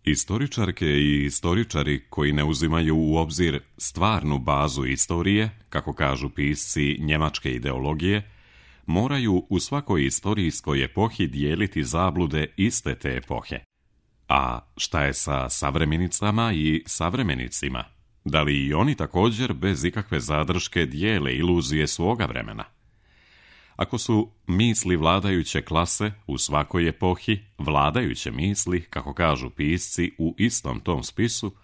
Istoričarke i istoričari koji ne uzimaju u obzir stvarnu bazu istorije, kako kažu pisci njemačke ideologije, moraju u svakoj istorijskoj epohi dijeliti zablude iste te epohe. A šta je sa savremenicama i savremenicima? Da li i oni također bez ikakve zadrške dijele iluzije svoga vremena? Ako su misli vladajuće klase u svakoj epohi vladajuće misli, kako kažu pisci u istom tom spisu,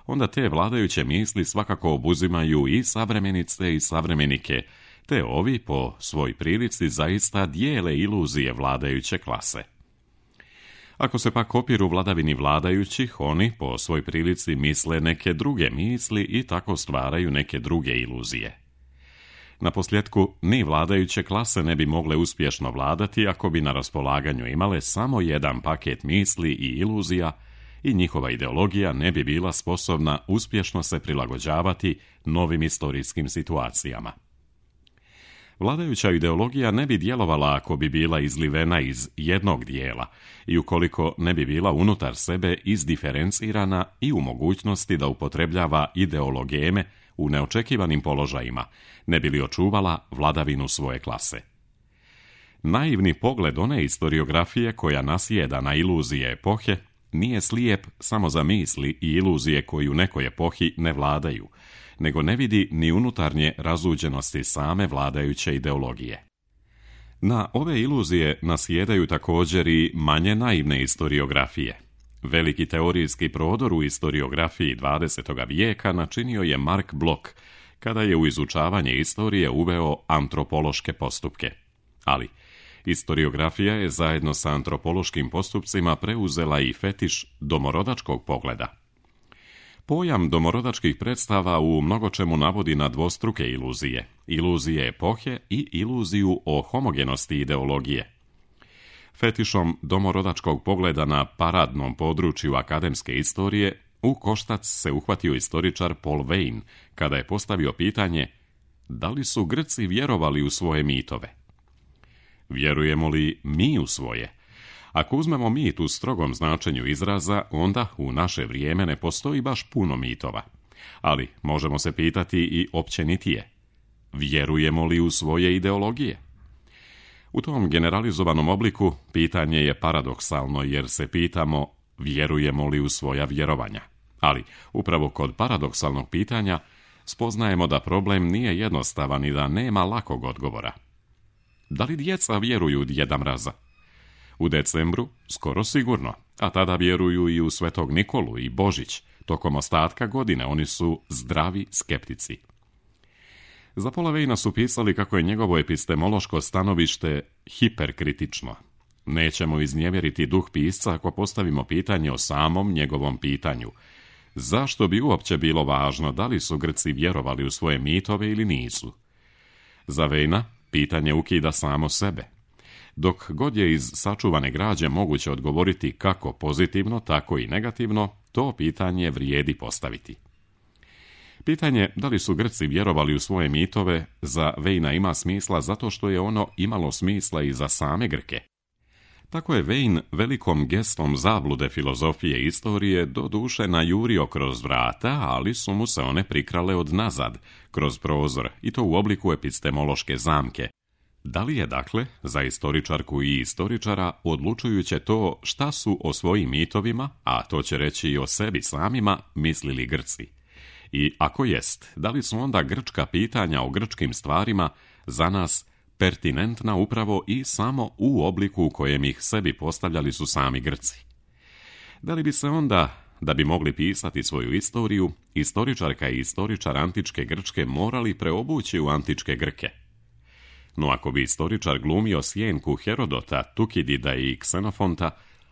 onda te vladajuće misli svakako obuzimaju i savremenice i savremenike, te ovi po svoj prilici zaista dijele iluzije vladajuće klase. Ako se pak opiru vladavini vladajućih, oni po svoj prilici misle neke druge misli i tako stvaraju neke druge iluzije. Naposljetku, ni vladajuće klase ne bi mogle uspješno vladati ako bi na raspolaganju imale samo jedan paket misli i iluzija i njihova ideologija ne bi bila sposobna uspješno se prilagođavati novim istorijskim situacijama. Vladajuća ideologija ne bi djelovala ako bi bila izlivena iz jednog dijela i ukoliko ne bi bila unutar sebe izdiferencirana i u mogućnosti da upotrebljava ideologeme u neočekivanim položajima, ne bi li očuvala vladavinu svoje klase. Naivni pogled one istoriografije koja nasjeda na iluzije epohe nije slijep samo za misli i iluzije koji u nekoj epohi ne vladaju, nego ne vidi ni unutarnje razuđenosti same vladajuće ideologije. Na ove iluzije nasjedaju također i manje naivne istoriografije. Veliki teorijski prodor u istoriografiji 20. vijeka načinio je Mark Bloch, kada je u izučavanje istorije uveo antropološke postupke. Ali, istoriografija je zajedno sa antropološkim postupcima preuzela i fetiš domorodačkog pogleda. Pojam domorodačkih predstava u mnogočemu navodi na dvostruke iluzije, iluzije epohe i iluziju o homogenosti ideologije. Fetišom domorodačkog pogleda na paradnom području akademske istorije u koštac se uhvatio istoričar Paul Veyne kada je postavio pitanje da li su Grci vjerovali u svoje mitove. Vjerujemo li mi u svoje? Ako uzmemo mit u strogom značenju izraza, onda u naše vrijeme ne postoji baš puno mitova. Ali možemo se pitati i općenitije. Vjerujemo li u svoje ideologije? U tom generalizovanom obliku pitanje je paradoksalno jer se pitamo vjerujemo li u svoja vjerovanja. Ali upravo kod paradoksalnog pitanja spoznajemo da problem nije jednostavan i da nema lakog odgovora. Da li djeca vjeruju u Djeda Mraza? U decembru skoro sigurno, a tada vjeruju i u Svetog Nikolu i Božić. Tokom ostatka godine oni su zdravi skeptici. Za Paula Veyna su pisali kako je njegovo epistemološko stanovište hiperkritično. Nećemo iznevjeriti duh pisca ako postavimo pitanje o samom njegovom pitanju. Zašto bi uopće bilo važno da li su Grci vjerovali u svoje mitove ili nisu? Za Veyna pitanje ukida samo sebe. Dok god je iz sačuvane građe moguće odgovoriti kako pozitivno, tako i negativno, to pitanje vrijedi postaviti. Pitanje da li su Grci vjerovali u svoje mitove za Veyna ima smisla zato što je ono imalo smisla i za same Grke. Tako je Veyne velikom gestom zablude filozofije i istorije doduše najurio kroz vrata, ali su mu se one prikrale od nazad, kroz prozor, i to u obliku epistemološke zamke. Da li je, dakle, za istoričarku i istoričara odlučujuće to šta su o svojim mitovima, a to će reći i o sebi samima, mislili Grci? I ako jest, da li su onda grčka pitanja o grčkim stvarima za nas pertinentna upravo i samo u obliku u kojem ih sebi postavljali su sami Grci? Da li bi se onda, da bi mogli pisati svoju istoriju, istoričarka i istoričar antičke Grčke morali preobući u antičke Grke? No ako bi istoričar glumio sjenku Herodota, Tukidida i Ksenofonta,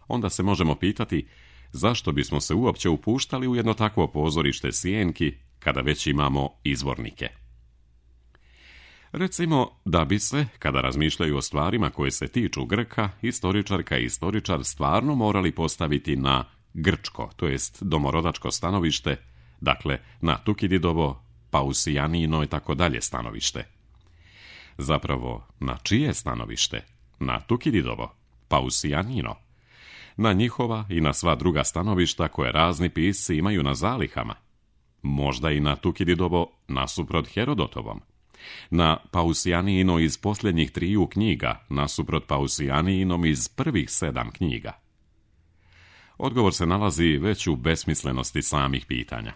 onda se možemo pitati zašto bismo se uopće upuštali u jedno takvo pozorište sjenki kada već imamo izvornike. Recimo da bi se, kada razmišljaju o stvarima koje se tiču Grka, istoričarka i istoričar stvarno morali postaviti na grčko, to jest domorodačko stanovište, dakle na Tukididovo, Pausijanino i tako dalje stanovište. Zapravo, na čije stanovište? Na Tukididovo, Pausijanino. na njihova i na sva druga stanovišta koje razni pisci imaju na zalihama, možda i na Tukididovo nasuprot Herodotovom, na Pausijaniino iz posljednjih 3 knjiga nasuprot Pausijaniinom iz prvih 7 knjiga. Odgovor se nalazi već u besmislenosti samih pitanja.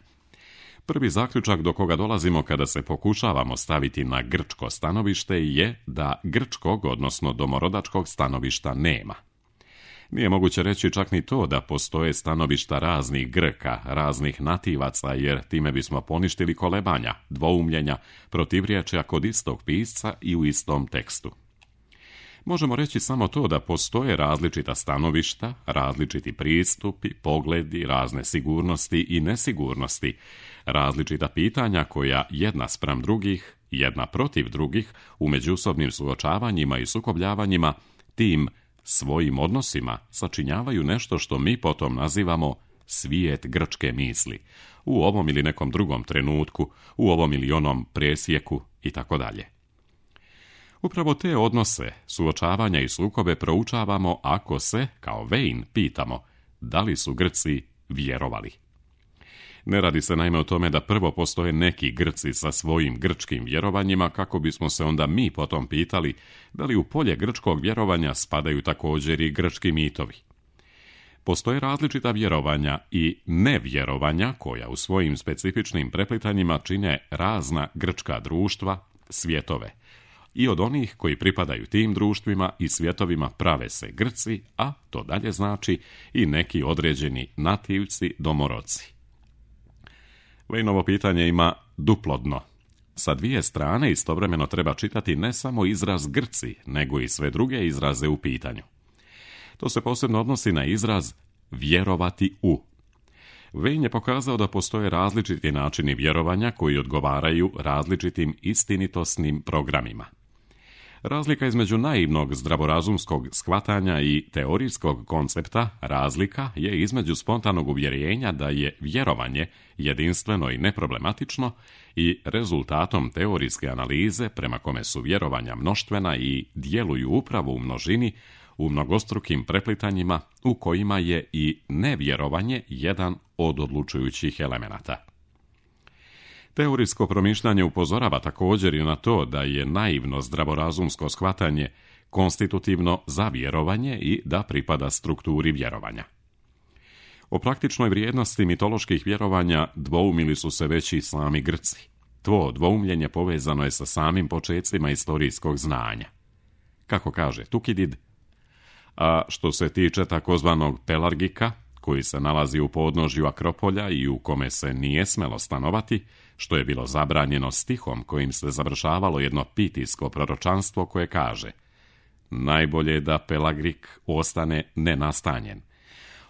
Prvi zaključak do koga dolazimo kada se pokušavamo staviti na grčko stanovište je da grčkog, odnosno domorodačkog stanovišta nema. Nije moguće reći čak ni to da postoje stanovišta raznih Grka, raznih nativaca, jer time bismo poništili kolebanja, dvoumljenja, protivriječja kod istog pisca i u istom tekstu. Možemo reći samo to da postoje različita stanovišta, različiti pristupi, pogledi, razne sigurnosti i nesigurnosti, različita pitanja koja jedna spram drugih, jedna protiv drugih, u međusobnim suočavanjima i sukobljavanjima, tim svojim odnosima sačinjavaju nešto što mi potom nazivamo svijet grčke misli, u ovom ili nekom drugom trenutku, u ovom ili onom presjeku itd. Upravo te odnose, suočavanja i sukobe proučavamo ako se, kao Vejn, pitamo da li su Grci vjerovali. Ne radi se naime o tome da prvo postoje neki Grci sa svojim grčkim vjerovanjima, kako bismo se onda mi potom pitali da li u polje grčkog vjerovanja spadaju također i grčki mitovi. Postoje različita vjerovanja i nevjerovanja koja u svojim specifičnim preplitanjima čine razna grčka društva, svjetove. I od onih koji pripadaju tim društvima i svjetovima prave se Grci, a to dalje znači i neki određeni nativci, domorodci. Vejnovo pitanje ima duplo dno. Sa 2 strane istovremeno treba čitati ne samo izraz Grci, nego i sve druge izraze u pitanju. To se posebno odnosi na izraz vjerovati u. Vejn je pokazao da postoje različiti načini vjerovanja koji odgovaraju različitim istinitosnim programima. Razlika između naivnog zdravorazumskog shvatanja i teorijskog koncepta razlika je između spontanog uvjerenja da je vjerovanje jedinstveno i neproblematično i rezultatom teorijske analize prema kome su vjerovanja mnoštvena i djeluju upravo u množini, u mnogostrukim preplitanjima u kojima je i nevjerovanje jedan od odlučujućih elemenata. Teorijsko promišljanje upozorava također i na to da je naivno zdravorazumsko shvatanje konstitutivno za vjerovanje i da pripada strukturi vjerovanja. O praktičnoj vrijednosti mitoloških vjerovanja dvoumili su se već i sami Grci. To dvoumljenje povezano je sa samim počecima istorijskog znanja. Kako kaže Tukidid, a što se tiče takozvanog Pelargika, koji se nalazi u podnožju Akropolja i u kome se nije smelo stanovati, što je bilo zabranjeno stihom kojim se završavalo jedno pitijsko proročanstvo koje kaže: najbolje je da Pelagrik ostane nenastanjen.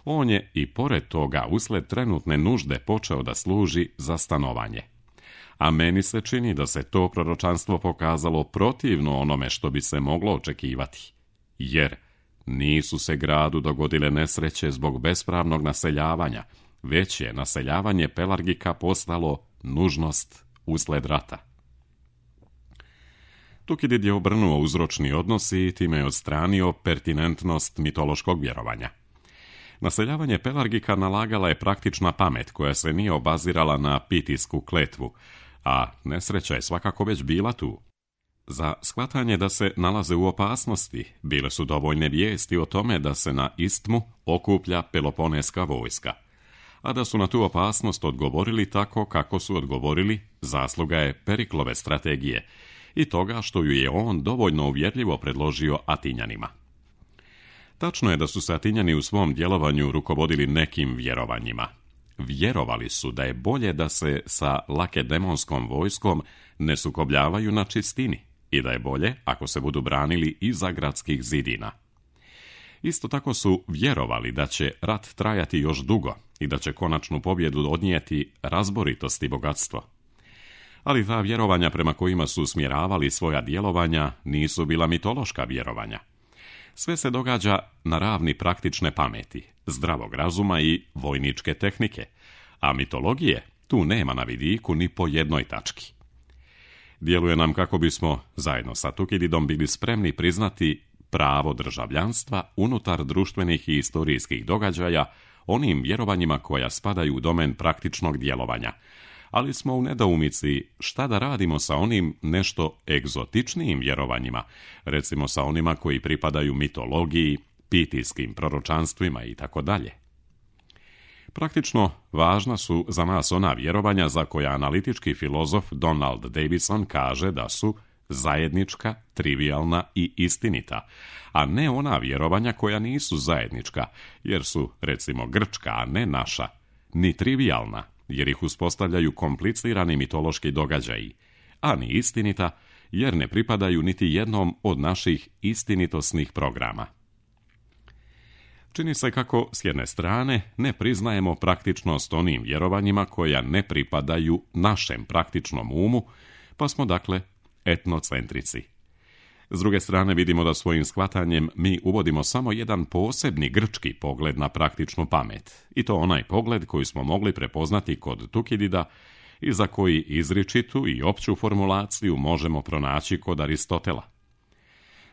On je i pored toga usled trenutne nužde počeo da služi za stanovanje. A meni se čini da se to proročanstvo pokazalo protivno onome što bi se moglo očekivati, jer nisu se gradu dogodile nesreće zbog bespravnog naseljavanja, već je naseljavanje Pelargika postalo nužnost usled rata. Tukidid je obrnuo uzročni odnos i time je odstranio pertinentnost mitološkog vjerovanja. Naseljavanje Pelargika nalagala je praktična pamet koja se nije obazirala na pitijsku kletvu, a nesreća je svakako već bila tu. Za shvatanje da se nalaze u opasnosti bile su dovoljne vijesti o tome da se na istmu okuplja peloponeska vojska. A da su na tu opasnost odgovorili tako kako su odgovorili, zasluga je Periklove strategije i toga što ju je on dovoljno uvjerljivo predložio Atinjanima. Tačno je da su se Atinjani u svom djelovanju rukovodili nekim vjerovanjima. Vjerovali su da je bolje da se sa lakedemonskom vojskom ne sukobljavaju na čistini i da je bolje ako se budu branili iza gradskih zidina. Isto tako su vjerovali da će rat trajati još dugo i da će konačnu pobjedu odnijeti razboritost i bogatstvo. Ali ta vjerovanja prema kojima su usmjeravali svoja djelovanja nisu bila mitološka vjerovanja. Sve se događa na ravni praktične pameti, zdravog razuma i vojničke tehnike, a mitologije tu nema na vidiku ni po jednoj tački. Djeluje nam kako bismo, zajedno sa Tukididom, bili spremni priznati pravo državljanstva unutar društvenih i historijskih događaja, onim vjerovanjima koja spadaju u domen praktičnog djelovanja. Ali smo u nedoumici šta da radimo sa onim nešto egzotičnijim vjerovanjima, recimo sa onima koji pripadaju mitologiji, pitijskim proročanstvima itd. Praktično važna su za nas ona vjerovanja za koja analitički filozof Donald Davison kaže da su zajednička, trivialna i istinita, a ne ona vjerovanja koja nisu zajednička, jer su, recimo, grčka, a ne naša, ni trivialna, jer ih uspostavljaju komplicirani mitološki događaji, a ni istinita, jer ne pripadaju niti jednom od naših istinitosnih programa. Čini se kako, s jedne strane, ne priznajemo praktičnost onim vjerovanjima koja ne pripadaju našem praktičnom umu, pa smo, dakle, etnocentrici. S druge strane, vidimo da svojim shvatanjem mi uvodimo samo jedan posebni grčki pogled na praktičnu pamet, i to onaj pogled koji smo mogli prepoznati kod Tukidida i za koji izričitu i opću formulaciju možemo pronaći kod Aristotela.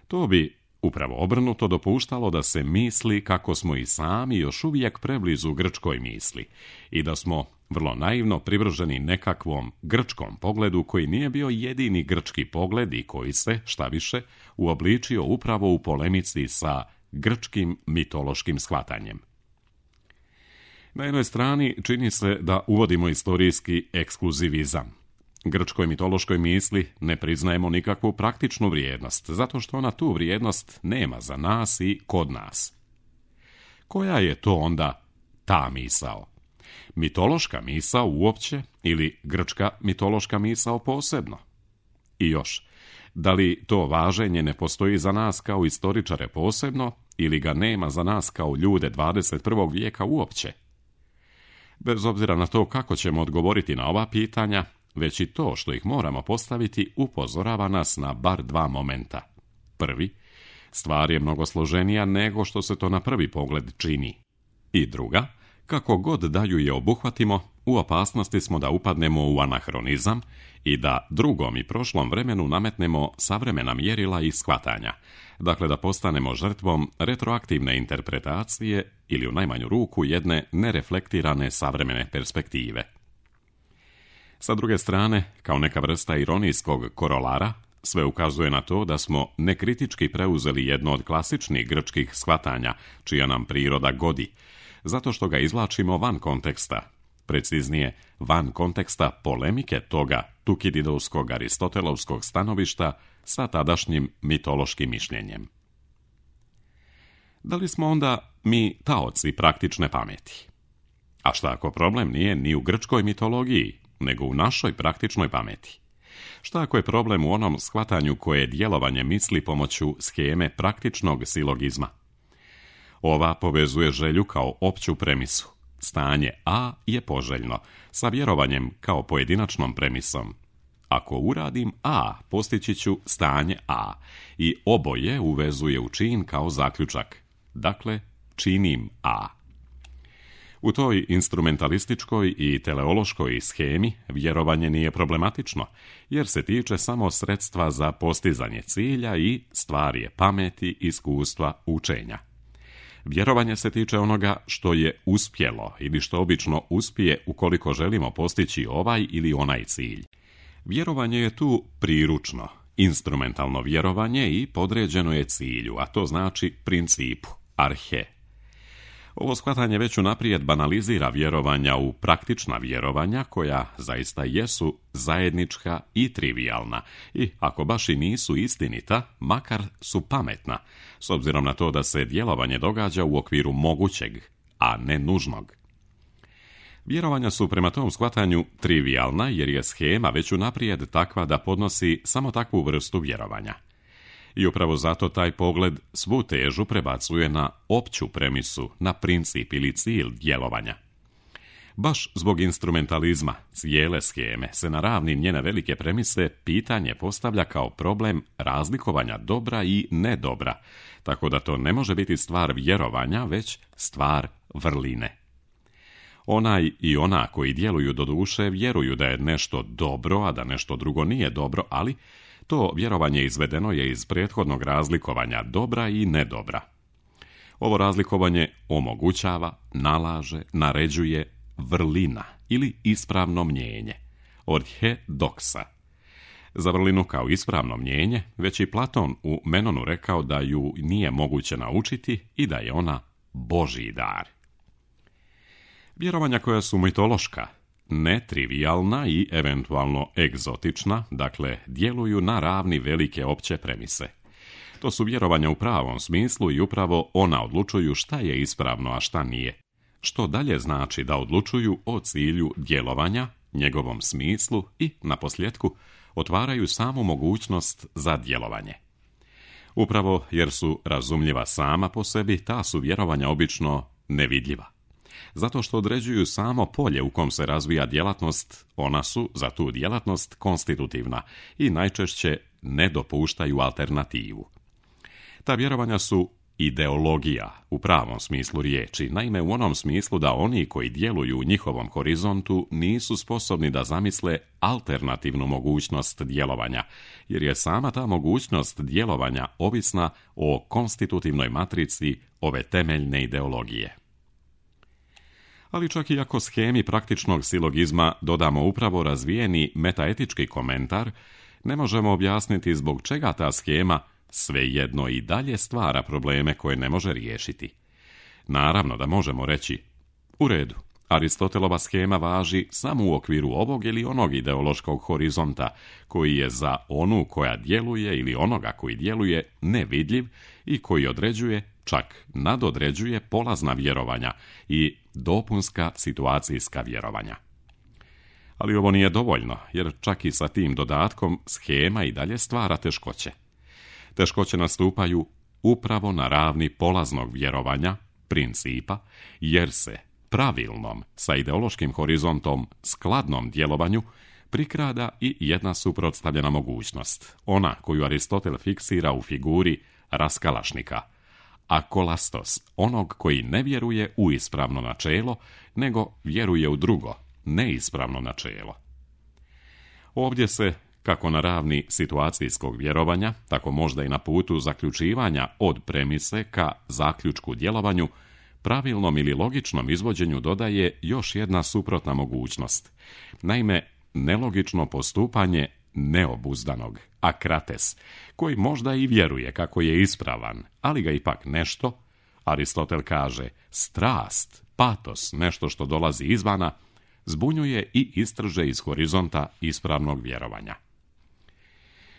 To bi upravo obrnuto dopuštalo da se misli kako smo i sami još uvijek preblizu grčkoj misli i da smo vrlo naivno privrženi nekakvom grčkom pogledu koji nije bio jedini grčki pogled i koji se, šta više, uobličio upravo u polemici sa grčkim mitološkim shvatanjem. Na jednoj strani čini se da uvodimo istorijski ekskluzivizam. Grčkoj mitološkoj misli ne priznajemo nikakvu praktičnu vrijednost, zato što ona tu vrijednost nema za nas i kod nas. Koja je to onda ta misao? Mitološka misao uopće ili grčka mitološka misao posebno? I još, da li to važenje ne postoji za nas kao istoričare posebno ili ga nema za nas kao ljude 21. vijeka uopće? Bez obzira na to kako ćemo odgovoriti na ova pitanja, već i to što ih moramo postaviti upozorava nas na bar dva momenta. Prvi, stvar je mnogo složenija nego što se to na prvi pogled čini. I druga, kako god da ju je obuhvatimo, u opasnosti smo da upadnemo u anahronizam i da drugom i prošlom vremenu nametnemo savremena mjerila i shvatanja, dakle da postanemo žrtvom retroaktivne interpretacije ili u najmanju ruku jedne nereflektirane savremene perspektive. Sa druge strane, kao neka vrsta ironijskog korolara, sve ukazuje na to da smo nekritički preuzeli jedno od klasičnih grčkih shvatanja, čija nam priroda godi, zato što ga izvlačimo van konteksta, preciznije, van konteksta polemike toga tukididovskog aristotelovskog stanovišta sa tadašnjim mitološkim mišljenjem. Da li smo onda mi taoci praktične pameti? A šta ako problem nije ni u grčkoj mitologiji, nego u našoj praktičnoj pameti? Šta ako je problem u onom shvatanju koje djelovanje misli pomoću sheme praktičnog silogizma? Ova povezuje želju kao opću premisu. Stanje A je poželjno, sa vjerovanjem kao pojedinačnom premisom. Ako uradim A, postići ću stanje A i oboje uvezuje u čin kao zaključak. Dakle, činim A. U toj instrumentalističkoj i teleološkoj shemi vjerovanje nije problematično, jer se tiče samo sredstva za postizanje cilja i stvar je pameti, iskustva, učenja. Vjerovanje se tiče onoga što je uspjelo ili što obično uspije ukoliko želimo postići ovaj ili onaj cilj. Vjerovanje je tu priručno, instrumentalno vjerovanje i podređeno je cilju, a to znači principu, arhe. Ovo shvatanje već unaprijed banalizira vjerovanja u praktična vjerovanja koja zaista jesu zajednička i trivialna i ako baš i nisu istinita, makar su pametna, s obzirom na to da se djelovanje događa u okviru mogućeg, a ne nužnog. Vjerovanja su prema tom shvatanju trivialna jer je shema već unaprijed takva da podnosi samo takvu vrstu vjerovanja. I upravo zato taj pogled svu težu prebacuje na opću premisu, na princip ili cilj djelovanja. Baš zbog instrumentalizma cijele sheme se na ravni njene velike premise pitanje postavlja kao problem razlikovanja dobra i nedobra, tako da to ne može biti stvar vjerovanja, već stvar vrline. Onaj i ona koji djeluju do duše vjeruju da je nešto dobro, a da nešto drugo nije dobro, ali To vjerovanje izvedeno je iz prethodnog razlikovanja dobra i nedobra. Ovo razlikovanje omogućava, nalaže, naređuje vrlina ili ispravno mnjenje, orthodoxa. Za vrlinu kao ispravno mnjenje, već i Platon u Menonu rekao da ju nije moguće naučiti i da je ona Božji dar. Vjerovanja koja su mitološka, netrivijalna i eventualno egzotična, dakle, djeluju na ravni velike opće premise. To su vjerovanja u pravom smislu i upravo ona odlučuju šta je ispravno, a šta nije. Što dalje znači da odlučuju o cilju djelovanja, njegovom smislu i, naposljetku, otvaraju samu mogućnost za djelovanje. Upravo jer su razumljiva sama po sebi, ta su vjerovanja obično nevidljiva. Zato što određuju samo polje u kom se razvija djelatnost, ona su za tu djelatnost konstitutivna i najčešće ne dopuštaju alternativu. Ta vjerovanja su ideologija u pravom smislu riječi, naime u onom smislu da oni koji djeluju u njihovom horizontu nisu sposobni da zamisle alternativnu mogućnost djelovanja, jer je sama ta mogućnost djelovanja ovisna o konstitutivnoj matrici ove temeljne ideologije. Ali čak i ako shemi praktičnog silogizma dodamo upravo razvijeni metaetički komentar, ne možemo objasniti zbog čega ta shema svejedno i dalje stvara probleme koje ne može riješiti. Naravno da možemo reći, u redu, Aristotelova shema važi samo u okviru ovog ili onog ideološkog horizonta, koji je za onu koja djeluje ili onoga koji djeluje nevidljiv i koji određuje, čak nadodređuje polazna vjerovanja i dopunska situacijska vjerovanja. Ali ovo nije dovoljno, jer čak i sa tim dodatkom shema i dalje stvara teškoće. Teškoće nastupaju upravo na ravni polaznog vjerovanja, principa, jer se pravilnom, sa ideološkim horizontom, skladnom djelovanju prikrada i jedna suprotstavljena mogućnost, ona koju Aristotel fiksira u figuri raskalašnika, akolastos, onog koji ne vjeruje u ispravno načelo, nego vjeruje u drugo, neispravno načelo. Ovdje se, kako na ravni situacijskog vjerovanja, tako možda i na putu zaključivanja od premise ka zaključku djelovanju, pravilnom ili logičnom izvođenju dodaje još jedna suprotna mogućnost. Naime, nelogično postupanje neobuzdanog, akrates, koji možda i vjeruje kako je ispravan, ali ga ipak nešto, Aristotel kaže, strast, patos, nešto što dolazi izvana, zbunjuje i istrže iz horizonta ispravnog vjerovanja.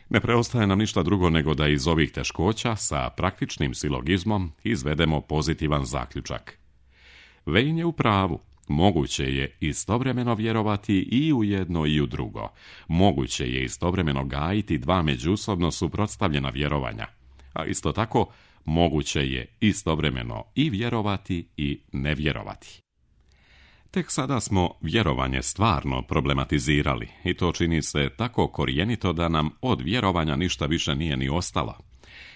Ne preostaje nam ništa drugo nego da iz ovih teškoća sa praktičnim silogizmom izvedemo pozitivan zaključak. Vein je u pravu. Moguće je istovremeno vjerovati i u jedno i u drugo. Moguće je istovremeno gajiti dva međusobno suprotstavljena vjerovanja. A isto tako, moguće je istovremeno i vjerovati i ne vjerovati. Tek sada smo vjerovanje stvarno problematizirali i to čini se tako korijenito da nam od vjerovanja ništa više nije ni ostalo.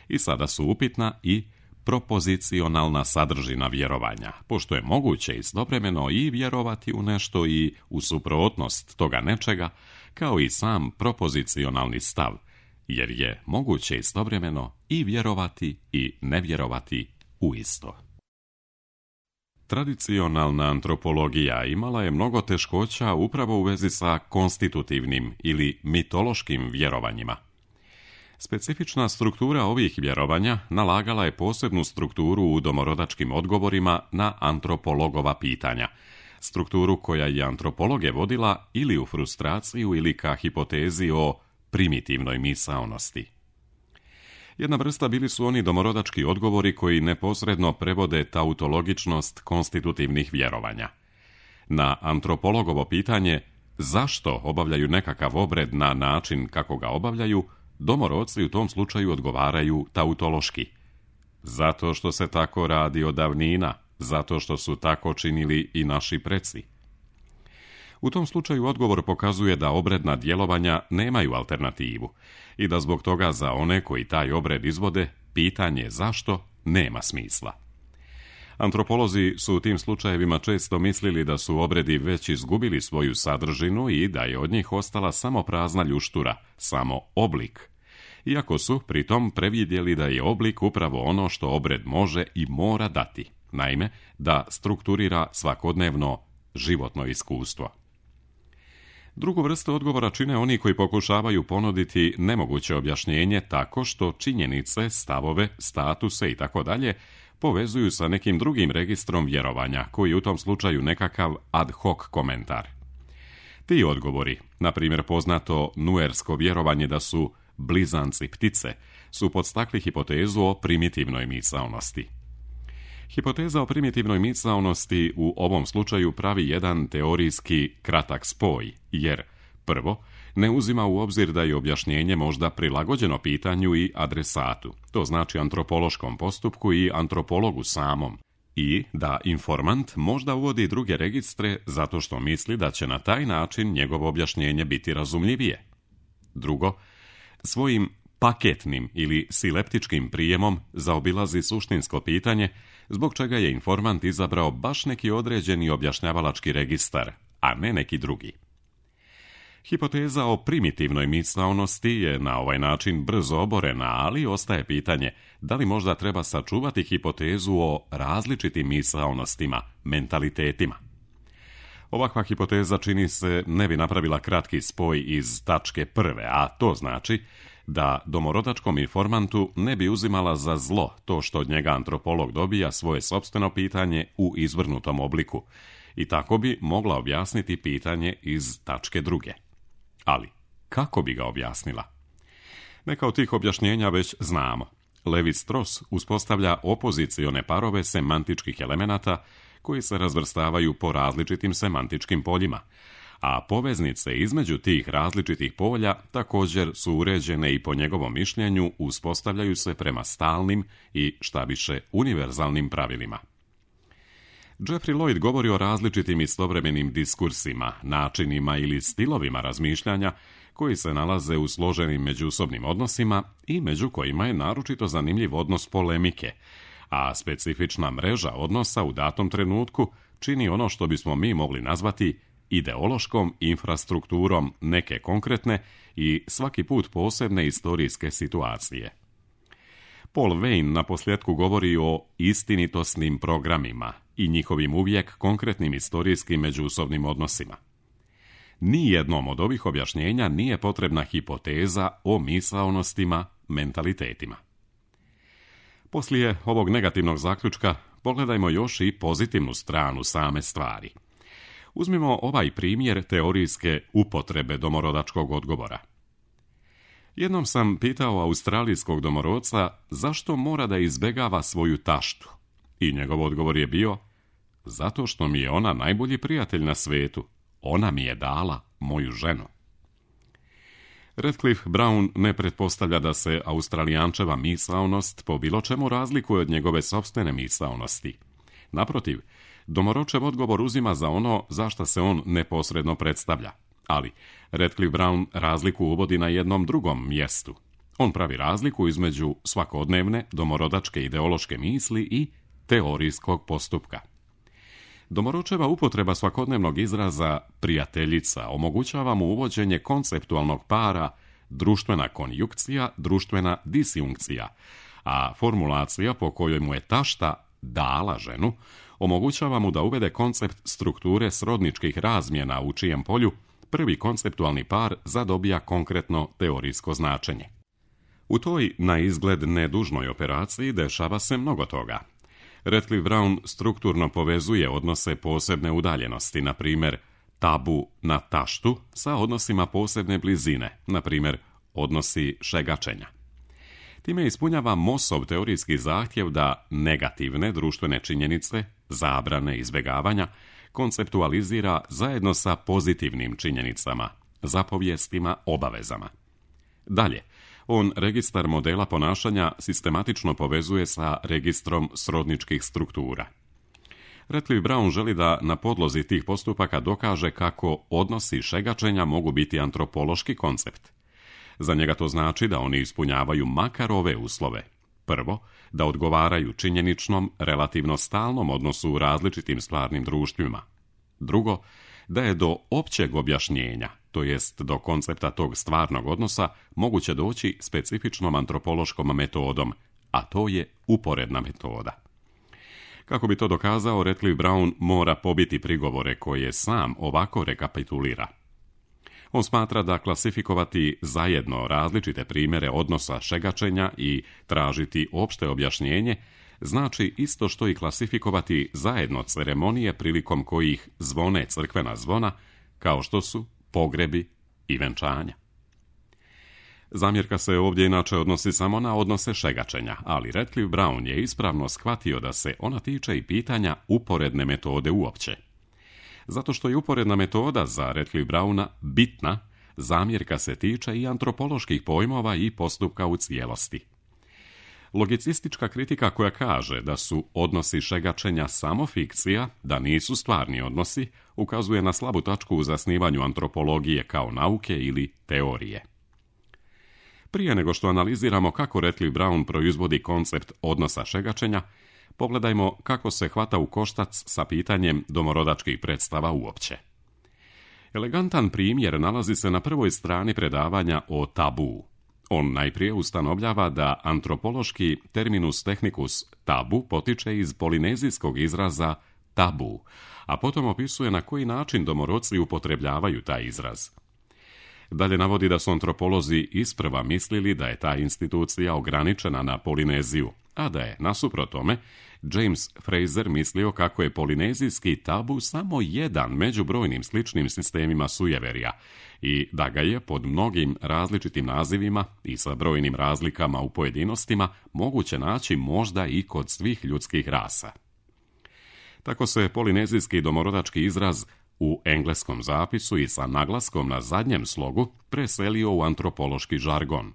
I sada su upitna i propozicionalna sadržina vjerovanja, pošto je moguće istovremeno i vjerovati u nešto i u suprotnost toga nečega, kao i sam propozicionalni stav, jer je moguće istovremeno i vjerovati i ne vjerovati u isto. Tradicionalna antropologija imala je mnogo teškoća upravo u vezi sa konstitutivnim ili mitološkim vjerovanjima. Specifična struktura ovih vjerovanja nalagala je posebnu strukturu u domorodačkim odgovorima na antropologova pitanja, strukturu koja je antropologe vodila ili u frustraciju ili ka hipotezi o primitivnoj misaonosti. Jedna vrsta bili su oni domorodački odgovori koji neposredno prevode tautologičnost konstitutivnih vjerovanja. Na antropologovo pitanje zašto obavljaju nekakav obred na način kako ga obavljaju, domorodci u tom slučaju odgovaraju tautološki. Zato što se tako radi od davnina, zato što su tako činili i naši preci. U tom slučaju odgovor pokazuje da obredna djelovanja nemaju alternativu i da zbog toga za one koji taj obred izvode, pitanje zašto nema smisla. Antropolozi su u tim slučajevima često mislili da su obredi već izgubili svoju sadržinu i da je od njih ostala samo prazna ljuštura, samo oblik, iako su pritom previdjeli da je oblik upravo ono što obred može i mora dati, naime, da strukturira svakodnevno životno iskustvo. Drugu vrstu odgovora čine oni koji pokušavaju ponuditi nemoguće objašnjenje tako što činjenice, stavove, statuse itd. povezuju sa nekim drugim registrom vjerovanja, koji je u tom slučaju nekakav ad hoc komentar. Ti odgovori, na primjer poznato nuersko vjerovanje da su blizanci ptice, su podstakli hipotezu o primitivnoj misaonosti. Hipoteza o primitivnoj misaonosti u ovom slučaju pravi jedan teorijski kratak spoj, jer, prvo, ne uzima u obzir da je objašnjenje možda prilagođeno pitanju i adresatu, to znači antropološkom postupku i antropologu samom, i da informant možda uvodi druge registre zato što misli da će na taj način njegovo objašnjenje biti razumljivije. Drugo, svojim paketnim ili sileptičkim prijemom zaobilazi suštinsko pitanje zbog čega je informant izabrao baš neki određeni objašnjavalački registar, a ne neki drugi. Hipoteza o primitivnoj misaonosti je na ovaj način brzo oborena, ali ostaje pitanje da li možda treba sačuvati hipotezu o različitim misaonostima, mentalitetima. Ovakva hipoteza čini se ne bi napravila kratki spoj iz tačke prve, a to znači da domorodačkom informantu ne bi uzimala za zlo to što od njega antropolog dobija svoje sopstveno pitanje u izvrnutom obliku i tako bi mogla objasniti pitanje iz tačke druge. Ali, kako bi ga objasnila? Neka od tih objašnjenja već znamo. Levi-Strauss uspostavlja opozicione parove semantičkih elemenata koji se razvrstavaju po različitim semantičkim poljima, a poveznice između tih različitih polja također su uređene i po njegovom mišljenju uspostavljaju se prema stalnim i šta više univerzalnim pravilima. Jeffrey Lloyd govori o različitim istovremenim diskursima, načinima ili stilovima razmišljanja koji se nalaze u složenim međusobnim odnosima i među kojima je naročito zanimljiv odnos polemike, a specifična mreža odnosa u datom trenutku čini ono što bismo mi mogli nazvati ideološkom infrastrukturom neke konkretne i svaki put posebne istorijske situacije. Paul Veyne naposljetku govori o istinitosnim programima i njihovim uvijek konkretnim istorijskim međusobnim odnosima. Nijednom od ovih objašnjenja nije potrebna hipoteza o misaonostima, mentalitetima. Poslije ovog negativnog zaključka pogledajmo još i pozitivnu stranu same stvari. Uzmimo ovaj primjer teorijske upotrebe domorodačkog odgovora. Jednom sam pitao australijskog domorodca zašto mora da izbegava svoju taštu. I njegov odgovor je bio: zato što mi je ona najbolji prijatelj na svetu. Ona mi je dala moju ženu. Radcliffe Brown ne pretpostavlja da se Australijančeva misaonost po bilo čemu razlikuje od njegove sopstvene misaonosti. Naprotiv, domoročev odgovor uzima za ono za šta se on neposredno predstavlja. Ali Radcliffe Brown razliku uvodi na jednom drugom mjestu. On pravi razliku između svakodnevne domorodačke ideološke misli i teorijskog postupka. Domoročeva upotreba svakodnevnog izraza prijateljica omogućava mu uvođenje konceptualnog para društvena konjukcija, društvena disjunkcija, a formulacija po kojoj mu je tašta dala ženu omogućava mu da uvede koncept strukture srodničkih razmjena u čijem polju prvi konceptualni par zadobija konkretno teorijsko značenje. U toj na izgled nedužnoj operaciji dešava se mnogo toga. Radcliffe Brown strukturno povezuje odnose posebne udaljenosti, na primjer tabu na taštu, sa odnosima posebne blizine, na primjer odnosi šegačenja. Time ispunjava Mossov teorijski zahtjev da negativne društvene činjenice, zabrane, izbjegavanja, konceptualizira zajedno sa pozitivnim činjenicama, zapovijestima, obavezama. Dalje, on registar modela ponašanja sistematično povezuje sa registrom srodničkih struktura. Radcliffe Brown želi da na podlozi tih postupaka dokaže kako odnosi šegačenja mogu biti antropološki koncept. Za njega to znači da oni ispunjavaju makar ove uslove. Prvo, da odgovaraju činjeničnom, relativno stalnom odnosu u različitim stvarnim društvima. Drugo, da je do općeg objašnjenja, to jest do koncepta tog stvarnog odnosa, moguće doći specifičnom antropološkom metodom, a to je uporedna metoda. Kako bi to dokazao, Radcliffe Brown mora pobiti prigovore koje sam ovako rekapitulira. On smatra da klasifikovati zajedno različite primjere odnosa šegačenja i tražiti opšte objašnjenje znači isto što i klasifikovati zajedno ceremonije prilikom kojih zvone crkvena zvona, kao što su pogrebi i venčanja. Zamjerka se ovdje inače odnosi samo na odnose šegačenja, ali Radcliffe Brown je ispravno shvatio da se ona tiče i pitanja uporedne metode uopće. Zato što je uporedna metoda za Radcliffe Browna bitna, zamjerka se tiče i antropoloških pojmova i postupka u cijelosti. Logicistička kritika koja kaže da su odnosi šegačenja samo fikcija, da nisu stvarni odnosi, ukazuje na slabu tačku u zasnivanju antropologije kao nauke ili teorije. Prije nego što analiziramo kako Radcliffe Brown proizvodi koncept odnosa šegačenja, pogledajmo kako se hvata u koštac sa pitanjem domorodačkih predstava uopće. Elegantan primjer nalazi se na prvoj strani predavanja o tabu. On najprije ustanovljava da antropološki terminus technicus tabu potiče iz polinezijskog izraza tabu, a potom opisuje na koji način domorodci upotrebljavaju taj izraz. Dalje navodi da su antropolozi isprva mislili da je ta institucija ograničena na Polineziju, a da je, nasuprot tome, James Fraser mislio kako je polinezijski tabu samo jedan među brojnim sličnim sistemima sujeverja i da ga je pod mnogim različitim nazivima i sa brojnim razlikama u pojedinostima moguće naći možda i kod svih ljudskih rasa. Tako se polinezijski domorodački izraz u engleskom zapisu i sa naglaskom na zadnjem slogu preselio u antropološki žargon.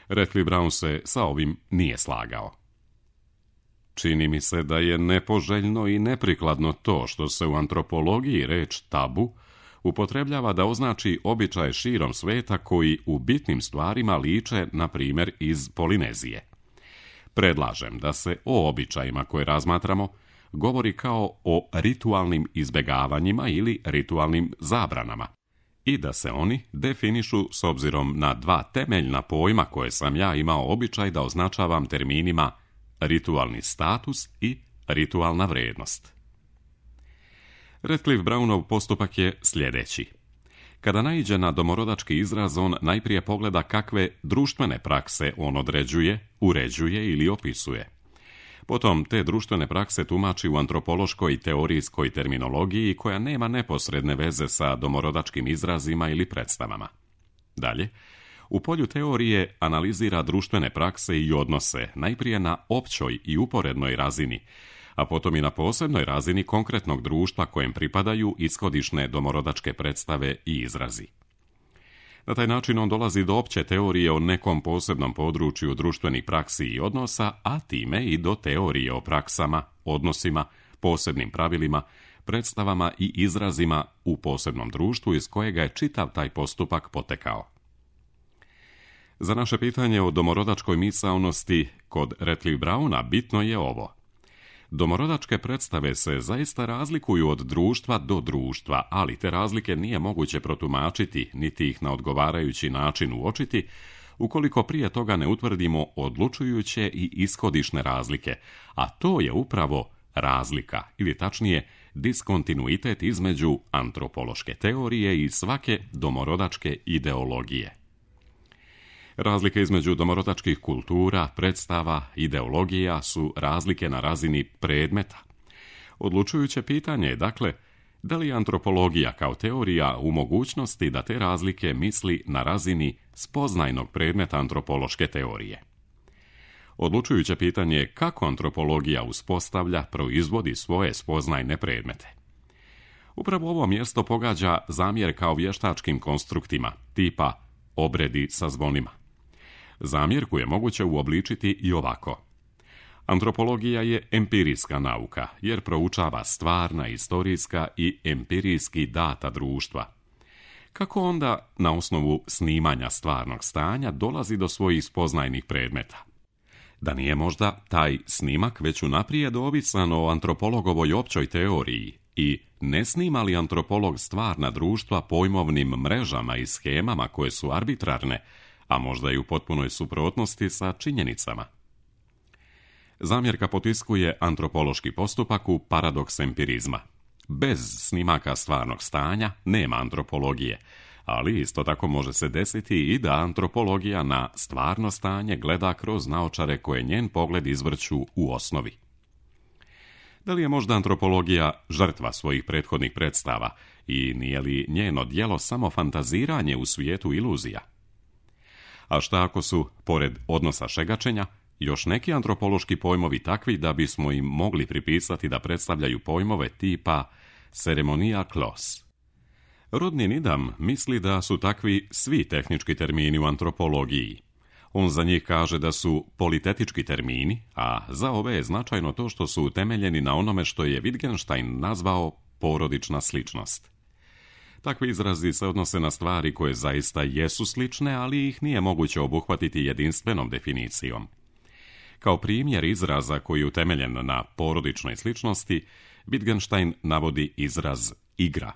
Radcliffe Brown se sa ovim nije slagao. Čini mi se da je nepoželjno i neprikladno to što se u antropologiji reč tabu upotrebljava da označi običaje širom sveta koji u bitnim stvarima liče, na primjer, iz Polinezije. Predlažem da se o običajima koje razmatramo govori kao o ritualnim izbjegavanjima ili ritualnim zabranama i da se oni definišu s obzirom na dva temeljna pojma koje sam ja imao običaj da označavam terminima ritualni status i ritualna vrijednost. Radcliffe Brownov postupak je sljedeći. Kada naiđe na domorodački izraz, on najprije pogleda kakve društvene prakse on određuje, uređuje ili opisuje. Potom te društvene prakse tumači u antropološkoj i teorijskoj terminologiji koja nema neposredne veze sa domorodačkim izrazima ili predstavama. Dalje, u polju teorije analizira društvene prakse i odnose najprije na općoj i uporednoj razini, a potom i na posebnoj razini konkretnog društva kojem pripadaju ishodišne domorodačke predstave i izrazi. Na taj način on dolazi do opće teorije o nekom posebnom području društvenih praksi i odnosa, a time i do teorije o praksama, odnosima, posebnim pravilima, predstavama i izrazima u posebnom društvu iz kojega je čitav taj postupak potekao. Za naše pitanje o domorodačkoj misaonosti kod Radcliffe Browna bitno je ovo. Domorodačke predstave se zaista razlikuju od društva do društva, ali te razlike nije moguće protumačiti, niti ih na odgovarajući način uočiti, ukoliko prije toga ne utvrdimo odlučujuće i ishodišne razlike, a to je upravo razlika, ili tačnije diskontinuitet između antropološke teorije i svake domorodačke ideologije. Razlike između domorodačkih kultura, predstava, ideologija su razlike na razini predmeta. Odlučujuće pitanje je, dakle, da li je antropologija kao teorija u mogućnosti da te razlike misli na razini spoznajnog predmeta antropološke teorije. Odlučujuće pitanje je kako antropologija uspostavlja, proizvodi svoje spoznajne predmete. Upravo ovo mjesto pogađa zamjerka o vještačkim konstruktima, tipa obredi sa zvonima. Zamjerku je moguće uobličiti i ovako. Antropologija je empirijska nauka, jer proučava stvarna, istorijska i empirijski data društva. Kako onda, na osnovu snimanja stvarnog stanja, dolazi do svojih spoznajnih predmeta? Da nije možda taj snimak već unaprijed ovisan o antropologovoj općoj teoriji, I ne snima li antropolog stvarna društva pojmovnim mrežama i shemama koje su arbitrarne, a možda i u potpunoj suprotnosti sa činjenicama? Zamjerka potiskuje antropološki postupak u paradoks empirizma. Bez snimaka stvarnog stanja nema antropologije, ali isto tako može se desiti i da antropologija na stvarno stanje gleda kroz naočare koje njen pogled izvrću u osnovi. Da li je možda antropologija žrtva svojih prethodnih predstava i nije li njeno djelo samo fantaziranje u svijetu iluzija? A šta ako su, pored odnosa šegačenja, još neki antropološki pojmovi takvi da bismo im mogli pripisati da predstavljaju pojmove tipa ceremonia klos? Rodni Nidam misli da su takvi svi tehnički termini u antropologiji. On za njih kaže da su politetički termini, a za ove je značajno to što su utemeljeni na onome što je Wittgenstein nazvao porodična sličnost. Takvi izrazi se odnose na stvari koje zaista jesu slične, ali ih nije moguće obuhvatiti jedinstvenom definicijom. Kao primjer izraza koji je utemeljen na porodičnoj sličnosti, Wittgenstein navodi izraz igra.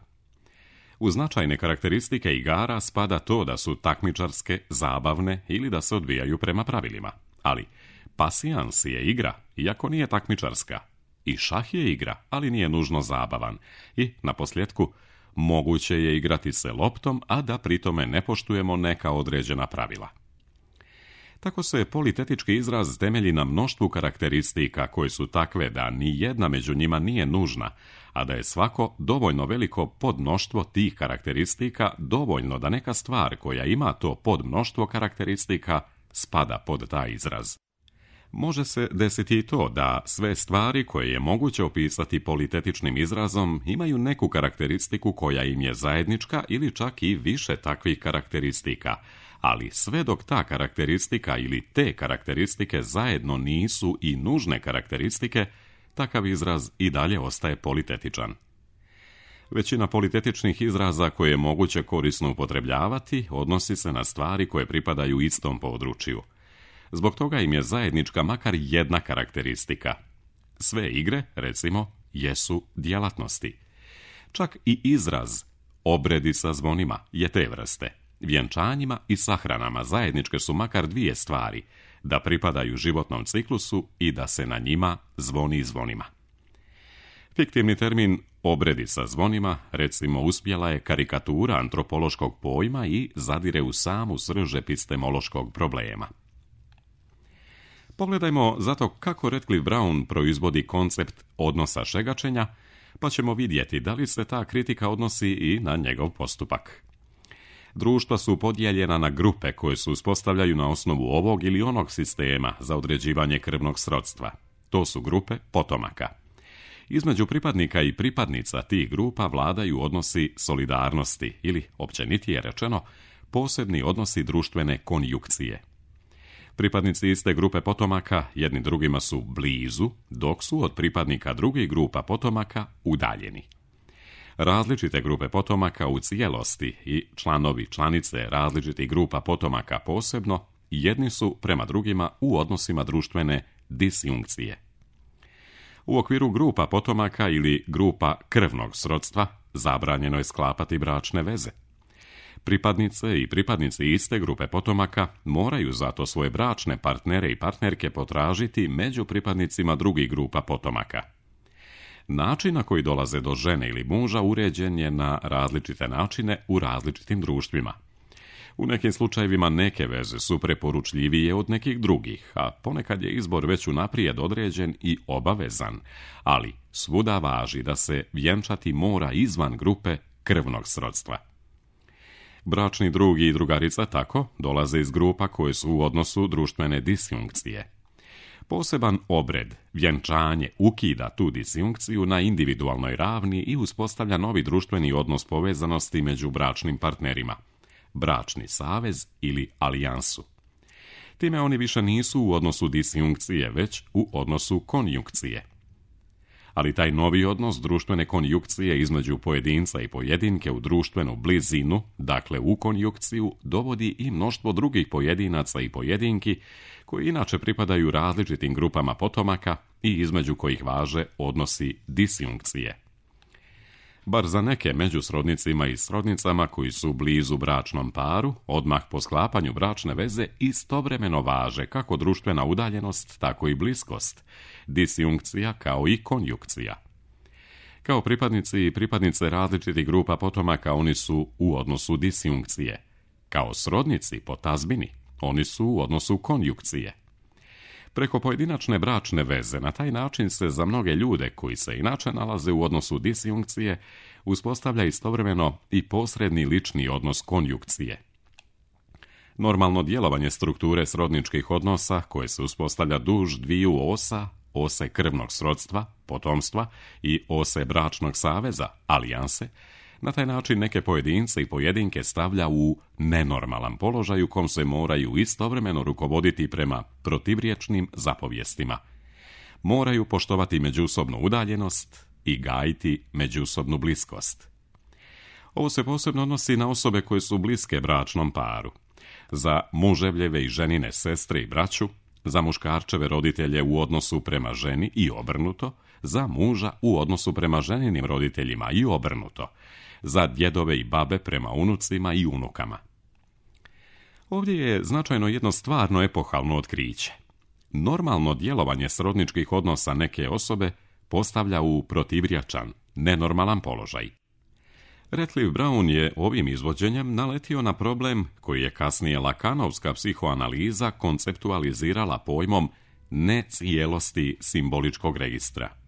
U značajne karakteristike igara spada to da su takmičarske, zabavne ili da se odvijaju prema pravilima. Ali pasijans je igra, iako nije takmičarska. I šah je igra, ali nije nužno zabavan. I, naposljetku, moguće je igrati se loptom, a da pritome ne poštujemo neka određena pravila. Tako se politetički izraz temelji na mnoštvu karakteristika koje su takve da ni jedna među njima nije nužna, a da je svako dovoljno veliko podmnoštvo tih karakteristika dovoljno da neka stvar koja ima to podmnoštvo karakteristika spada pod taj izraz. Može se desiti i to da sve stvari koje je moguće opisati politetičnim izrazom imaju neku karakteristiku koja im je zajednička ili čak i više takvih karakteristika, ali sve dok ta karakteristika ili te karakteristike zajedno nisu i nužne karakteristike, takav izraz i dalje ostaje politetičan. Većina politetičnih izraza koje je moguće korisno upotrebljavati odnosi se na stvari koje pripadaju istom području. Zbog toga im je zajednička makar jedna karakteristika. Sve igre, recimo, jesu djelatnosti. Čak i izraz obredi sa zvonima je te vrste. Vjenčanjima i sahranama zajedničke su makar dvije stvari, da pripadaju životnom ciklusu i da se na njima zvoni zvonima. Fiktivni termin obredi sa zvonima, recimo, uspjela je karikatura antropološkog pojma i zadire u samu srž epistemološkog problema. Pogledajmo zato kako Radcliffe Brown proizvodi koncept odnosa šegačenja, pa ćemo vidjeti da li se ta kritika odnosi i na njegov postupak. Društva su podijeljena na grupe koje se uspostavljaju na osnovu ovog ili onog sistema za određivanje krvnog srodstva. To su grupe potomaka. Između pripadnika i pripadnica tih grupa vladaju odnosi solidarnosti ili, općenitije rečeno, posebni odnosi društvene konjukcije. Pripadnici iste grupe potomaka jedni drugima su blizu, dok su od pripadnika drugih grupa potomaka udaljeni. Različite grupe potomaka u cijelosti i članovi članice različitih grupa potomaka posebno, jedni su prema drugima u odnosima društvene disjunkcije. U okviru grupa potomaka ili grupa krvnog srodstva zabranjeno je sklapati bračne veze. Pripadnice i pripadnici iste grupe potomaka moraju zato svoje bračne partnere i partnerke potražiti među pripadnicima drugih grupa potomaka. Način na koji dolaze do žene ili muža uređen je na različite načine u različitim društvima. U nekim slučajevima neke veze su preporučljivije od nekih drugih, a ponekad je izbor već unaprijed određen i obavezan, ali svuda važi da se vjenčati mora izvan grupe krvnog srodstva. Bračni drug i drugarica tako dolaze iz grupa koje su u odnosu društvene disjunkcije. Poseban obred, vjenčanje, ukida tu disjunkciju na individualnoj ravni i uspostavlja novi društveni odnos povezanosti među bračnim partnerima, bračni savez ili alijansu. Time oni više nisu u odnosu disjunkcije, već u odnosu konjunkcije. Ali taj novi odnos društvene konjukcije između pojedinca i pojedinke u društvenu blizinu, dakle u konjukciju, dovodi i mnoštvo drugih pojedinaca i pojedinki koji inače pripadaju različitim grupama potomaka i između kojih važe odnosi disjunkcije. bar za neke među srodnicima i srodnicama koji su blizu bračnom paru, odmah po sklapanju bračne veze istovremeno važe kako društvena udaljenost, tako i bliskost, disjunkcija kao i konjukcija. Kao pripadnici i pripadnice različitih grupa potomaka oni su u odnosu disjunkcije. Kao srodnici po tazbini oni su u odnosu konjukcije. Preko pojedinačne bračne veze na taj način se za mnoge ljude koji se inače nalaze u odnosu disjunkcije uspostavlja istovremeno i posredni lični odnos konjukcije. Normalno djelovanje strukture srodničkih odnosa koje se uspostavlja duž dviju osa, ose krvnog srodstva, potomstva i ose bračnog saveza, alijanse, na taj način neke pojedince i pojedinke stavlja u nenormalan položaj u kom se moraju istovremeno rukovoditi prema protivriječnim zapovjestima. Moraju poštovati međusobnu udaljenost i gajiti međusobnu bliskost. Ovo se posebno odnosi na osobe koje su bliske bračnom paru. Za muževljeve i ženine sestre i braću, za muškarčeve roditelje u odnosu prema ženi i obrnuto, za muža u odnosu prema ženinim roditeljima i obrnuto, za djedove i babe prema unucima i unukama. Ovdje je značajno jedno stvarno epohalno otkriće. Normalno djelovanje srodničkih odnosa neke osobe postavlja u protivriječan, nenormalan položaj. Radcliffe Brown je ovim izvođenjem naletio na problem koji je kasnije lakanovska psihoanaliza konceptualizirala pojmom necijelosti simboličkog registra.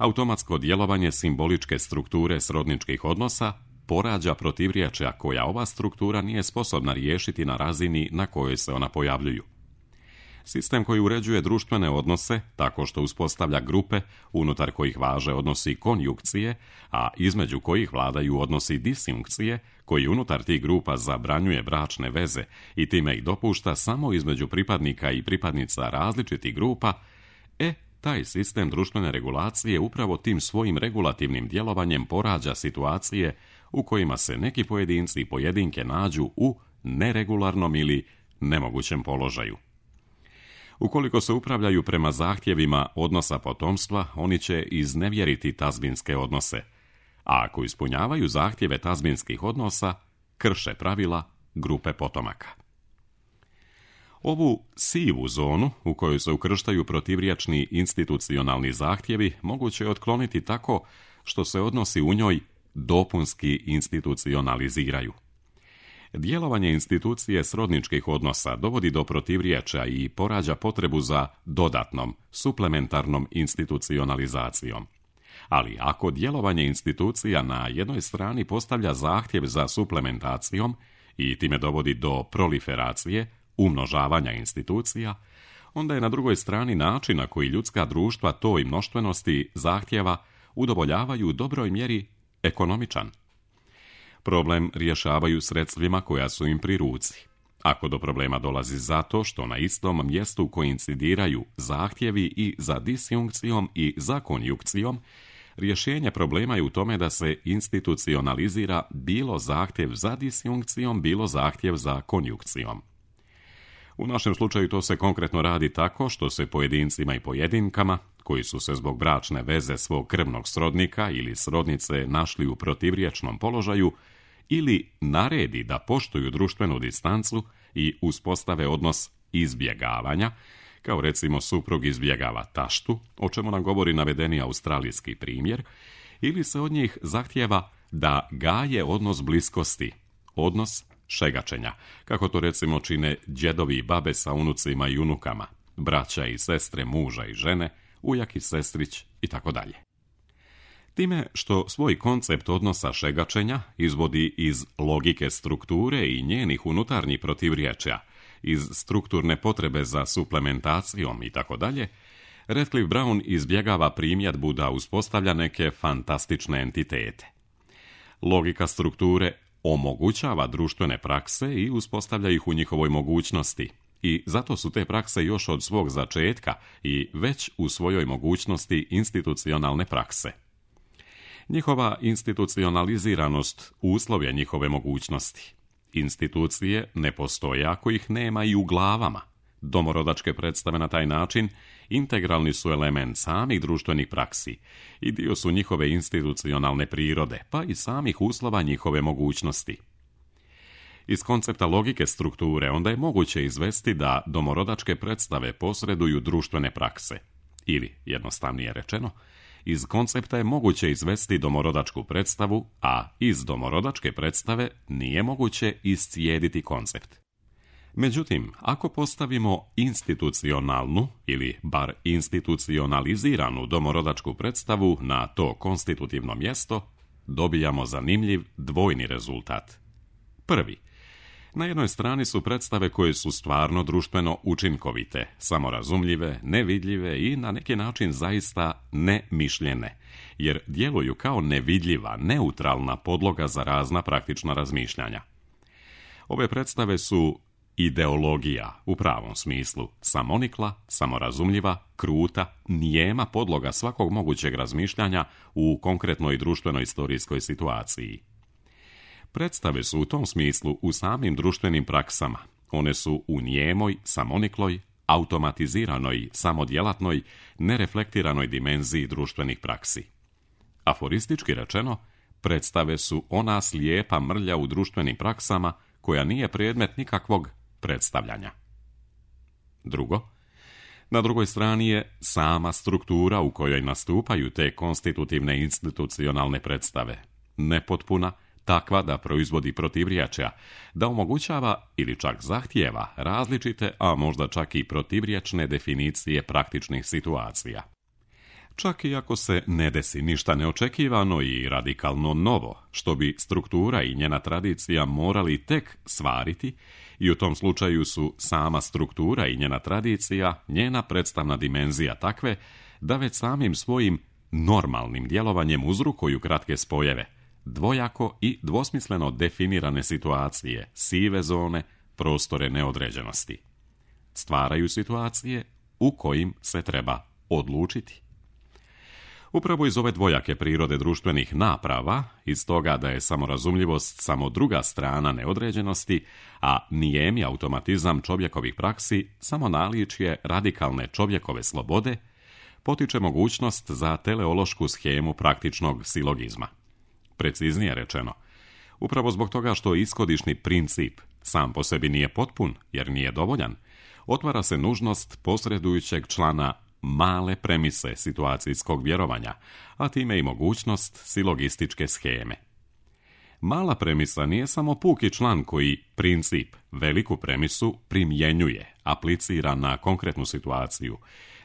Automatsko djelovanje simboličke strukture srodničkih odnosa porađa protivriječja koja ova struktura nije sposobna riješiti na razini na kojoj se ona pojavljuju. Sistem koji uređuje društvene odnose tako što uspostavlja grupe unutar kojih važe odnosi konjukcije, a između kojih vladaju odnosi disjunkcije, koji unutar tih grupa zabranjuje bračne veze i time ih dopušta samo između pripadnika i pripadnica različitih grupa, taj sistem društvene regulacije upravo tim svojim regulativnim djelovanjem porađa situacije u kojima se neki pojedinci i pojedinke nađu u neregularnom ili nemogućem položaju. Ukoliko se upravljaju prema zahtjevima odnosa potomstva, oni će iznevjeriti tazbinske odnose, a ako ispunjavaju zahtjeve tazbinskih odnosa, krše pravila grupe potomaka. Ovu sivu zonu u kojoj se ukrštaju protivriječni institucionalni zahtjevi moguće je otkloniti tako što se odnosi u njoj dopunski institucionaliziraju. Djelovanje institucije srodničkih odnosa dovodi do protivriječja i porađa potrebu za dodatnom, suplementarnom institucionalizacijom. Ali ako djelovanje institucija na jednoj strani postavlja zahtjev za suplementacijom i time dovodi do proliferacije, umnožavanja institucija, onda je na drugoj strani način na koji ljudska društva toj mnoštvenosti zahtjeva udovoljavaju u dobroj mjeri ekonomičan. Problem rješavaju sredstvima koja su im pri ruci. Ako do problema dolazi zato što na istom mjestu koincidiraju zahtjevi i za disjunkcijom i za konjukcijom, rješenje problema je u tome da se institucionalizira bilo zahtjev za disjunkcijom, bilo zahtjev za konjukcijom. U našem slučaju to se konkretno radi tako što se pojedincima i pojedinkama, koji su se zbog bračne veze svog krvnog srodnika ili srodnice našli u protivriječnom položaju, ili naredi da poštuju društvenu distancu i uspostave odnos izbjegavanja, kao recimo suprug izbjegava taštu, o čemu nam govori navedeni australijski primjer, ili se od njih zahtjeva da gaje odnos bliskosti, odnos šegačenja, kako to recimo čine djedovi i babe sa unucima i unukama, braća i sestre muža i žene, ujak i sestrić i tako dalje. Time što svoj koncept odnosa šegačenja izvodi iz logike strukture i njenih unutarnjih protivriječja, iz strukturne potrebe za suplementacijom i tako dalje, Radcliffe Brown izbjegava primjedbu da uspostavlja neke fantastične entitete. Logika strukture omogućava društvene prakse i uspostavlja ih u njihovoj mogućnosti, i zato su te prakse još od svog začetka i već u svojoj mogućnosti institucionalne prakse. Njihova institucionaliziranost uslov je njihove mogućnosti. Institucije ne postoje ako ih nema i u glavama. Domorodačke predstave na taj način integralni su element samih društvenih praksi i dio su njihove institucionalne prirode, pa i samih uslova njihove mogućnosti. Iz koncepta logike strukture onda je moguće izvesti da domorodačke predstave posreduju društvene prakse. Ili, jednostavnije rečeno, iz koncepta je moguće izvesti domorodačku predstavu, a iz domorodačke predstave nije moguće iscijediti koncept. Međutim, ako postavimo institucionalnu ili bar institucionaliziranu domorodačku predstavu na to konstitutivno mjesto, dobijamo zanimljiv dvojni rezultat. Prvi. Na jednoj strani su predstave koje su stvarno društveno učinkovite, samorazumljive, nevidljive i na neki način zaista nemišljene, jer djeluju kao nevidljiva, neutralna podloga za razna praktična razmišljanja. Ove predstave su ideologija u pravom smislu, samonikla, samorazumljiva, kruta, nijema podloga svakog mogućeg razmišljanja u konkretnoj društvenoj istorijskoj situaciji. Predstave su u tom smislu u samim društvenim praksama. One su u nijemoj, samonikloj, automatiziranoj, samodjelatnoj, nereflektiranoj dimenziji društvenih praksi. Aforistički rečeno, predstave su ona slijepa mrlja u društvenim praksama koja nije predmet nikakvog predstavljanja. Drugo, na drugoj strani je sama struktura u kojoj nastupaju te konstitutivne institucionalne predstave, nepotpuna, takva da proizvodi protivrječja, da omogućava ili čak zahtijeva različite, a možda čak i protivrječne definicije praktičnih situacija. Čak i ako se ne desi ništa neočekivano i radikalno novo, što bi struktura i njena tradicija morali tek stvariti, i u tom slučaju su sama struktura i njena tradicija, njena predstavna dimenzija takve, da već samim svojim normalnim djelovanjem uzrokuju kratke spojeve, dvojako i dvosmisleno definirane situacije, sive zone, prostore neodređenosti. Stvaraju situacije u kojim se treba odlučiti. Upravo iz ove dvojake prirode društvenih naprava, iz toga da je samorazumljivost samo druga strana neodređenosti, a nijemi automatizam čovjekovih praksi samo naličje radikalne čovjekove slobode, potiče mogućnost za teleološku schemu praktičnog silogizma. Preciznije rečeno, upravo zbog toga što ishodišni princip sam po sebi nije potpun jer nije dovoljan, otvara se nužnost posredujućeg člana male premise situacijskog vjerovanja, a time i mogućnost silogističke scheme. Mala premisa nije samo puki član koji princip, veliku premisu, primjenjuje, aplicira na konkretnu situaciju,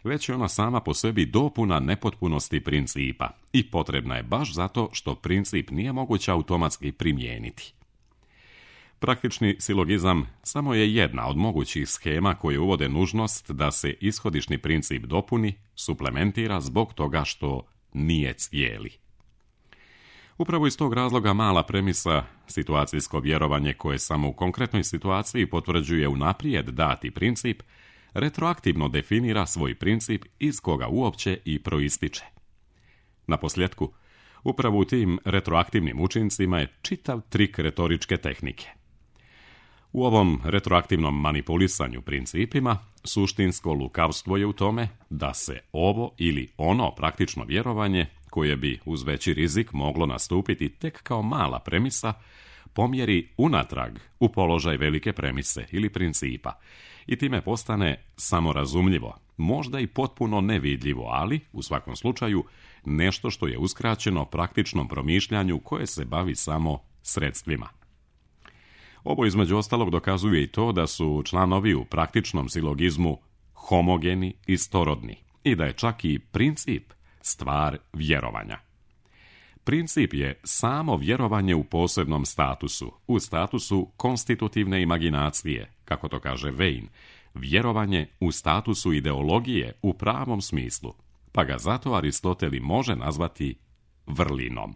već je ona sama po sebi dopuna nepotpunosti principa i potrebna je baš zato što princip nije moguće automatski primijeniti. Praktični silogizam samo je jedna od mogućih schema koje uvode nužnost da se ishodišni princip dopuni, suplementira zbog toga što nije cijeli. Upravo iz tog razloga mala premisa, situacijsko vjerovanje koje samo u konkretnoj situaciji potvrđuje unaprijed dati princip, retroaktivno definira svoj princip iz koga uopće i proističe. Naposljetku, upravo u tim retroaktivnim učincima je čitav trik retoričke tehnike. U ovom retroaktivnom manipulisanju principima, suštinsko lukavstvo je u tome da se ovo ili ono praktično vjerovanje, koje bi uz veći rizik moglo nastupiti tek kao mala premisa, pomjeri unatrag u položaj velike premise ili principa i time postane samorazumljivo, možda i potpuno nevidljivo, ali, u svakom slučaju, nešto što je uskraćeno praktičnom promišljanju koje se bavi samo sredstvima. Ovo između ostalog dokazuje i to da su članovi u praktičnom silogizmu homogeni i storodni i da je čak i princip stvar vjerovanja. Princip je samo vjerovanje u posebnom statusu, u statusu konstitutivne imaginacije, kako to kaže Vejn, vjerovanje u statusu ideologije u pravom smislu, pa ga zato Aristotel može nazvati vrlinom.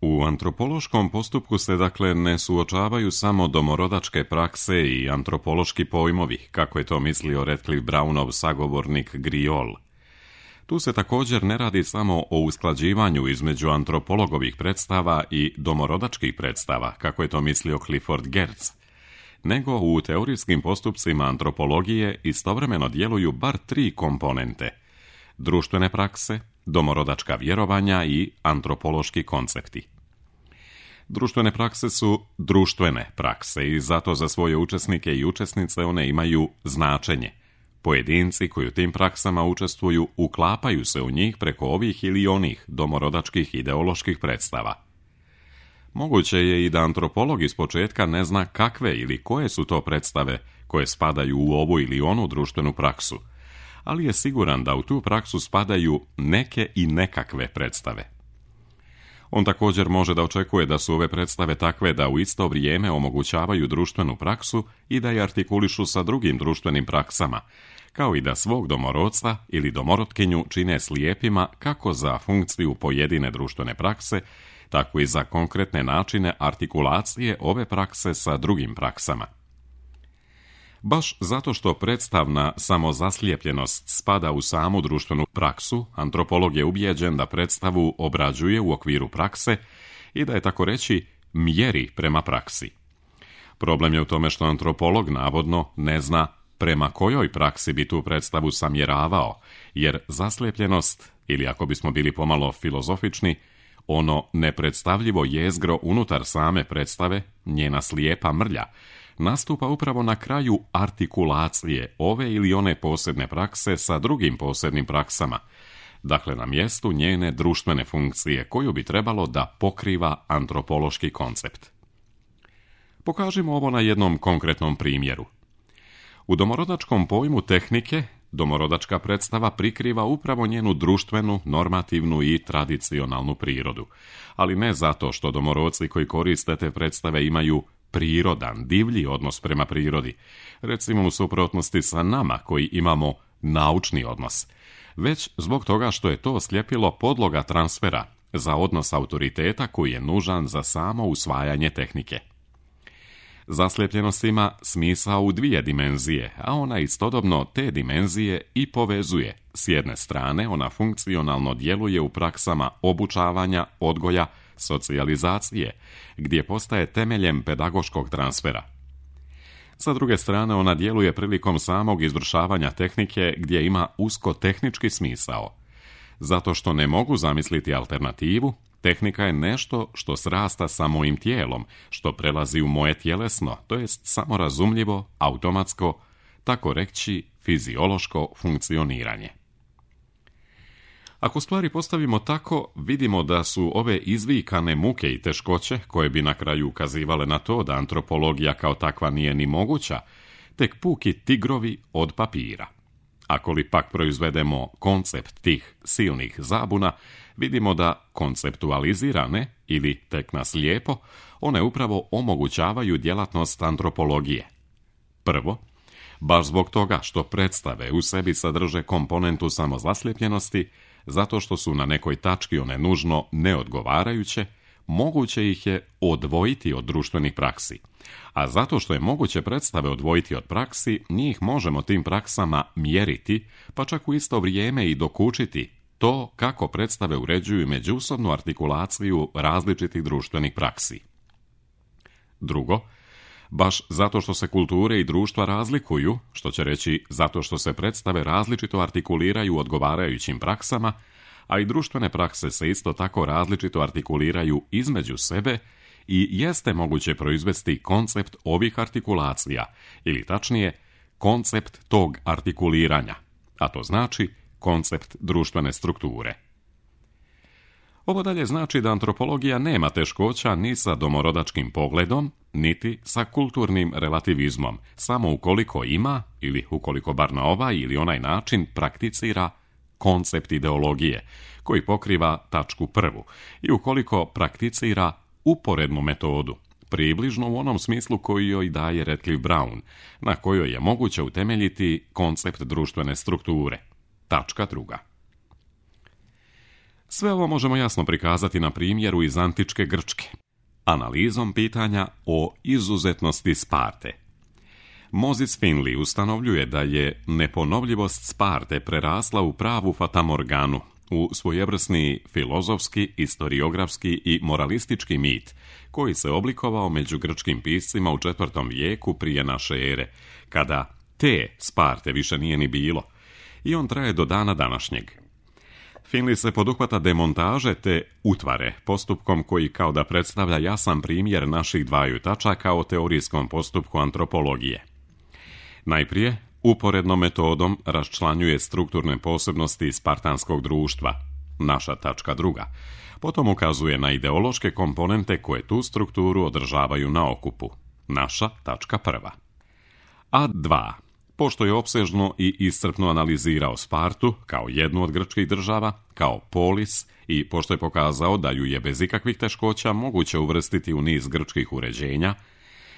U antropološkom postupku se dakle ne suočavaju samo domorodačke prakse i antropološki pojmovi, kako je to mislio Radcliffe Brownov sagovornik Griol. Tu se također ne radi samo o usklađivanju između antropologovih predstava i domorodačkih predstava, kako je to mislio Clifford Geertz, nego u teorijskim postupcima antropologije istovremeno djeluju bar 3 komponente: društvene prakse, domorodačka vjerovanja i antropološki koncepti. Društvene prakse su društvene prakse i zato za svoje učesnike i učesnice one imaju značenje. Pojedinci koji u tim praksama učestvuju uklapaju se u njih preko ovih ili onih domorodačkih ideoloških predstava. Moguće je i da antropolog iz početka ne zna kakve ili koje su to predstave koje spadaju u ovu ili onu društvenu praksu, ali je siguran da u tu praksu spadaju neke i nekakve predstave. On također može da očekuje da su ove predstave takve da u isto vrijeme omogućavaju društvenu praksu i da je artikulišu sa drugim društvenim praksama, kao i da svog domorodca ili domorotkinju čine slijepima kako za funkciju pojedine društvene prakse, tako i za konkretne načine artikulacije ove prakse sa drugim praksama. Baš zato što predstavna samozaslijepljenost spada u samu društvenu praksu, antropolog je ubijeđen da predstavu obrađuje u okviru prakse i da je, tako reći, mjeri prema praksi. Problem je u tome što antropolog navodno ne zna prema kojoj praksi bi tu predstavu samjeravao, jer zaslijepljenost, ili ako bismo bili pomalo filozofični, ono nepredstavljivo jezgro unutar same predstave, njena slijepa mrlja, nastupa upravo na kraju artikulacije ove ili one posebne prakse sa drugim posebnim praksama, dakle na mjestu njene društvene funkcije koju bi trebalo da pokriva antropološki koncept. Pokažimo ovo na jednom konkretnom primjeru. U domorodačkom pojmu tehnike, domorodačka predstava prikriva upravo njenu društvenu, normativnu i tradicionalnu prirodu, ali ne zato što domorodci koji koriste te predstave imaju prirodan, divlji odnos prema prirodi, recimo u suprotnosti sa nama koji imamo naučni odnos, već zbog toga što je to sljepilo podloga transfera za odnos autoriteta koji je nužan za samo usvajanje tehnike. Zaslijepljenost ima smisao u 2 dimenzije, a ona istodobno te dimenzije i povezuje. S jedne strane, ona funkcionalno djeluje u praksama obučavanja, odgoja, socijalizacije, gdje postaje temeljem pedagoškog transfera. Sa druge strane, ona djeluje prilikom samog izvršavanja tehnike gdje ima usko tehnički smisao. Zato što ne mogu zamisliti alternativu, tehnika je nešto što srasta sa mojim tijelom, što prelazi u moje tjelesno, to jest samorazumljivo, automatsko, tako reći fiziološko funkcioniranje. Ako stvari postavimo tako, vidimo da su ove izvikane muke i teškoće, koje bi na kraju ukazivale na to da antropologija kao takva nije ni moguća, tek puki tigrovi od papira. Ako li pak proizvedemo koncept tih silnih zabuna, vidimo da konceptualizirane, ili tek na slijepo, one upravo omogućavaju djelatnost antropologije. Prvo, baš zbog toga što predstave u sebi sadrže komponentu samozaslijepljenosti, zato što su na nekoj tački one nužno neodgovarajuće, moguće ih je odvojiti od društvenih praksi. A zato što je moguće predstave odvojiti od praksi, njih možemo tim praksama mjeriti, pa čak u isto vrijeme i dokučiti to kako predstave uređuju međusobnu artikulaciju različitih društvenih praksi. Drugo, baš zato što se kulture i društva razlikuju, što će reći zato što se predstave različito artikuliraju odgovarajućim praksama, a i društvene prakse se isto tako različito artikuliraju između sebe, i jeste moguće proizvesti koncept ovih artikulacija, ili tačnije, koncept tog artikuliranja, a to znači koncept društvene strukture. Ovo dalje znači da antropologija nema teškoća ni sa domorodačkim pogledom, niti sa kulturnim relativizmom, samo ukoliko ima, ili ukoliko bar na ovaj ili onaj način prakticira koncept ideologije, koji pokriva tačku prvu, i ukoliko prakticira uporednu metodu, približno u onom smislu koji joj daje Radcliffe Brown, na kojoj je moguće utemeljiti koncept društvene strukture. Tačka druga. Sve ovo možemo jasno prikazati na primjeru iz antičke Grčke, analizom pitanja o izuzetnosti Sparte. Moses Finley ustanovljuje da je neponovljivost Sparte prerasla u pravu fatamorganu, u svojevrsni filozofski, historiografski i moralistički mit koji se oblikovao među grčkim piscima u 4. vijeku prije naše ere, kada te Sparte više nije ni bilo, i on traje do dana današnjeg. Finley se poduhvata demontaže te utvare, postupkom koji kao da predstavlja jasan primjer naših dvaju tačaka o teorijskom postupku antropologije. Najprije, uporednom metodom raščlanjuje strukturne posebnosti spartanskog društva, naša tačka druga, potom ukazuje na ideološke komponente koje tu strukturu održavaju na okupu, naša tačka prva. A 2. Pošto je opsežno i iscrpno analizirao Spartu kao jednu od grčkih država, kao polis, i pošto je pokazao da ju je bez ikakvih teškoća moguće uvrstiti u niz grčkih uređenja,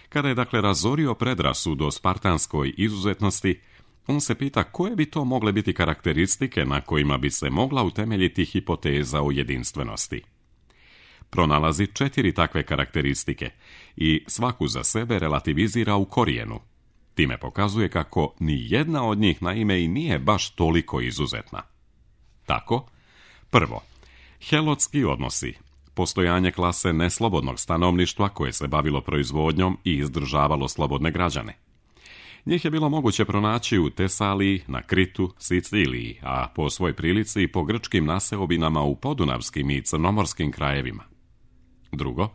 kada je dakle razorio predrasudu o spartanskoj izuzetnosti, on se pita koje bi to mogle biti karakteristike na kojima bi se mogla utemeljiti hipoteza o jedinstvenosti. Pronalazi 4 takve karakteristike i svaku za sebe relativizira u korijenu. Time pokazuje kako ni jedna od njih naime i nije baš toliko izuzetna. Tako, prvo, helotski odnosi, postojanje klase neslobodnog stanovništva koje se bavilo proizvodnjom i izdržavalo slobodne građane. Njih je bilo moguće pronaći u Tesaliji, na Kritu, Siciliji, a po svoj prilici i po grčkim naseobinama u podunavskim i crnomorskim krajevima. Drugo,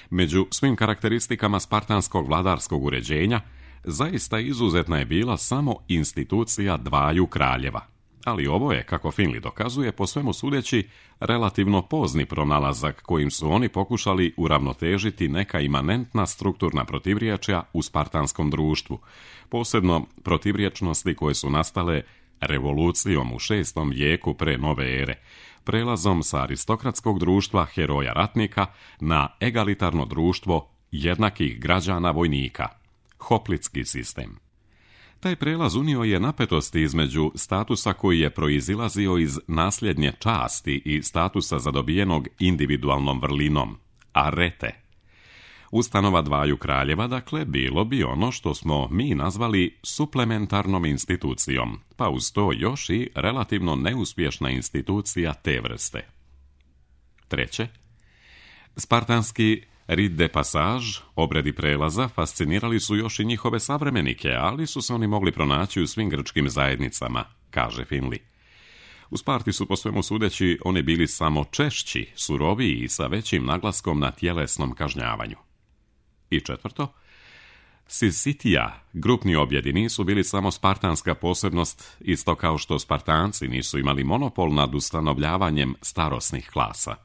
među svim karakteristikama spartanskog vladarskog uređenja, zaista izuzetna je bila samo institucija dvaju kraljeva. Ali ovo je, kako Finley dokazuje, po svemu sudeći, relativno pozni pronalazak kojim su oni pokušali uravnotežiti neka imanentna strukturna protivriječja u spartanskom društvu, posebno protivriječnosti koje su nastale revolucijom u 6. vijeku pre nove ere, prelazom sa aristokratskog društva heroja ratnika na egalitarno društvo jednakih građana vojnika, hoplitski sistem. Taj prelaz unio je napetosti između statusa koji je proizilazio iz nasljednje časti i statusa zadobijenog individualnom vrlinom, arete. Ustanova dvaju kraljeva, dakle, bilo bi ono što smo mi nazvali suplementarnom institucijom, pa uz to još i relativno neuspješna institucija te vrste. Treće, spartanski rit de passage, obredi prelaza, fascinirali su još i njihove savremenike, ali su se oni mogli pronaći u svim grčkim zajednicama, kaže Finley. U Sparti su po svemu sudeći oni bili samo češći, suroviji i sa većim naglaskom na tjelesnom kažnjavanju. I četvrto, Sisitija, grupni objedi, nisu bili samo spartanska posebnost, isto kao što Spartanci nisu imali monopol nad ustanovljavanjem starosnih klasa.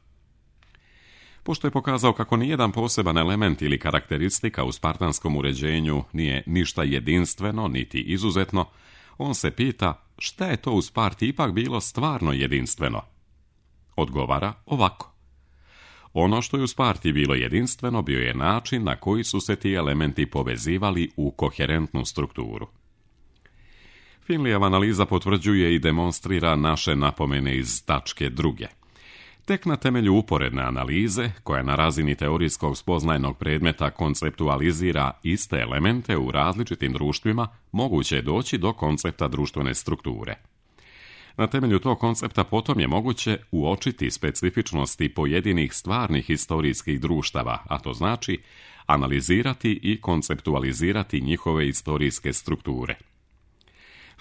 Pošto je pokazao kako nijedan poseban element ili karakteristika u spartanskom uređenju nije ništa jedinstveno niti izuzetno, on se pita šta je to u Sparti ipak bilo stvarno jedinstveno. Odgovara ovako. Ono što je u Sparti bilo jedinstveno bio je način na koji su se ti elementi povezivali u koherentnu strukturu. Finleyjeva analiza potvrđuje i demonstrira naše napomene iz tačke druge. Tek na temelju uporedne analize, koja na razini teorijskog spoznajnog predmeta konceptualizira iste elemente u različitim društvima, moguće je doći do koncepta društvene strukture. Na temelju tog koncepta potom je moguće uočiti specifičnosti pojedinih stvarnih historijskih društava, a to znači analizirati i konceptualizirati njihove historijske strukture.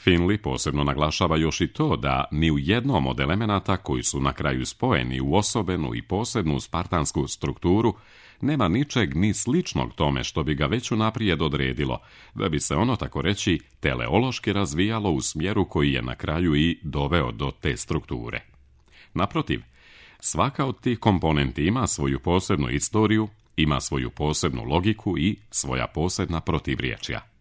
Finley posebno naglašava još i to da ni u jednom od elemenata koji su na kraju spojeni u osobenu i posebnu spartansku strukturu nema ničeg ni sličnog tome što bi ga već unaprijed odredilo, da bi se ono, tako reći, teleološki razvijalo u smjeru koji je na kraju i doveo do te strukture. Naprotiv, svaka od tih komponenti ima svoju posebnu istoriju, ima svoju posebnu logiku i svoja posebna protivriječja.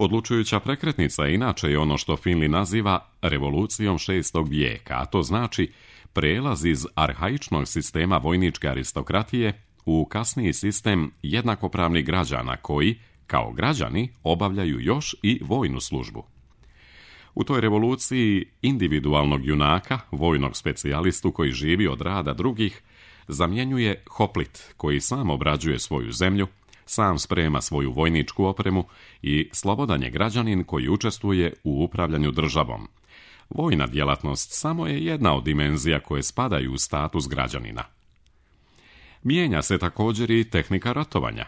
Odlučujuća prekretnica inače je ono što Finley naziva revolucijom 6. vijeka, a to znači prelaz iz arhaičnog sistema vojničke aristokratije u kasniji sistem jednakopravnih građana koji, kao građani, obavljaju još i vojnu službu. U toj revoluciji individualnog junaka, vojnog specijalistu koji živi od rada drugih, zamjenjuje hoplit koji sam obrađuje svoju zemlju, sam sprema svoju vojničku opremu i slobodan je građanin koji učestvuje u upravljanju državom, Vojna djelatnost samo je jedna od dimenzija koje spadaju u status građanina. Mijenja se također i tehnika ratovanja.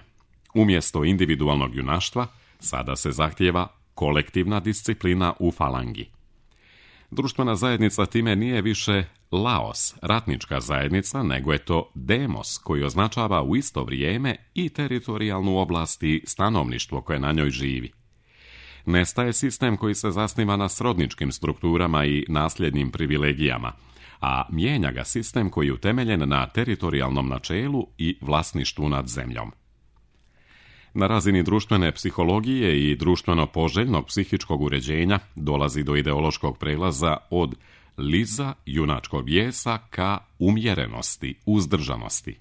Umjesto individualnog junaštva, sada se zahtijeva kolektivna disciplina u falangi. Društvena zajednica time nije više laos, ratnička zajednica, nego je to demos, koji označava u isto vrijeme i teritorijalnu oblast i stanovništvo koje na njoj živi. Nestaje sistem koji se zasniva na srodničkim strukturama i nasljednim privilegijama, a mijenja ga sistem koji je utemeljen na teritorijalnom načelu i vlasništvu nad zemljom. Na razini društvene psihologije i društveno poželjnog psihičkog uređenja dolazi do ideološkog prelaza od liza, junačkog bijesa, ka umjerenosti, uzdržanosti.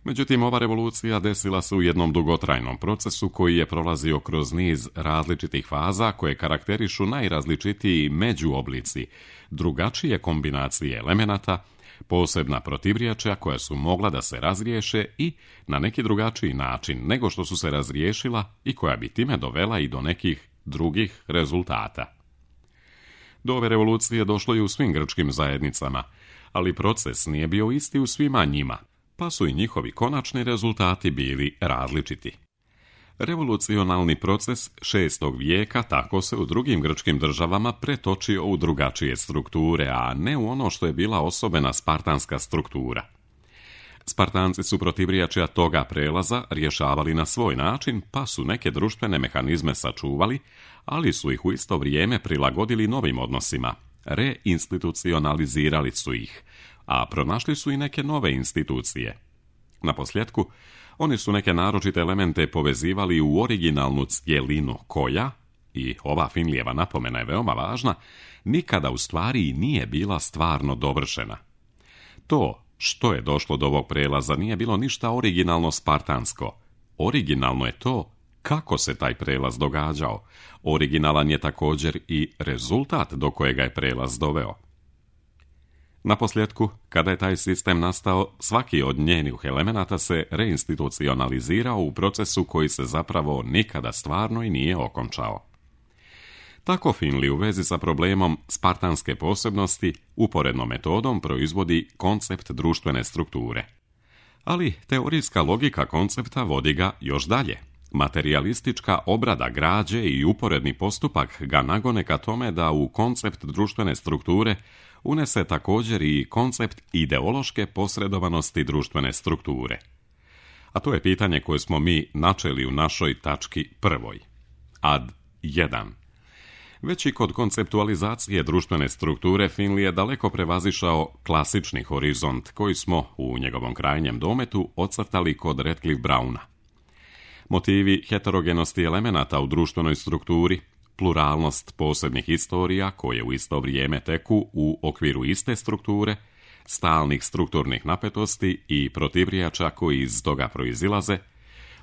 Međutim, ova revolucija desila se u jednom dugotrajnom procesu koji je prolazio kroz niz različitih faza koje karakterišu najrazličitiji međuoblici, drugačije kombinacije elemenata, posebna protivriječja koja su mogla da se razriješe i na neki drugačiji način nego što su se razriješila i koja bi time dovela i do nekih drugih rezultata. Do ove revolucije došlo je u svim grčkim zajednicama, ali proces nije bio isti u svima njima, pa su i njihovi konačni rezultati bili različiti. Revolucionalni proces 6. vijeka tako se u drugim grčkim državama pretočio u drugačije strukture, a ne u ono što je bila osobena spartanska struktura. Spartanci su protivriječja toga prelaza rješavali na svoj način, pa su neke društvene mehanizme sačuvali, ali su ih u isto vrijeme prilagodili novim odnosima, reinstitucionalizirali su ih, a pronašli su i neke nove institucije. Naposljetku, oni su neke naročite elemente povezivali u originalnu cjelinu koja, i ova Finlijeva napomena je veoma važna, nikada u stvari nije bila stvarno dovršena. To što je došlo do ovog prelaza nije bilo ništa originalno spartansko. Originalno je to kako se taj prelaz događao. Originalan je također i rezultat do kojega je prelaz doveo. Naposljetku, kada je taj sistem nastao, svaki od njenih elemenata se reinstitucionalizirao u procesu koji se zapravo nikada stvarno i nije okončao. Tako Finley u vezi sa problemom spartanske posebnosti uporednom metodom proizvodi koncept društvene strukture. Ali teorijska logika koncepta vodi ga još dalje. Materijalistička obrada građe i uporedni postupak ga nagone ka tome da u koncept društvene strukture unese također i koncept ideološke posredovanosti društvene strukture. A to je pitanje koje smo mi načeli u našoj tački prvoj. Ad 1. Već i kod konceptualizacije društvene strukture Finley je daleko prevazišao klasični horizont koji smo u njegovom krajnjem dometu ocrtali kod Radcliffe Browna. Motivi heterogenosti elemenata u društvenoj strukturi, pluralnost posebnih istorija koje u isto vrijeme teku u okviru iste strukture, stalnih strukturnih napetosti i protivrijača koji iz toga proizilaze,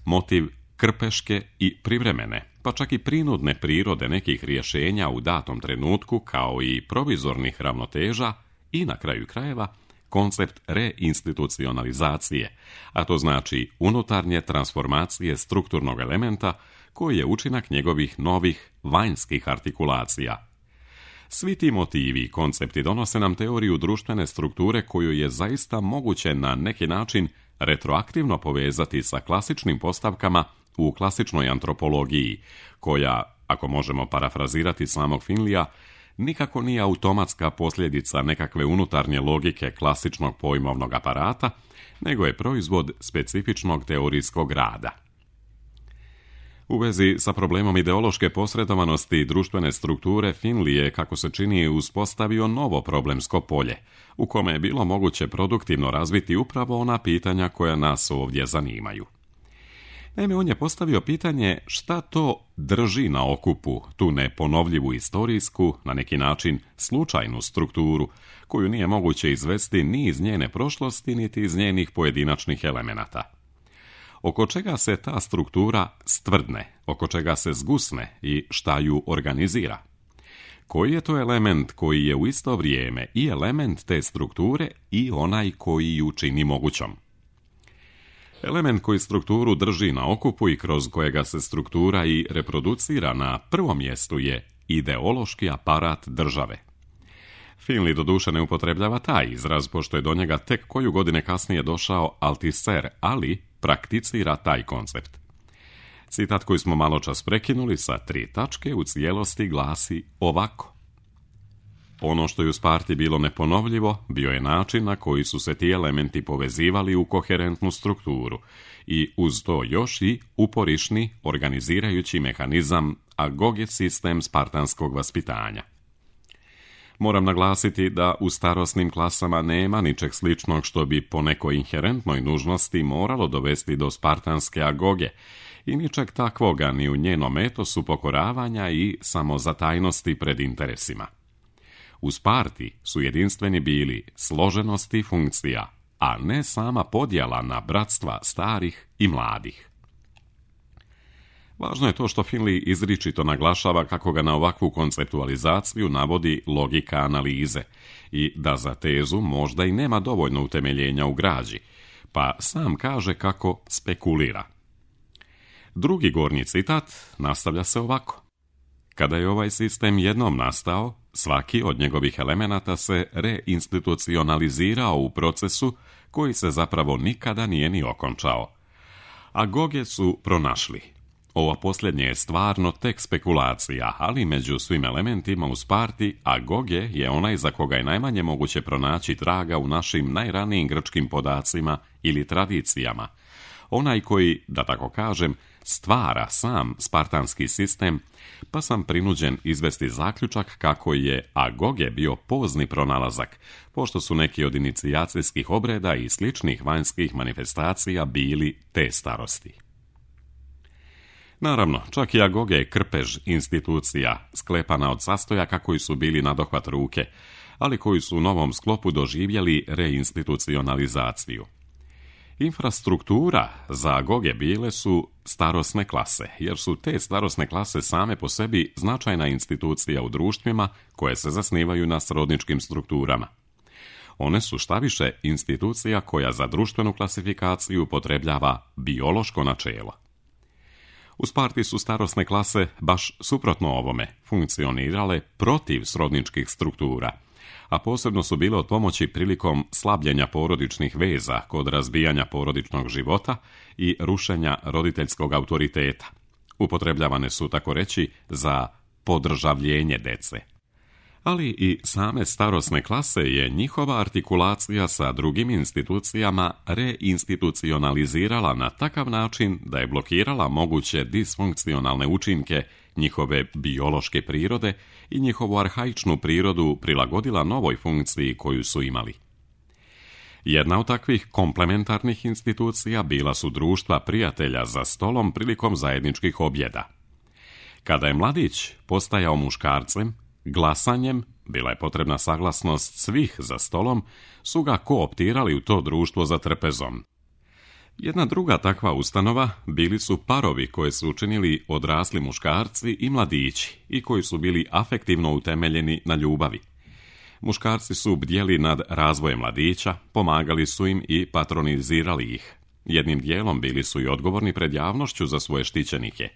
motiv krpeške i privremene, pa čak i prinudne prirode nekih rješenja u datom trenutku kao i provizornih ravnoteža i na kraju krajeva koncept reinstitucionalizacije, a to znači unutarnje transformacije strukturnog elementa koji je učinak njegovih novih vanjskih artikulacija. Svi ti motivi i koncepti donose nam teoriju društvene strukture koju je zaista moguće na neki način retroaktivno povezati sa klasičnim postavkama u klasičnoj antropologiji, koja, ako možemo parafrazirati samog Finleya, nikako nije automatska posljedica nekakve unutarnje logike klasičnog pojmovnog aparata, nego je proizvod specifičnog teorijskog rada. U vezi sa problemom ideološke posredovanosti društvene strukture, Finley je, kako se čini, uspostavio novo problemsko polje, u kome je bilo moguće produktivno razviti upravo ona pitanja koja nas ovdje zanimaju. Naime, on je postavio pitanje šta to drži na okupu tu neponovljivu istorijsku, na neki način slučajnu strukturu, koju nije moguće izvesti ni iz njene prošlosti, niti iz njenih pojedinačnih elemenata. Oko čega se ta struktura stvrdne, oko čega se zgusne i šta ju organizira? Koji je to element koji je u isto vrijeme i element te strukture i onaj koji ju čini mogućom? Element koji strukturu drži na okupu i kroz kojega se struktura i reproducira na prvom mjestu je ideološki aparat države, Finley doduše ne upotrebljava taj izraz, pošto je do njega tek koju godine kasnije došao Althusser, ali prakticira taj koncept. Citat koji smo maločas prekinuli sa 3 tačke u cijelosti glasi ovako. Ono što je u Sparti bilo neponovljivo, bio je način na koji su se ti elementi povezivali u koherentnu strukturu i uz to još i uporišni organizirajući mehanizam agoge sistem spartanskog vaspitanja. Moram naglasiti da u starosnim klasama nema ničeg sličnog što bi po nekoj inherentnoj nužnosti moralo dovesti do spartanske agoge i ničeg takvoga ni u njenom etosu pokoravanja i samozatajnosti pred interesima. U Sparti su jedinstveni bili složenost i funkcija, a ne sama podjela na bratstva starih i mladih. Važno je to što Finley izričito naglašava kako ga na ovakvu konceptualizaciju navodi logika analize i da za tezu možda i nema dovoljno utemeljenja u građi, pa sam kaže kako spekulira. Drugi gornji citat nastavlja se ovako. Kada je ovaj sistem jednom nastao, svaki od njegovih elemenata se reinstitucionalizirao u procesu koji se zapravo nikada nije ni okončao. Agoge su pronašli. Ovo posljednje je stvarno tek spekulacija, ali među svim elementima u Sparti agoge je onaj za koga je najmanje moguće pronaći traga u našim najranijim grčkim podacima ili tradicijama. Onaj koji, da tako kažem, stvara sam spartanski sistem, pa sam prinuđen izvesti zaključak kako je agoge bio pozni pronalazak, pošto su neki od inicijacijskih obreda i sličnih vanjskih manifestacija bili te starosti. Naravno, čak i agoge je krpež institucija, sklepana od sastojaka koji su bili nadohvat ruke, ali koji su u novom sklopu doživjeli reinstitucionalizaciju. Infrastruktura za agoge bile su starosne klase, jer su te starosne klase same po sebi značajna institucija u društvima koje se zasnivaju na srodničkim strukturama. One su štaviše institucija koja za društvenu klasifikaciju upotrebljava biološko načelo. U Sparti su starosne klase, baš suprotno ovome, funkcionirale protiv srodničkih struktura, a posebno su bile od pomoći prilikom slabljenja porodičnih veza kod razbijanja porodičnog života i rušenja roditeljskog autoriteta. Upotrebljavane su, tako reći, za podržavljenje dece. Ali i same starosne klase je njihova artikulacija sa drugim institucijama reinstitucionalizirala na takav način da je blokirala moguće disfunkcionalne učinke njihove biološke prirode i njihovu arhaičnu prirodu prilagodila novoj funkciji koju su imali. Jedna od takvih komplementarnih institucija bila su društva prijatelja za stolom prilikom zajedničkih objeda. Kada je mladić postajao muškarcem, glasanjem, bila je potrebna saglasnost svih za stolom, su ga kooptirali u to društvo za trpezom. Jedna druga takva ustanova bili su parovi koje su učinili odrasli muškarci i mladići i koji su bili afektivno utemeljeni na ljubavi. Muškarci su bdjeli nad razvojem mladića, pomagali su im i patronizirali ih. Jednim dijelom bili su i odgovorni pred javnošću za svoje štićenike,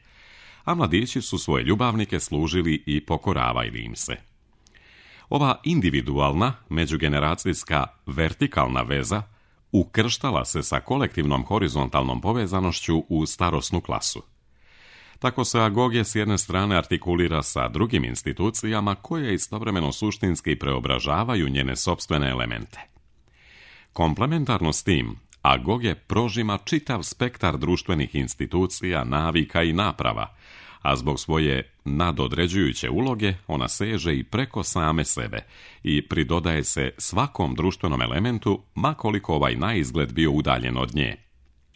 a mladići su svoje ljubavnike služili i pokoravali im se. Ova individualna, međugeneracijska, vertikalna veza ukrštala se sa kolektivnom horizontalnom povezanošću u starosnu klasu. Tako se agoge s jedne strane artikulira sa drugim institucijama koje istovremeno suštinski preobražavaju njene sopstvene elemente. Komplementarno s tim, agoge prožima čitav spektar društvenih institucija, navika i naprava, a zbog svoje nadodređujuće uloge ona seže i preko same sebe i pridodaje se svakom društvenom elementu, ma koliko ovaj naizgled bio udaljen od nje.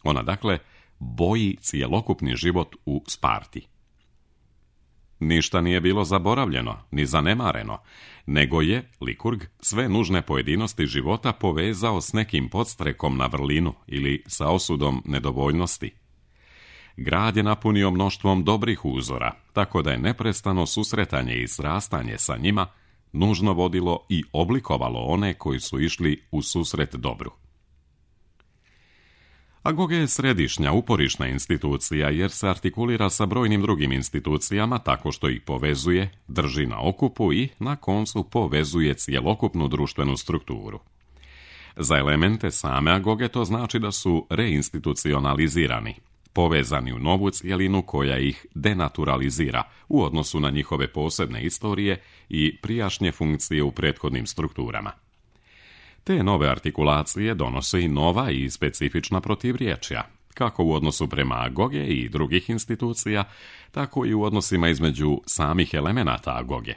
Ona, dakle, boji cjelokupni život u Sparti. Ništa nije bilo zaboravljeno, ni zanemareno, nego je Likurg sve nužne pojedinosti života povezao s nekim podstrekom na vrlinu ili sa osudom nedovoljnosti. Grad je napunio mnoštvom dobrih uzora, tako da je neprestano susretanje i srastanje sa njima nužno vodilo i oblikovalo one koji su išli u susret dobru. Agog je središnja uporišna institucija jer se artikulira sa brojnim drugim institucijama tako što ih povezuje, drži na okupu i na koncu povezuje cjelokupnu društvenu strukturu. Za elemente same agoge to znači da su reinstitucionalizirani, povezani u novu cjelinu koja ih denaturalizira u odnosu na njihove posebne istorije i prijašnje funkcije u prethodnim strukturama. Te nove artikulacije donose i nova i specifična protivriječja, kako u odnosu prema agoge i drugih institucija, tako i u odnosima između samih elemenata agoge.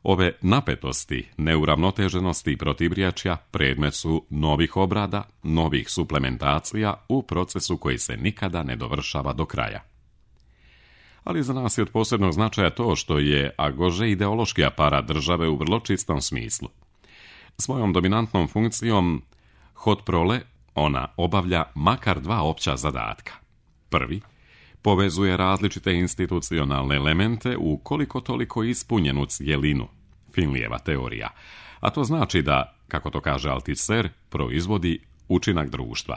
Ove napetosti, neuravnoteženosti i protivriječja predmet su novih obrada, novih suplementacija u procesu koji se nikada ne dovršava do kraja. Ali za nas je od posebnog značaja to što je agože ideološki aparat države u vrlo čistom smislu. Svojom dominantnom funkcijom hod prole ona obavlja makar dva opća zadatka. Prvi, povezuje različite institucionalne elemente u koliko toliko ispunjenu cjelinu, Finlijeva teorija, a to znači da, kako to kaže Althusser, proizvodi učinak društva.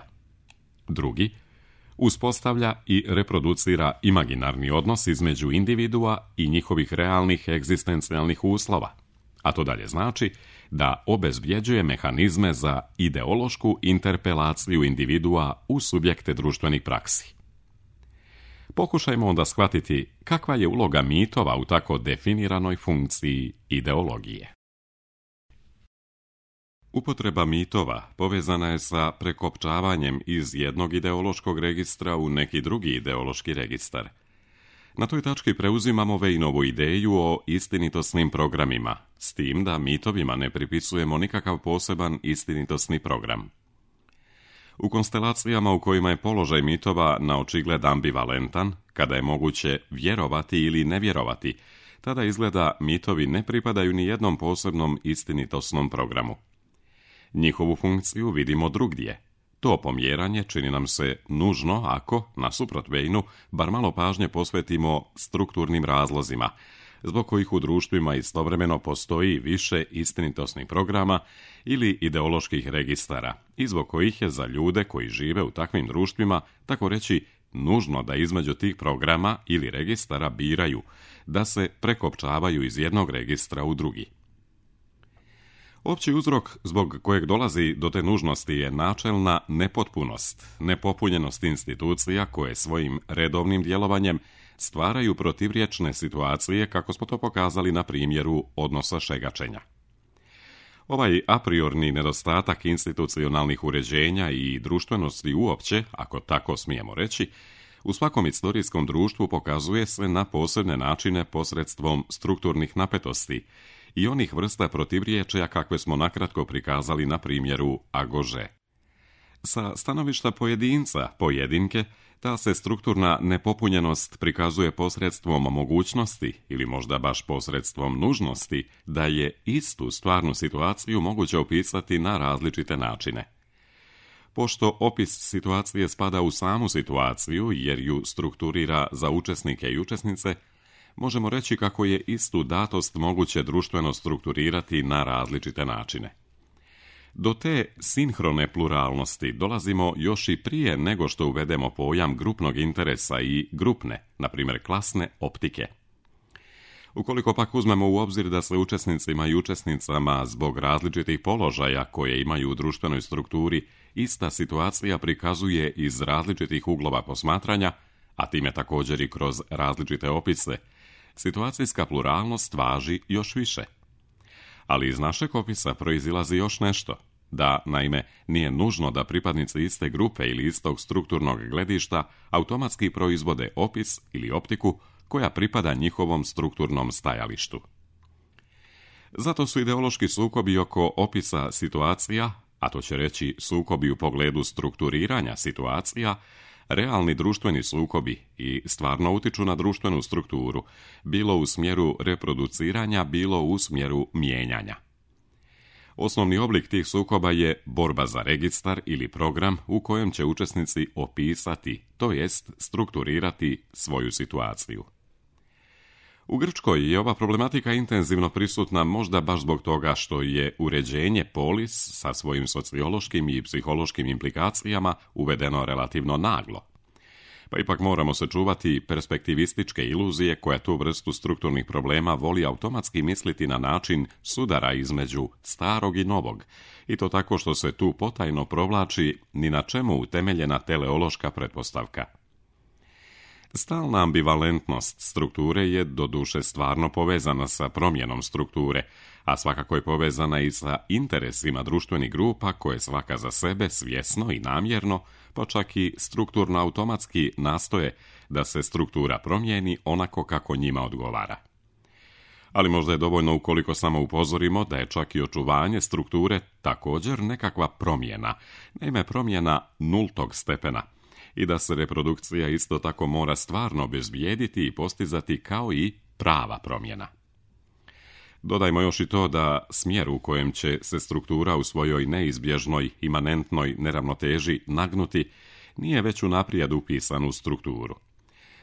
Drugi, uspostavlja i reproducira imaginarni odnos između individua i njihovih realnih egzistencijalnih uslova, a to dalje znači da obezbjeđuje mehanizme za ideološku interpelaciju individua u subjekte društvenih praksi. Pokušajmo onda shvatiti kakva je uloga mitova u tako definiranoj funkciji ideologije. Upotreba mitova povezana je sa prekopčavanjem iz jednog ideološkog registra u neki drugi ideološki registar. Na toj tački preuzimamo Vejnovu ideju o istinitosnim programima, s tim da mitovima ne pripisujemo nikakav poseban istinitosni program. U konstelacijama u kojima je položaj mitova na očigled ambivalentan, kada je moguće vjerovati ili ne vjerovati, tada izgleda mitovi ne pripadaju ni jednom posebnom istinitosnom programu. Njihovu funkciju vidimo drugdje. To pomjeranje čini nam se nužno ako, nasuprot Vejnu, bar malo pažnje posvetimo strukturnim razlozima, zbog kojih u društvima istovremeno postoji više istinitosnih programa ili ideoloških registara, i zbog kojih je za ljude koji žive u takvim društvima, tako reći, nužno da između tih programa ili registara biraju, da se prekopčavaju iz jednog registra u drugi. Opći uzrok zbog kojeg dolazi do te nužnosti je načelna nepotpunost, nepopunjenost institucija koje svojim redovnim djelovanjem stvaraju protivriječne situacije, kako smo to pokazali na primjeru odnosa šegačenja. Ovaj a priorni nedostatak institucionalnih uređenja i društvenosti uopće, ako tako smijemo reći, u svakom istorijskom društvu pokazuje se na posebne načine posredstvom strukturnih napetosti i onih vrsta protivriječja kakve smo nakratko prikazali na primjeru agože. Sa stanovišta pojedinca, pojedinke, ta se strukturna nepopunjenost prikazuje posredstvom mogućnosti ili možda baš posredstvom nužnosti da je istu stvarnu situaciju moguće opisati na različite načine. Pošto opis situacije spada u samu situaciju jer ju strukturira za učesnike i učesnice, možemo reći kako je istu datost moguće društveno strukturirati na različite načine. Do te sinhrone pluralnosti dolazimo još i prije nego što uvedemo pojam grupnog interesa i grupne, na primjer klasne, optike. Ukoliko pak uzmemo u obzir da se učesnicima i učesnicama zbog različitih položaja koje imaju u društvenoj strukturi ista situacija prikazuje iz različitih uglova posmatranja, a time također i kroz različite opise, situacijska pluralnost važi još više. Ali iz našeg opisa proizilazi još nešto, da, naime, nije nužno da pripadnici iste grupe ili istog strukturnog gledišta automatski proizvode opis ili optiku koja pripada njihovom strukturnom stajalištu. Zato su ideološki sukobi oko opisa situacija, a to će reći sukobi u pogledu strukturiranja situacija, realni društveni sukobi i stvarno utiču na društvenu strukturu, bilo u smjeru reproduciranja, bilo u smjeru mijenjanja. Osnovni oblik tih sukoba je borba za registar ili program u kojem će učesnici opisati, to jest strukturirati svoju situaciju. U Grčkoj je ova problematika intenzivno prisutna možda baš zbog toga što je uređenje polis sa svojim sociološkim i psihološkim implikacijama uvedeno relativno naglo. Pa ipak moramo se čuvati perspektivističke iluzije koja tu vrstu strukturnih problema voli automatski misliti na način sudara između starog i novog, i to tako što se tu potajno provlači ni na čemu utemeljena teleološka pretpostavka. Stalna ambivalentnost strukture je doduše stvarno povezana sa promjenom strukture, a svakako je povezana i sa interesima društvenih grupa koje svaka za sebe svjesno i namjerno, pa čak i strukturno automatski nastoje da se struktura promijeni onako kako njima odgovara. Ali možda je dovoljno ukoliko samo upozorimo da je čak i očuvanje strukture također nekakva promjena, naime promjena nultog stepena, i da se reprodukcija isto tako mora stvarno obezbijediti i postizati kao i prava promjena. Dodajmo još i to da smjer u kojem će se struktura u svojoj neizbježnoj, imanentnoj neravnoteži nagnuti nije već unaprijed upisan u strukturu.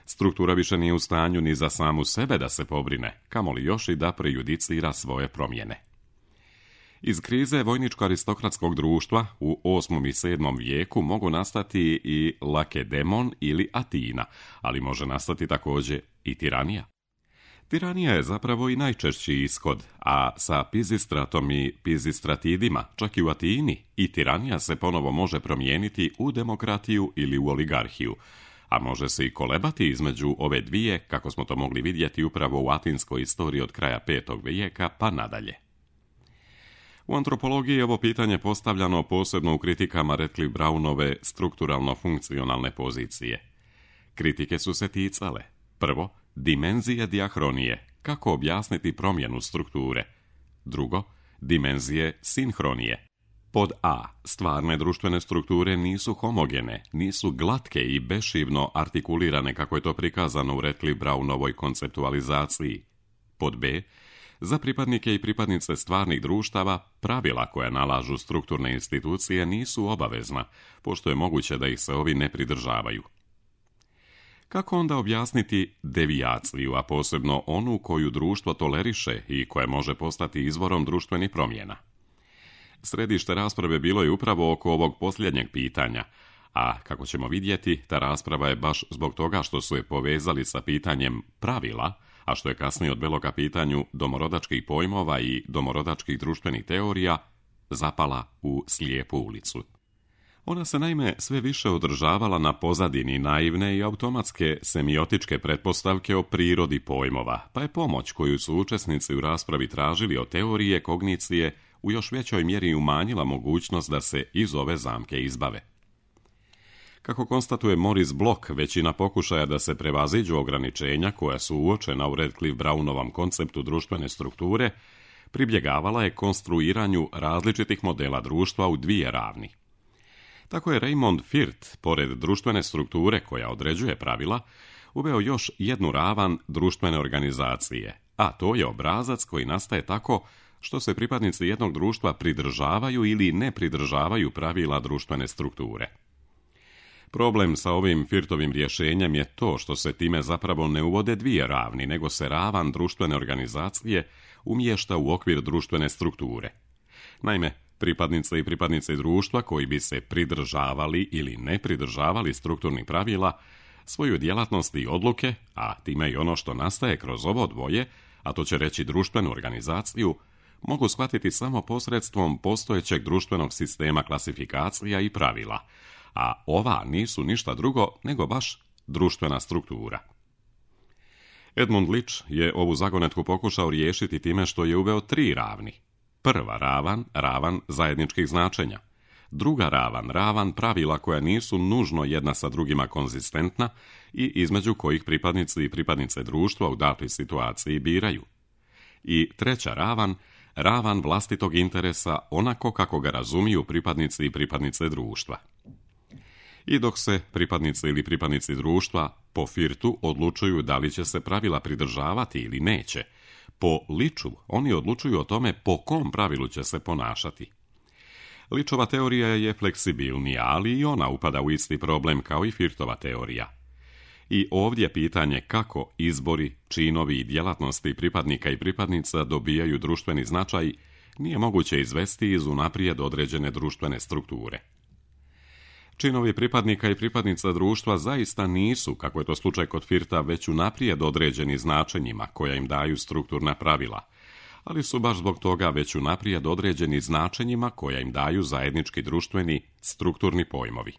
Struktura više nije u stanju ni za samu sebe da se pobrine, kamoli još i da prejudicira svoje promjene. Iz krize vojničko-aristokratskog društva u 8. i 7. vijeku mogu nastati i Lakedemon ili Atina, ali može nastati također i tiranija. Tiranija je zapravo i najčešći ishod, a sa Pizistratom i Pizistratidima, čak i u Atini, i tiranija se ponovo može promijeniti u demokratiju ili u oligarhiju, a može se i kolebati između ove dvije, kako smo to mogli vidjeti upravo u atinskoj istoriji od kraja 5. vijeka pa nadalje. U antropologiji je ovo pitanje postavljano posebno u kritikama Radcliffe Brownove strukturalno-funkcionalne pozicije. Kritike su se ticale: prvo, dimenzije dijahronije, kako objasniti promjenu strukture; drugo, dimenzije sinhronije. Pod A, stvarne društvene strukture nisu homogene, nisu glatke i bešivno artikulirane kako je to prikazano u Radcliffe Brownovoj konceptualizaciji. Pod B, za pripadnike i pripadnice stvarnih društava, pravila koja nalažu strukturne institucije nisu obavezna, pošto je moguće da ih se ovi ne pridržavaju. Kako onda objasniti devijaciju, a posebno onu koju društvo toleriše i koja može postati izvorom društvenih promjena? Središte rasprave bilo je upravo oko ovog posljednjeg pitanja, a kako ćemo vidjeti, ta rasprava je baš zbog toga što su je povezali sa pitanjem pravila, a što je kasnije odvelo ka pitanju domorodačkih pojmova i domorodačkih društvenih teorija, zapala u slijepu ulicu. Ona se naime sve više održavala na pozadini naivne i automatske semiotičke pretpostavke o prirodi pojmova, pa je pomoć koju su učesnici u raspravi tražili od teorije kognicije u još većoj mjeri umanjila mogućnost da se iz ove zamke izbave. Kako konstatuje Maurice Bloch, većina pokušaja da se prevaziđu ograničenja koja su uočena u Radcliffe Brownovom konceptu društvene strukture, pribjegavala je konstruiranju različitih modela društva u dvije ravni. Tako je Raymond Firth, pored društvene strukture koja određuje pravila, uveo još jednu ravan društvene organizacije, a to je obrazac koji nastaje tako što se pripadnici jednog društva pridržavaju ili ne pridržavaju pravila društvene strukture. Problem sa ovim Firthovim rješenjem je to što se time zapravo ne uvode dvije ravni, nego se ravan društvene organizacije umješta u okvir društvene strukture. Naime, pripadnice i pripadnice društva koji bi se pridržavali ili ne pridržavali strukturnih pravila, svoju djelatnost i odluke, a time i ono što nastaje kroz ovo dvoje, a to će reći društvenu organizaciju, mogu shvatiti samo posredstvom postojećeg društvenog sistema klasifikacija i pravila, a ova nisu ništa drugo nego baš društvena struktura. Edmund Leach je ovu zagonetku pokušao riješiti time što je uveo tri ravni. Prva ravan, ravan zajedničkih značenja. Druga ravan, ravan pravila koja nisu nužno jedna sa drugima konzistentna i između kojih pripadnici i pripadnice društva u datoj situaciji biraju. I treća ravan, ravan vlastitog interesa onako kako ga razumiju pripadnici i pripadnice društva. I dok se pripadnici ili pripadnici društva po Firthu odlučuju da li će se pravila pridržavati ili neće, po Leachu oni odlučuju o tome po kom pravilu će se ponašati. Leachova teorija je fleksibilnija, ali i ona upada u isti problem kao i Firthova teorija. I ovdje pitanje kako izbori, činovi i djelatnosti pripadnika i pripadnica dobijaju društveni značaj nije moguće izvesti iz unaprijed određene društvene strukture. Činovi pripadnika i pripadnica društva zaista nisu, kako je to slučaj kod Firta, već unaprijed određeni značenjima koja im daju strukturna pravila, ali su baš zbog toga već unaprijed određeni značenjima koja im daju zajednički društveni strukturni pojmovi.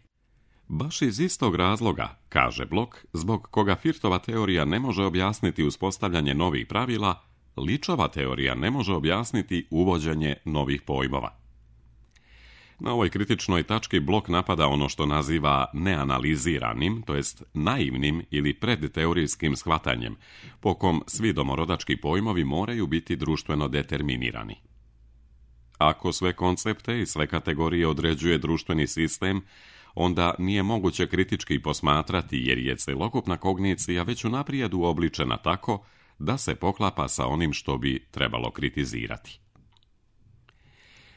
Baš iz istog razloga, kaže Blok, zbog koga Firtova teorija ne može objasniti uspostavljanje novih pravila, Ličova teorija ne može objasniti uvođenje novih pojmova. Na ovoj kritičnoj tački Blok napada ono što naziva neanaliziranim, to jest naivnim ili predteorijskim shvatanjem, po kom svi domorodački pojmovi moraju biti društveno determinirani. Ako sve koncepte i sve kategorije određuje društveni sistem, onda nije moguće kritički posmatrati jer je celokupna kognicija već unaprijed uobličena tako da se poklapa sa onim što bi trebalo kritizirati.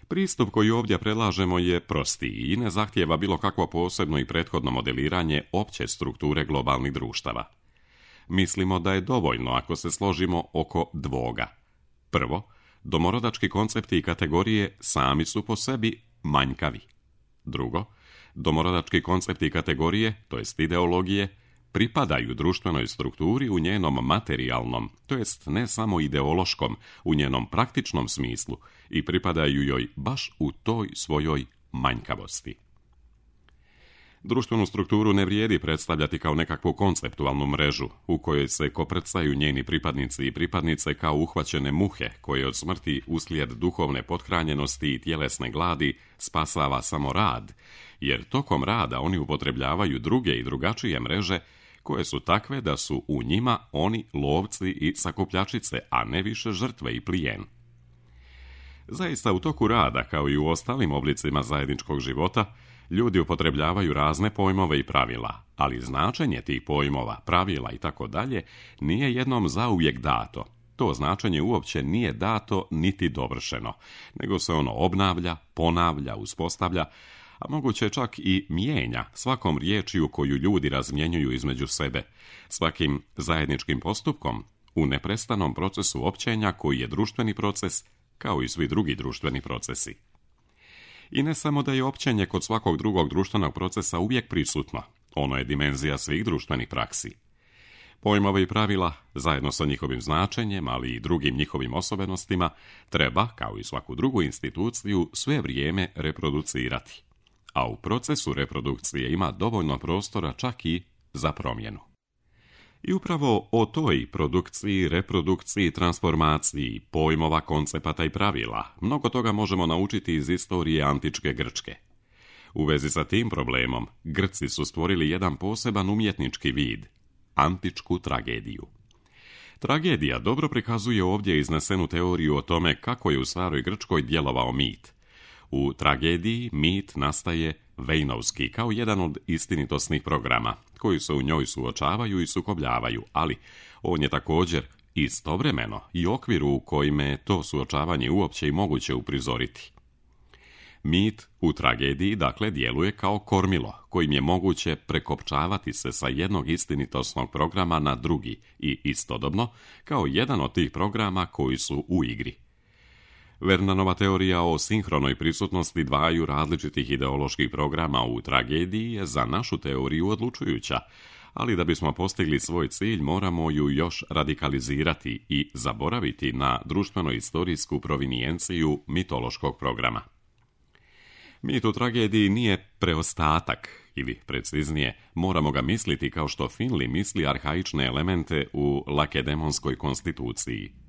Pristup koji ovdje predlažemo je prostiji i ne zahtijeva bilo kakvo posebno i prethodno modeliranje opće strukture globalnih društava. Mislimo da je dovoljno ako se složimo oko dvoga. Prvo, domorodački koncepti i kategorije sami su po sebi manjkavi. Drugo, domorodački koncepti i kategorije, to jest ideologije, pripadaju društvenoj strukturi u njenom materijalnom, to jest ne samo ideološkom, u njenom praktičnom smislu i pripadaju joj baš u toj svojoj manjkavosti. Društvenu strukturu ne vrijedi predstavljati kao nekakvu konceptualnu mrežu u kojoj se koprcaju njeni pripadnici i pripadnice kao uhvaćene muhe koje od smrti uslijed duhovne pothranjenosti i tjelesne gladi spasava samo rad, jer tokom rada oni upotrebljavaju druge i drugačije mreže koje su takve da su u njima oni lovci i sakupljačice, a ne više žrtve i plijen. Zaista u toku rada, kao i u ostalim oblicima zajedničkog života, ljudi upotrebljavaju razne pojmove i pravila, ali značenje tih pojmova, pravila i tako dalje nije jednom zauvijek dato. To značenje uopće nije dato niti dovršeno, nego se ono obnavlja, ponavlja, uspostavlja, a moguće čak i mijenja svakom riječju koju ljudi razmjenjuju između sebe, svakim zajedničkim postupkom u neprestanom procesu općenja koji je društveni proces, kao i svi drugi društveni procesi. I ne samo da je općenje kod svakog drugog društvenog procesa uvijek prisutno, ono je dimenzija svih društvenih praksi. Pojmove i pravila, zajedno sa njihovim značenjem, ali i drugim njihovim osobenostima, treba, kao i svaku drugu instituciju, sve vrijeme reproducirati. A u procesu reprodukcije ima dovoljno prostora čak i za promjenu. I upravo o toj produkciji, reprodukciji, transformaciji pojmova, koncepata i pravila mnogo toga možemo naučiti iz istorije antičke Grčke. U vezi sa tim problemom, Grci su stvorili jedan poseban umjetnički vid, antičku tragediju. Tragedija dobro prikazuje ovdje iznesenu teoriju o tome kako je u staroj Grčkoj djelovao mit. U tragediji mit nastaje vejnovski kao jedan od istinitosnih programa, koji se u njoj suočavaju i sukobljavaju, ali on je također istovremeno i okvir u kojime je to suočavanje uopće i moguće uprizoriti. Mit u tragediji, dakle, djeluje kao kormilo, kojim je moguće prekopčavati se sa jednog istinitosnog programa na drugi i istodobno kao jedan od tih programa koji su u igri. Vernanova teorija o sinhronoj prisutnosti dvaju različitih ideoloških programa u tragediji je za našu teoriju odlučujuća, ali da bismo postigli svoj cilj moramo ju još radikalizirati i zaboraviti na društveno-istorijsku provinijenciju mitološkog programa. Mit u tragediji nije preostatak, ili preciznije, moramo ga misliti kao što Finley misli arhaične elemente u lakedemonskoj konstituciji.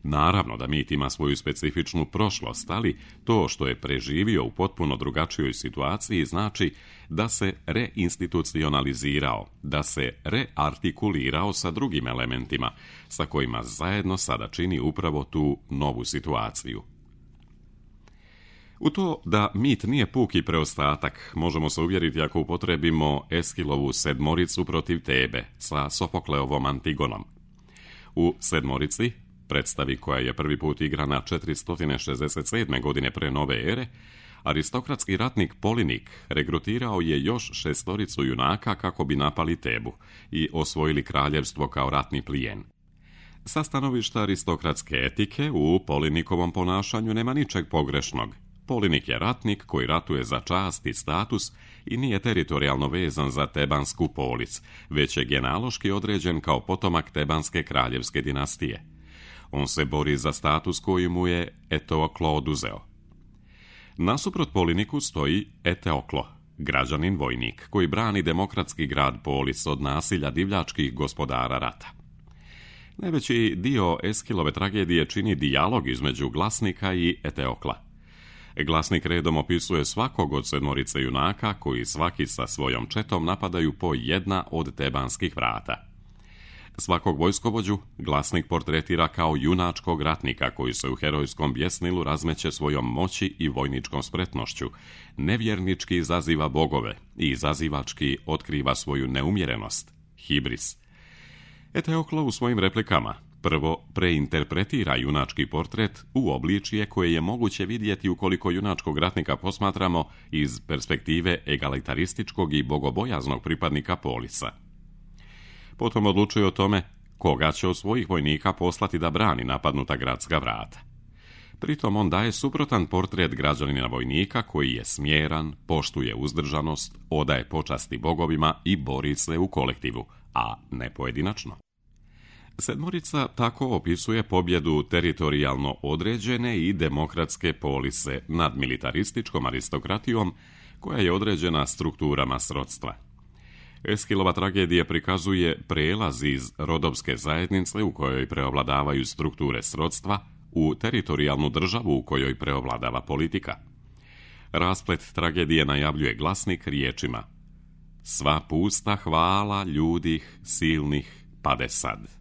Naravno da mit ima svoju specifičnu prošlost, ali to što je preživio u potpuno drugačijoj situaciji znači da se reinstitucionalizirao, da se reartikulirao sa drugim elementima, sa kojima zajedno sada čini upravo tu novu situaciju. U to da mit nije puki preostatak možemo se uvjeriti ako upotrebimo Eskilovu sedmoricu protiv Tebe sa Sofokleovom Antigonom. U sedmorici, predstavi koja je prvi put igrana 467. godine pre nove ere, Aristokratski ratnik Polinik regrutirao je još 6 junaka kako bi napali Tebu i osvojili kraljevstvo kao ratni plijen. Sa stanovišta aristokratske etike u Polinikovom ponašanju nema ničeg pogrešnog. Polinik je ratnik koji ratuje za čast i status i nije teritorijalno vezan za tebansku polis, već je genealoški određen kao potomak tebanske kraljevske dinastije. On se bori za status koji mu je Eteoklo oduzeo. Nasuprot Poliniku stoji Eteoklo, građanin vojnik, koji brani demokratski grad Polis od nasilja divljačkih gospodara rata. Najveći dio Eskilove tragedije čini dijalog između glasnika i Eteokla. Glasnik redom opisuje svakog od 7 junaka koji svaki sa svojom četom napadaju po jedna od tebanskih vrata. Svakog vojskovođu glasnik portretira kao junačkog ratnika koji se u herojskom bjesnilu razmeće svojom moći i vojničkom spretnošću, nevjernički izaziva bogove i izazivački otkriva svoju neumjerenost, hibris. Eteoklo u svojim replikama prvo preinterpretira junački portret u obličje koje je moguće vidjeti ukoliko junačkog ratnika posmatramo iz perspektive egalitarističkog i bogobojaznog pripadnika Polisa. Potom odlučuje o tome koga će od svojih vojnika poslati da brani napadnuta gradska vrata. Pritom on daje suprotan portret građanina vojnika koji je smjeran, poštuje uzdržanost, odaje počasti bogovima i bori se u kolektivu, a ne pojedinačno. 7 tako opisuje pobjedu teritorijalno određene i demokratske polise nad militarističkom aristokratijom koja je određena strukturama srodstva. Eskilova tragedija prikazuje prijelaz iz rodovske zajednice u kojoj preovladavaju strukture srodstva u teritorijalnu državu u kojoj preovladava politika. Rasplet tragedije najavljuje glasnik riječima: sva pusta hvala ljudih silnih pade sad.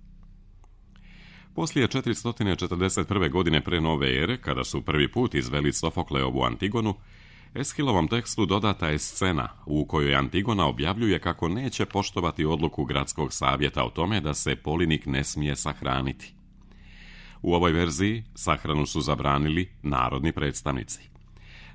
Poslije 441. godine pre nove ere, kada su prvi put izveli Sofokleovu Antigonu, Eskilovom tekstu dodata je scena u kojoj Antigona objavljuje kako neće poštovati odluku gradskog savjeta o tome da se Polinik ne smije sahraniti. U ovoj verziji sahranu su zabranili narodni predstavnici.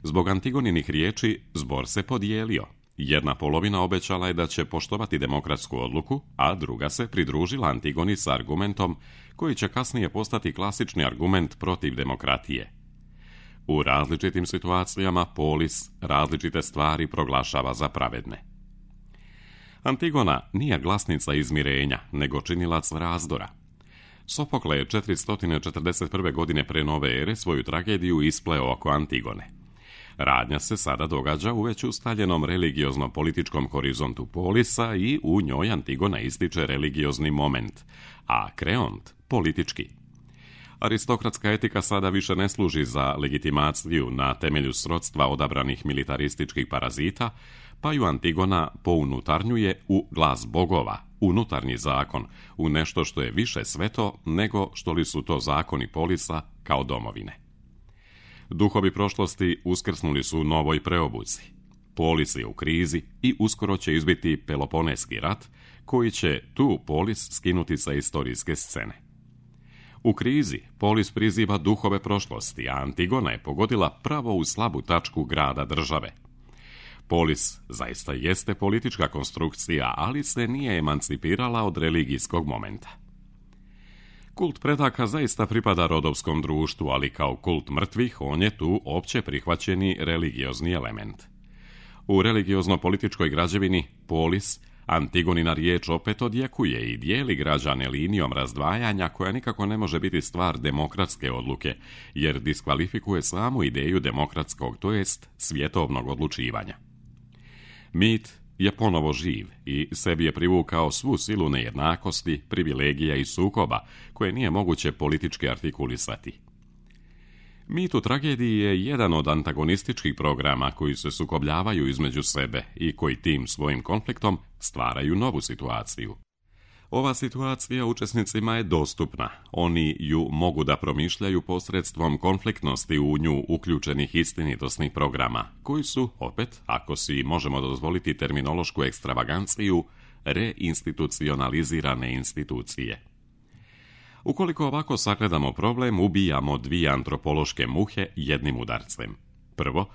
Zbog Antigoninih riječi zbor se podijelio. Jedna polovina obećala je da će poštovati demokratsku odluku, a druga se pridružila Antigoni sa argumentom koji će kasnije postati klasični argument protiv demokratije. U različitim situacijama Polis različite stvari proglašava za pravedne. Antigona nije glasnica izmirenja, nego činilac razdora. Sofokle je 441. godine pre nove ere svoju tragediju ispleo oko Antigone. Radnja se sada događa u već ustaljenom religiozno-političkom horizontu Polisa i u njoj Antigona ističe religiozni moment, a Kreont politički. Aristokratska etika sada više ne služi za legitimaciju na temelju srodstva odabranih militarističkih parazita, pa ju Antigona pounutarnjuje u glas bogova, unutarnji zakon, u nešto što je više sveto nego što li su to zakoni Polisa kao domovine. Duhovi prošlosti uskrsnuli su u novoj preobuci. Polis je u krizi i uskoro će izbiti Peloponeski rat, koji će tu Polis skinuti sa istorijske scene. U krizi Polis priziva duhove prošlosti, a Antigona je pogodila pravo u slabu tačku grada države. Polis zaista jeste politička konstrukcija, ali se nije emancipirala od religijskog momenta. Kult predaka zaista pripada rodovskom društvu, ali kao kult mrtvih on je tu opće prihvaćeni religiozni element. U religiozno-političkoj građevini Polis Antigonina riječ opet odjekuje i dijeli građane linijom razdvajanja koja nikako ne može biti stvar demokratske odluke, jer diskvalifikuje samu ideju demokratskog, to jest svjetovnog odlučivanja. Mit je ponovo živ i sebi je privukao svu silu nejednakosti, privilegija i sukoba koje nije moguće politički artikulisati. Mit u tragediji je jedan od antagonističkih programa koji se sukobljavaju između sebe i koji tim svojim konfliktom stvaraju novu situaciju. Ova situacija učesnicima je dostupna. Oni ju mogu da promišljaju posredstvom konfliktnosti u nju uključenih istinitosnih programa, koji su, opet, ako si možemo dozvoliti terminološku ekstravaganciju, reinstitucionalizirane institucije. Ukoliko ovako sagledamo problem, ubijamo 2 antropološke muhe jednim udarcem. Prvo,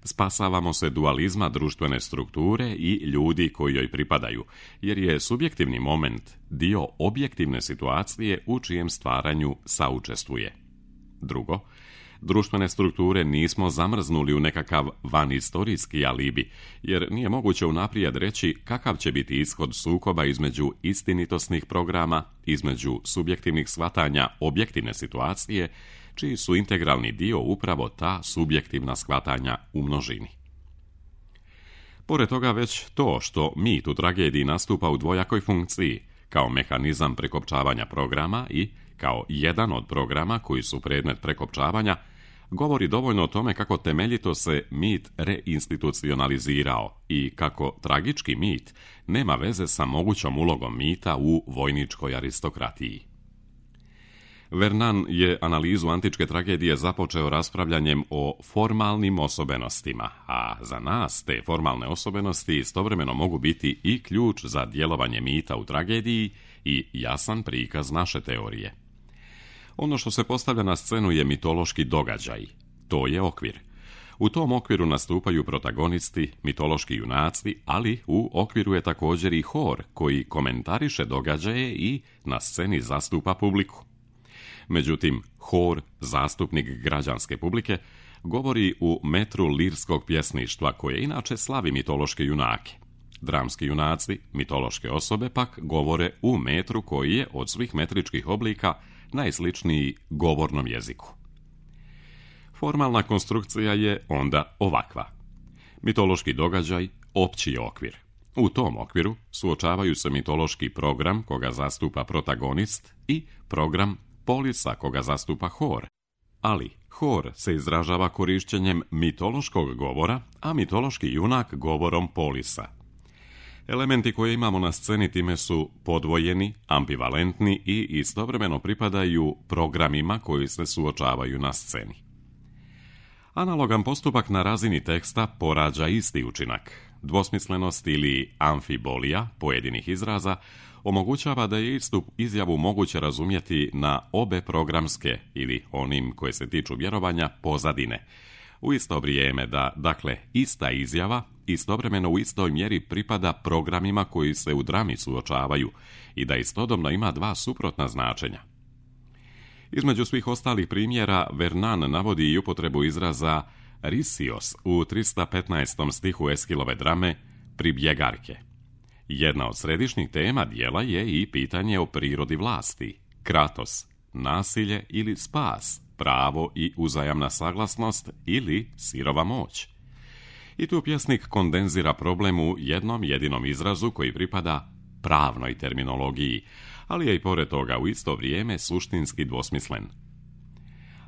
Spasavamo se dualizma društvene strukture i ljudi koji joj pripadaju, jer je subjektivni moment dio objektivne situacije u čijem stvaranju saučestvuje. Drugo, društvene strukture nismo zamrznuli u nekakav vanistorijski alibi, jer nije moguće unaprijed reći kakav će biti ishod sukoba između istinitosnih programa, između subjektivnih shvatanja objektivne situacije, čiji su integralni dio upravo ta subjektivna shvatanja u množini. Pored toga već to što mit u tragediji nastupa u dvojakoj funkciji, kao mehanizam prekopčavanja programa i kao jedan od programa koji su predmet prekopčavanja, govori dovoljno o tome kako temeljito se mit reinstitucionalizirao i kako tragički mit nema veze sa mogućom ulogom mita u vojničkoj aristokratiji. Vernan je analizu antičke tragedije započeo raspravljanjem o formalnim osobenostima, a za nas te formalne osobenosti istovremeno mogu biti i ključ za djelovanje mita u tragediji i jasan prikaz naše teorije. Ono što se postavlja na scenu je mitološki događaj. To je okvir. U tom okviru nastupaju protagonisti, mitološki junaci, ali u okviru je također i hor koji komentariše događaje i na sceni zastupa publiku. Međutim, hor, zastupnik građanske publike, govori u metru lirskog pjesništva koje inače slavi mitološke junake. Dramski junaci, mitološke osobe, pak govore u metru koji je od svih metričkih oblika najsličniji govornom jeziku. Formalna konstrukcija je onda ovakva. Mitološki događaj, opći je okvir. U tom okviru suočavaju se mitološki program koga zastupa protagonist i program polisa koga zastupa hor. Ali hor se izražava korišćenjem mitološkog govora, a mitološki junak govorom polisa. Elementi koje imamo na sceni time su podvojeni, ambivalentni i istovremeno pripadaju programima koji se suočavaju na sceni. Analogan postupak na razini teksta porađa isti učinak. Dvosmislenost ili amfibolija pojedinih izraza omogućava da je istu izjavu moguće razumjeti na obe programske ili onim koje se tiču vjerovanja pozadine. U isto vrijeme da, dakle, ista izjava istovremeno u istoj mjeri pripada programima koji se u drami suočavaju i da istodobno ima dva suprotna značenja. Između svih ostalih primjera, Vernan navodi i upotrebu izraza risios u 315. stihu Eskilove drame Pribjegarke. Jedna od središnjih tema dijela je i pitanje o prirodi vlasti, kratos, nasilje ili spas, pravo i uzajamna saglasnost ili sirova moć. I tu pjesnik kondenzira problem u jednom jedinom izrazu koji pripada pravnoj terminologiji, ali je i pored toga u isto vrijeme suštinski dvosmislen.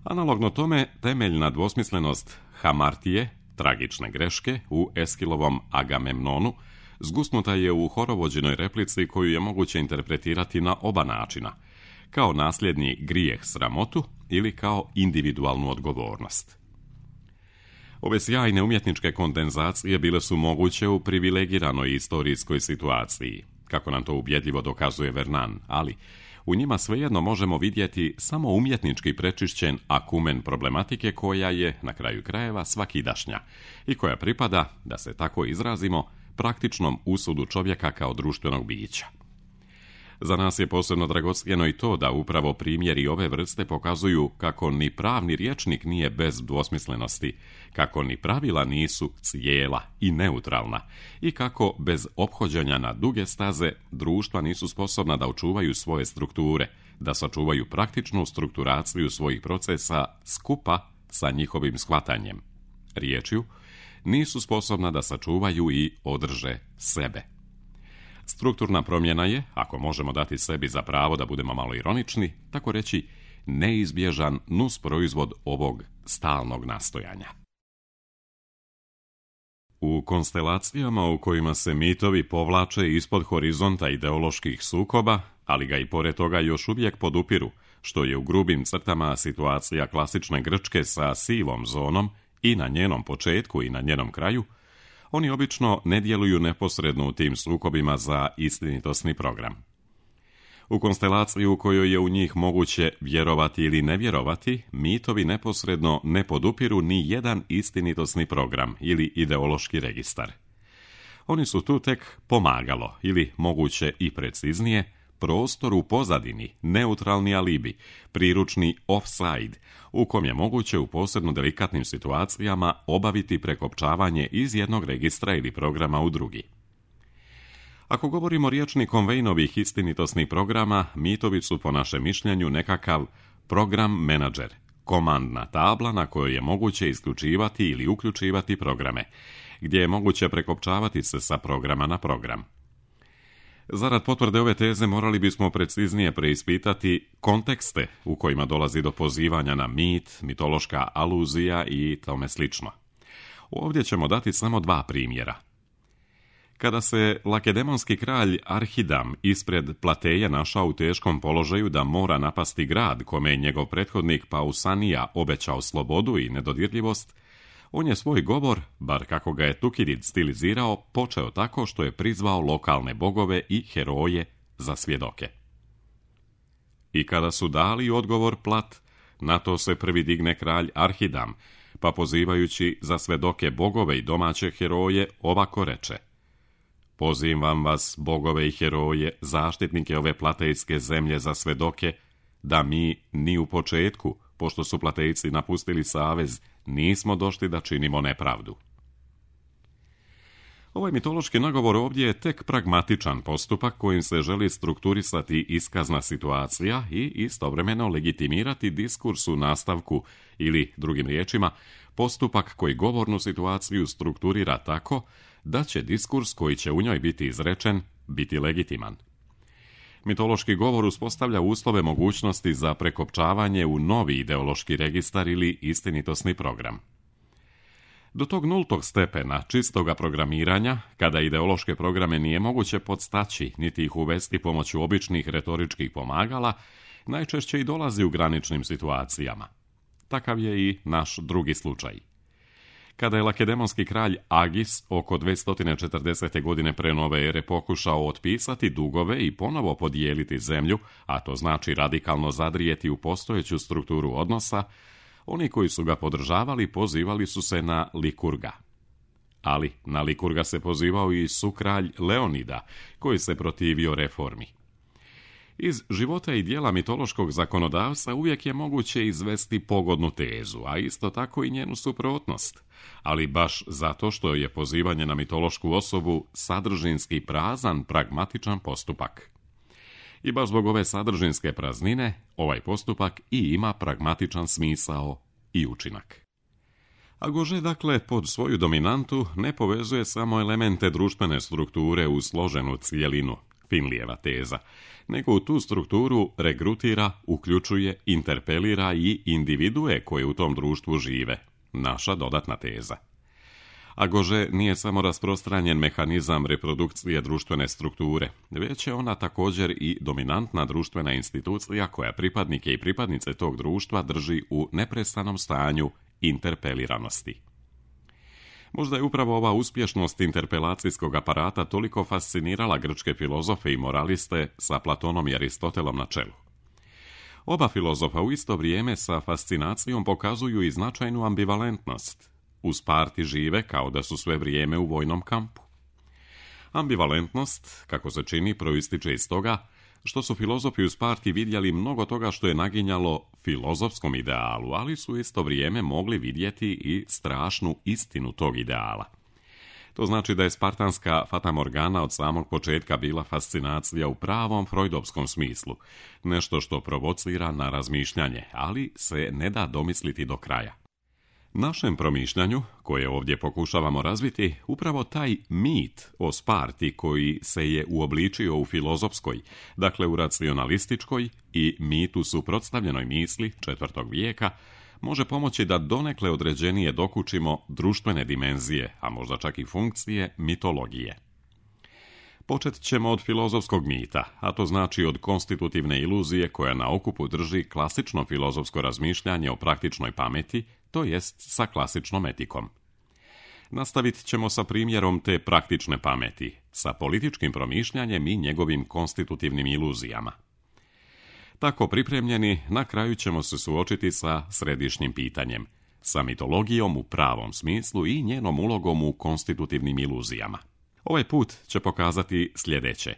Analogno tome, temeljna dvosmislenost hamartije, tragične greške, u Eskilovom Agamemnonu, zgusnuta je u horovođenoj replici koju je moguće interpretirati na oba načina, kao nasljedni grijeh sramotu ili kao individualnu odgovornost. Ove sjajne umjetničke kondenzacije bile su moguće u privilegiranoj istorijskoj situaciji, kako nam to ubjedljivo dokazuje Vernan, ali u njima svejedno možemo vidjeti samo umjetnički prečišćen akumen problematike koja je, na kraju krajeva, svakidašnja i koja pripada, da se tako izrazimo, praktičnom usudu čovjeka kao društvenog bića. Za nas je posebno dragocjeno i to da upravo primjeri ove vrste pokazuju kako ni pravni rječnik nije bez dvosmislenosti, kako ni pravila nisu cijela i neutralna i kako bez ophođenja na duge staze društva nisu sposobna da očuvaju svoje strukture, da sačuvaju praktičnu strukturaciju svojih procesa skupa sa njihovim shvatanjem. Riječju, nisu sposobna da sačuvaju i održe sebe. Strukturna promjena je, ako možemo dati sebi za pravo da budemo malo ironični, tako reći, neizbježan nusproizvod ovog stalnog nastojanja. U konstelacijama u kojima se mitovi povlače ispod horizonta ideoloških sukoba, ali ga i pored toga još uvijek podupiru, što je u grubim crtama situacija klasične Grčke sa sivom zonom i na njenom početku i na njenom kraju, oni obično ne djeluju neposredno u tim sukobima za istinitosni program. U konstelaciji u kojoj je u njih moguće vjerovati ili ne vjerovati, mitovi neposredno ne podupiru ni jedan istinitosni program ili ideološki registar. Oni su tu tek pomagalo, ili moguće i preciznije, prostor u pozadini, neutralni alibi, priručni offside, u kom je moguće u posebno delikatnim situacijama obaviti prekopčavanje iz jednog registra ili programa u drugi. Ako govorimo rječnikom Vejnovih istinitosnih programa, mitovi su po našem mišljenju nekakav program menadžer, komandna tabla na kojoj je moguće isključivati ili uključivati programe, gdje je moguće prekopčavati se sa programa na program. Zarad potvrde ove teze morali bismo preciznije preispitati kontekste u kojima dolazi do pozivanja na mit, mitološka aluzija i tome slično. Ovdje ćemo dati samo 2 primjera. Kada se lakedemonski kralj Arhidam ispred Plateje našao u teškom položaju da mora napasti grad kome je njegov prethodnik Pausanija obećao slobodu i nedodirljivost, on je svoj govor, bar kako ga je Tukidid stilizirao, počeo tako što je prizvao lokalne bogove i heroje za svjedoke. I kada su dali odgovor Plat, na to se prvi digne kralj Arhidam, pa pozivajući za svjedoke bogove i domaće heroje, ovako reče: Pozivam vas, bogove i heroje, zaštitnike ove platejske zemlje za svjedoke, da mi ni u početku, pošto su Platejci napustili savez, nismo došli da činimo nepravdu. Ovaj mitološki nagovor ovdje je tek pragmatičan postupak kojim se želi strukturisati iskazna situacija i istovremeno legitimirati diskurs u nastavku ili, drugim riječima, postupak koji govornu situaciju strukturira tako da će diskurs koji će u njoj biti izrečen biti legitiman. Mitološki govor uspostavlja uslove mogućnosti za prekopčavanje u novi ideološki registar ili istinitosni program. Do tog nultog stepena čistoga programiranja, kada ideološke programe nije moguće podstaći niti ih uvesti pomoću običnih retoričkih pomagala, najčešće i dolazi u graničnim situacijama. Takav je i naš drugi slučaj. Kada je lakedemonski kralj Agis oko 240. godine pre nove ere pokušao otpisati dugove i ponovo podijeliti zemlju, a to znači radikalno zadrijeti u postojeću strukturu odnosa, oni koji su ga podržavali pozivali su se na Likurga. Ali na Likurga se pozivao i sukralj Leonida, koji se protivio reformi. Iz života i dijela mitološkog zakonodavstva uvijek je moguće izvesti pogodnu tezu, a isto tako i njenu suprotnost, ali baš zato što je pozivanje na mitološku osobu sadržinski prazan, pragmatičan postupak. I baš zbog ove sadržinske praznine, ovaj postupak i ima pragmatičan smisao i učinak. Agože, dakle, pod svoju dominantu ne povezuje samo elemente društvene strukture u složenu cijelinu, Finlijeva teza, nego u tu strukturu regrutira, uključuje, interpelira i individue koje u tom društvu žive, naša dodatna teza. Agože nije samo rasprostranjen mehanizam reprodukcije društvene strukture, već je ona također i dominantna društvena institucija koja pripadnike i pripadnice tog društva drži u neprestanom stanju interpeliranosti. Možda je upravo ova uspješnost interpelacijskog aparata toliko fascinirala grčke filozofe i moraliste sa Platonom i Aristotelom na čelu. Oba filozofa u isto vrijeme sa fascinacijom pokazuju i značajnu ambivalentnost. U Sparti žive kao da su sve vrijeme u vojnom kampu. Ambivalentnost, kako se čini, proističe iz toga što su filozofi u Sparti vidjeli mnogo toga što je naginjalo filozofskom idealu, ali su isto vrijeme mogli vidjeti i strašnu istinu tog ideala. To znači da je spartanska fatamorgana od samog početka bila fascinacija u pravom freudovskom smislu, nešto što provocira na razmišljanje, ali se ne da domisliti do kraja. Našem promišljanju, koje ovdje pokušavamo razviti, upravo taj mit o Sparti koji se je uobličio u filozofskoj, dakle u racionalističkoj i mitu suprotstavljenoj misli 4. vijeka, može pomoći da donekle određenije dokučimo društvene dimenzije, a možda čak i funkcije mitologije. Počet ćemo od filozofskog mita, a to znači od konstitutivne iluzije koja na okupu drži klasično filozofsko razmišljanje o praktičnoj pameti, to jest sa klasičnom etikom. Nastavit ćemo sa primjerom te praktične pameti, sa političkim promišljanjem i njegovim konstitutivnim iluzijama. Tako pripremljeni, na kraju ćemo se suočiti sa središnjim pitanjem, sa mitologijom u pravom smislu i njenom ulogom u konstitutivnim iluzijama. Ovaj put će pokazati sljedeće.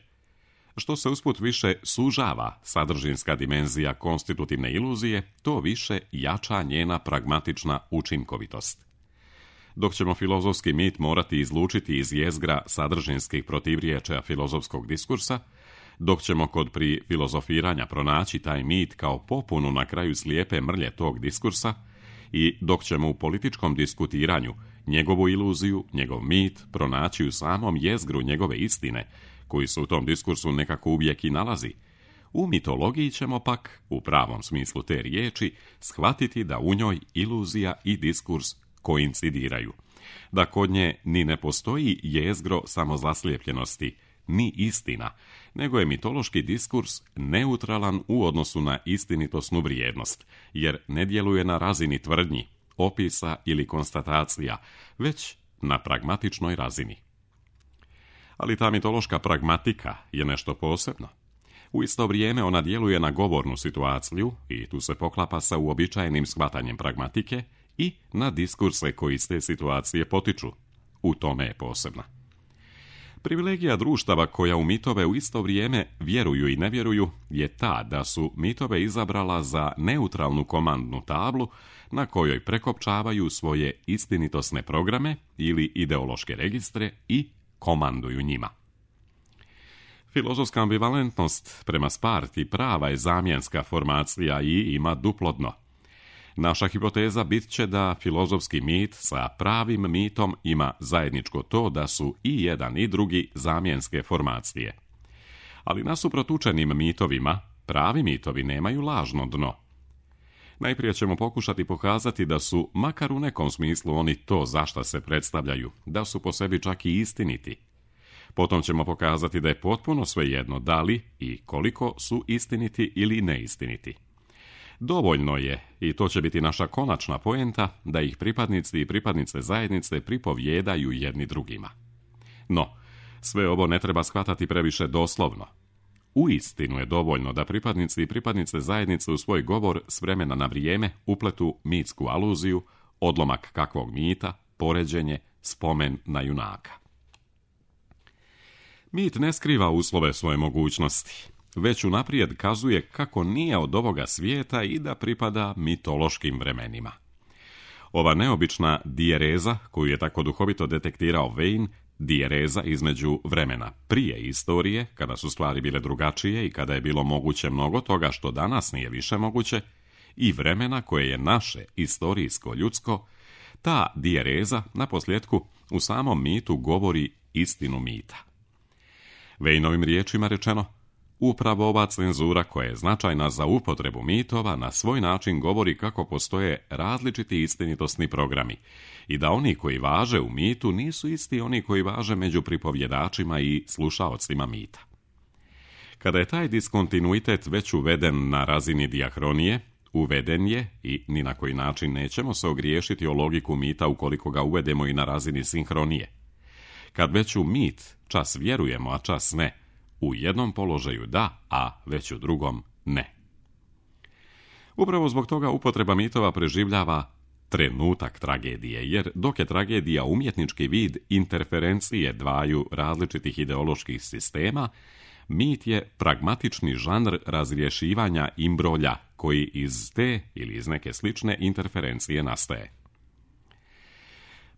Što se usput više sužava sadržinska dimenzija konstitutivne iluzije, to više jača njena pragmatična učinkovitost. Dok ćemo filozofski mit morati izlučiti iz jezgra sadržinskih protivriječja filozofskog diskursa, dok ćemo kod pri filozofiranja pronaći taj mit kao popunu na kraju slijepe mrlje tog diskursa i dok ćemo u političkom diskutiranju njegovu iluziju, njegov mit pronaći u samom jezgru njegove istine, koji se u tom diskursu nekako uvijek i nalazi, u mitologiji ćemo pak, u pravom smislu te riječi, shvatiti da u njoj iluzija i diskurs koincidiraju, da kod nje ni ne postoji jezgro samozaslijepljenosti, ni istina, nego je mitološki diskurs neutralan u odnosu na istinitosnu vrijednost, jer ne djeluje na razini tvrdnji, opisa ili konstatacija, već na pragmatičnoj razini. Ali ta mitološka pragmatika je nešto posebno. U isto vrijeme ona djeluje na govornu situaciju i tu se poklapa sa uobičajenim shvatanjem pragmatike i na diskurse koji iz te situacije potiču. U tome je posebna. Privilegija društava koja u mitove u isto vrijeme vjeruju i ne vjeruju je ta da su mitove izabrala za neutralnu komandnu tablu na kojoj prekopčavaju svoje istinitosne programe ili ideološke registre i komanduju njima. Filozofska ambivalentnost prema Sparti prava je zamjenska formacija i ima duplo dno. Naša hipoteza bit će da filozofski mit sa pravim mitom ima zajedničko to da su i jedan i drugi zamjenske formacije. Ali nasuprot učenim mitovima, pravi mitovi nemaju lažno dno. Najprije ćemo pokušati pokazati da su, makar u nekom smislu, oni to za šta se predstavljaju, da su po sebi čak i istiniti. Potom ćemo pokazati da je potpuno svejedno da li i koliko su istiniti ili neistiniti. Dovoljno je, i to će biti naša konačna poenta, da ih pripadnici i pripadnice zajednice pripovjedaju jedni drugima. No, sve ovo ne treba shvatati previše doslovno. Uistinu je dovoljno da pripadnici i pripadnice zajednice u svoj govor s vremena na vrijeme upletu mitsku aluziju, odlomak kakvog mita, poređenje, spomen na junaka. Mit ne skriva uslove svoje mogućnosti, već unaprijed kazuje kako nije od ovoga svijeta i da pripada mitološkim vremenima. Ova neobična dijereza, koju je tako duhovito detektirao Vane, dijereza između vremena prije istorije, kada su stvari bile drugačije i kada je bilo moguće mnogo toga što danas nije više moguće, i vremena koje je naše istorijsko ljudsko, ta dijereza, naposljetku, u samom mitu govori istinu mita. Vaneovim riječima rečeno, upravo ova cenzura koja je značajna za upotrebu mitova na svoj način govori kako postoje različiti istinitosni programi i da oni koji važe u mitu nisu isti oni koji važe među pripovjedačima i slušaocima mita. Kada je taj diskontinuitet već uveden na razini dijahronije, uveden je i ni na koji način nećemo se ogriješiti o logiku mita ukoliko ga uvedemo i na razini sinhronije. Kad već u mit čas vjerujemo, a čas ne, u jednom položaju da, a već u drugom ne. Upravo zbog toga upotreba mitova preživljava trenutak tragedije, jer dok je tragedija umjetnički vid interferencije dvaju različitih ideoloških sistema, mit je pragmatični žanr razrješivanja imbrolja koji iz te ili iz neke slične interferencije nastaje.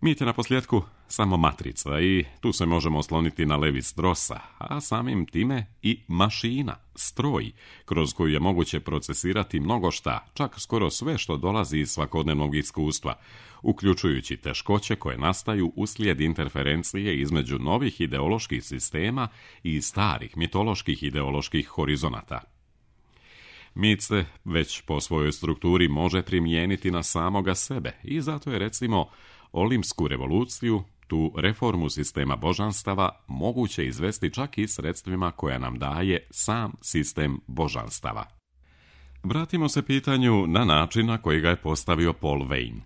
Mit je naposljetku samo matrica i tu se možemo osloniti na Levi-Strossa, a samim time i mašina, stroj, kroz koju je moguće procesirati mnogo šta, čak skoro sve što dolazi iz svakodnevnog iskustva, uključujući teškoće koje nastaju uslijed interferencije između novih ideoloških sistema i starih mitoloških ideoloških horizonata. Mit se već po svojoj strukturi može primijeniti na samoga sebe i zato je, recimo, Olimsku revoluciju, tu reformu sistema božanstava, moguće izvesti čak i sredstvima koja nam daje sam sistem božanstava. Vratimo se pitanju na način na koji ga je postavio Paul Vane.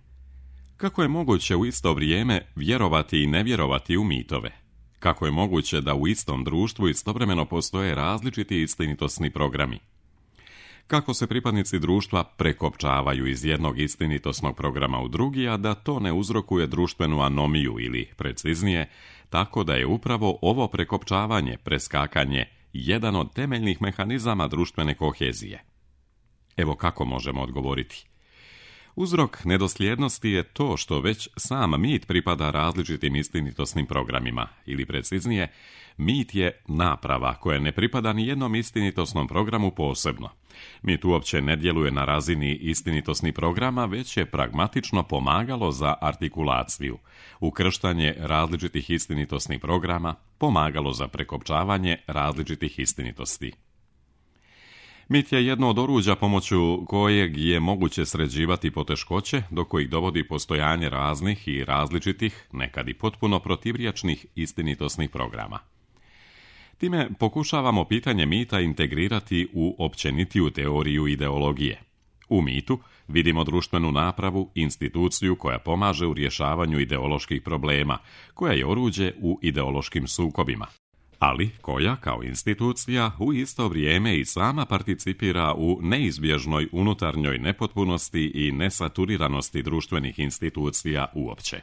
Kako je moguće u isto vrijeme vjerovati i ne vjerovati u mitove? Kako je moguće da u istom društvu istovremeno postoje različiti istinitosni programi? Kako se pripadnici društva prekopčavaju iz jednog istinitosnog programa u drugi, a da to ne uzrokuje društvenu anomiju ili, preciznije, tako da je upravo ovo prekopčavanje, preskakanje, jedan od temeljnih mehanizama društvene kohezije. Evo kako možemo odgovoriti. Uzrok nedosljednosti je to što već sam mit pripada različitim istinitosnim programima, ili preciznije, mit je naprava koja ne pripada ni jednom istinitosnom programu posebno. Mit uopće ne djeluje na razini istinitosnih programa, već je pragmatično pomagalo za artikulaciju, ukrštanje različitih istinitosnih programa, pomagalo za prekopčavanje različitih istinitosti. Mit je jedno od oruđa pomoću kojeg je moguće sređivati poteškoće do kojih dovodi postojanje raznih i različitih, nekad i potpuno protivrječnih istinitosnih programa. Time pokušavamo pitanje mita integrirati u općenitiju teoriju ideologije. U mitu vidimo društvenu napravu, instituciju koja pomaže u rješavanju ideoloških problema, koja je oruđe u ideološkim sukobima, ali koja, kao institucija, u isto vrijeme i sama participira u neizbježnoj unutarnjoj nepotpunosti i nesaturiranosti društvenih institucija uopće.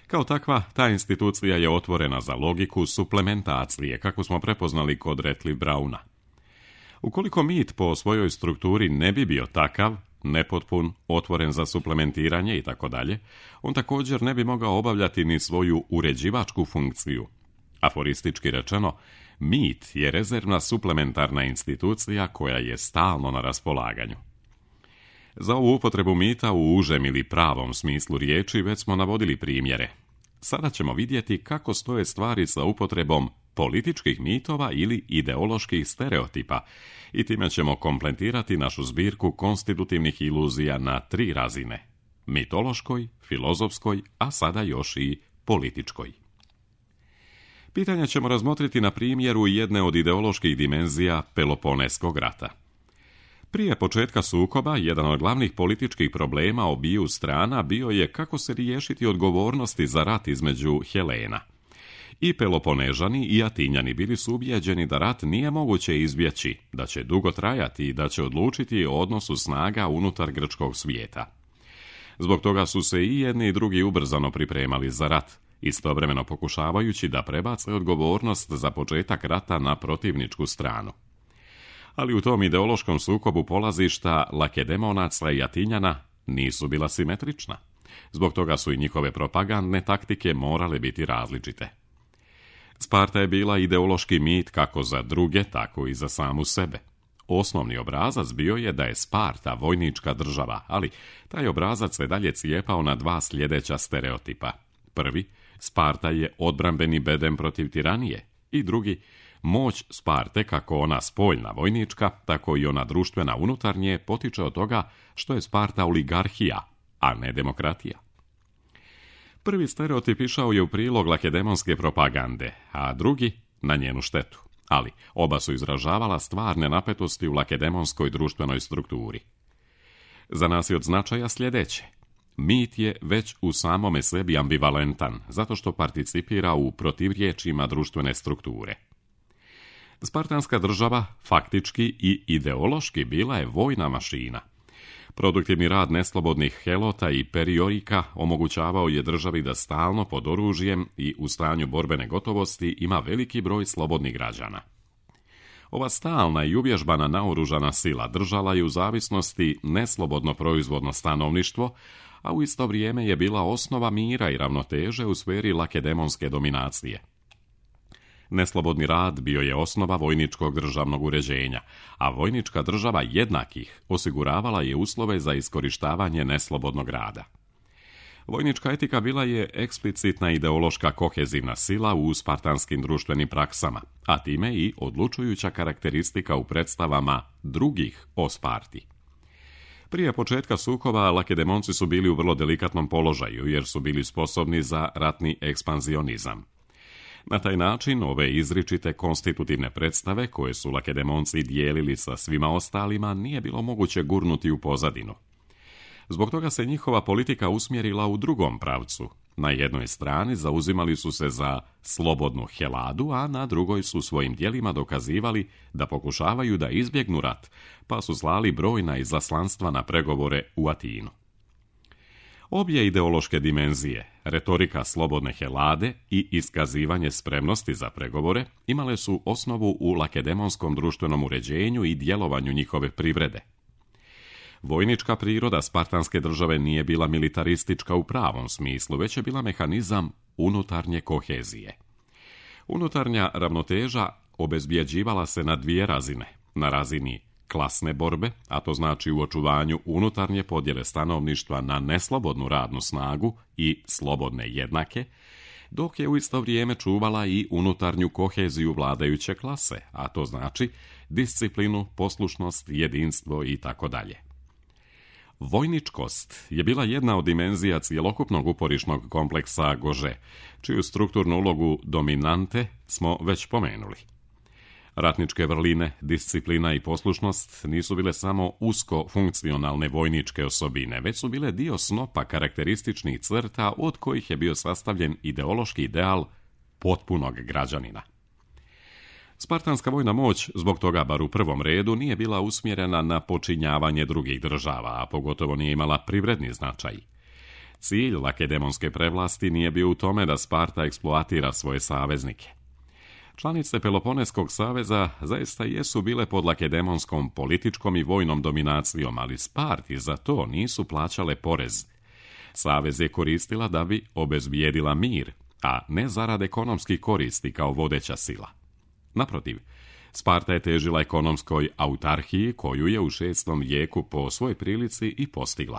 Kao takva, ta institucija je otvorena za logiku suplementacije, kako smo prepoznali kod Ratcliffe Browna. Ukoliko mit po svojoj strukturi ne bi bio takav, nepotpun, otvoren za suplementiranje itd., on također ne bi mogao obavljati ni svoju uređivačku funkciju. Aforistički rečeno, mit je rezervna suplementarna institucija koja je stalno na raspolaganju. Za ovu upotrebu mita u užem ili pravom smislu riječi već smo navodili primjere. Sada ćemo vidjeti kako stoje stvari sa upotrebom političkih mitova ili ideoloških stereotipa i time ćemo kompletirati našu zbirku konstitutivnih iluzija na 3 razine: mitološkoj, filozofskoj, a sada još i političkoj. Pitanja ćemo razmotriti na primjeru jedne od ideoloških dimenzija Peloponeskog rata. Prije početka sukoba, jedan od glavnih političkih problema obiju strana bio je kako se riješiti odgovornosti za rat između Helena. I Peloponežani i Atinjani bili su ubijeđeni da rat nije moguće izbjeći, da će dugo trajati i da će odlučiti o odnosu snaga unutar grčkog svijeta. Zbog toga su se i jedni i drugi ubrzano pripremali za rat, istovremeno pokušavajući da prebace odgovornost za početak rata na protivničku stranu. Ali u tom ideološkom sukobu polazišta Lakedemonaca i Atinjana nisu bila simetrična. Zbog toga su i njihove propagandne taktike morale biti različite. Sparta je bila ideološki mit kako za druge, tako i za samu sebe. Osnovni obrazac bio je da je Sparta vojnička država, ali taj obrazac se dalje cijepao na 2 sljedeća stereotipa. Prvi, Sparta je odbrambeni bedem protiv tiranije, i drugi, moć Sparte, kako ona spoljna vojnička, tako i ona društvena unutarnje, potiče od toga što je Sparta oligarhija, a ne demokratija. Prvi stereotip išao je u prilog lakedemonske propagande, a drugi na njenu štetu. Ali oba su izražavala stvarne napetosti u lakedemonskoj društvenoj strukturi. Za nas je od značaja sljedeće. Mit je već u samome sebi ambivalentan, zato što participira u protivriječima društvene strukture. Spartanska država faktički i ideološki bila je vojna mašina. Produktivni rad neslobodnih helota i periorika omogućavao je državi da stalno pod oružjem i u stanju borbene gotovosti ima veliki broj slobodnih građana. Ova stalna i uvježbana naoružana sila držala je u zavisnosti neslobodno proizvodno stanovništvo, a u isto vrijeme je bila osnova mira i ravnoteže u sferi lakedemonske dominacije. Neslobodni rad bio je osnova vojničkog državnog uređenja, a vojnička država jednakih osiguravala je uslove za iskorištavanje neslobodnog rada. Vojnička etika bila je eksplicitna ideološka kohezivna sila u spartanskim društvenim praksama, a time i odlučujuća karakteristika u predstavama drugih o Sparti. Prije početka sukoba Lakedemonci su bili u vrlo delikatnom položaju jer su bili sposobni za ratni ekspanzionizam. Na taj način ove izričite konstitutivne predstave koje su Lakedemonci dijelili sa svima ostalima nije bilo moguće gurnuti u pozadinu. Zbog toga se njihova politika usmjerila u drugom pravcu, Na jednoj strani zauzimali su se za slobodnu Heladu, a na drugoj su svojim djelima dokazivali da pokušavaju da izbjegnu rat, pa su slali brojna izaslanstva na pregovore u Atinu. Obje ideološke dimenzije, retorika slobodne Helade i iskazivanje spremnosti za pregovore, imale su osnovu u lakedemonskom društvenom uređenju i djelovanju njihove privrede. Vojnička priroda spartanske države nije bila militaristička u pravom smislu, već je bila mehanizam unutarnje kohezije. Unutarnja ravnoteža obezbjeđivala se na dvije razine, na razini klasne borbe, a to znači u očuvanju unutarnje podjele stanovništva na neslobodnu radnu snagu i slobodne jednake, dok je u isto vrijeme čuvala i unutarnju koheziju vladajuće klase, a to znači disciplinu, poslušnost, jedinstvo i tako dalje. Vojničkost je bila jedna od dimenzija cjelokupnog uporišnog kompleksa Gože, čiju strukturnu ulogu dominante smo već pomenuli. Ratničke vrline, disciplina i poslušnost nisu bile samo usko funkcionalne vojničke osobine, već su bile dio snopa karakterističnih crta od kojih je bio sastavljen ideološki ideal potpunog građanina. Spartanska vojna moć, zbog toga bar u prvom redu, nije bila usmjerena na počinjavanje drugih država, a pogotovo nije imala privredni značaj. Cilj lakedemonske prevlasti nije bio u tome da Sparta eksploatira svoje saveznike. Članice Peloponeskog saveza zaista jesu bile pod lakedemonskom političkom i vojnom dominacijom, ali Sparti za to nisu plaćale porez. Savez je koristila da bi obezbijedila mir, a ne zarad ekonomskih koristi kao vodeća sila. Naprotiv, Sparta je težila ekonomskoj autarhiji koju je u 6. vijeku po svojoj prilici i postigla.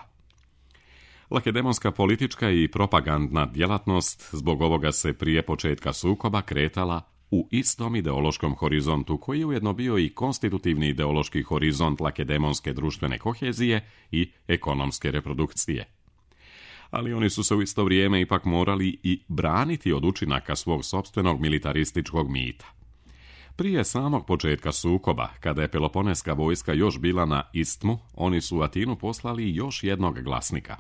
Lakedemonska politička i propagandna djelatnost zbog ovoga se prije početka sukoba kretala u istom ideološkom horizontu koji je ujedno bio i konstitutivni ideološki horizont lakedemonske društvene kohezije i ekonomske reprodukcije. Ali oni su se u isto vrijeme ipak morali i braniti od učinaka svog sopstvenog militarističkog mita. Prije samog početka sukoba, kada je Peloponeska vojska još bila na istmu, oni su u Atinu poslali još jednog glasnika.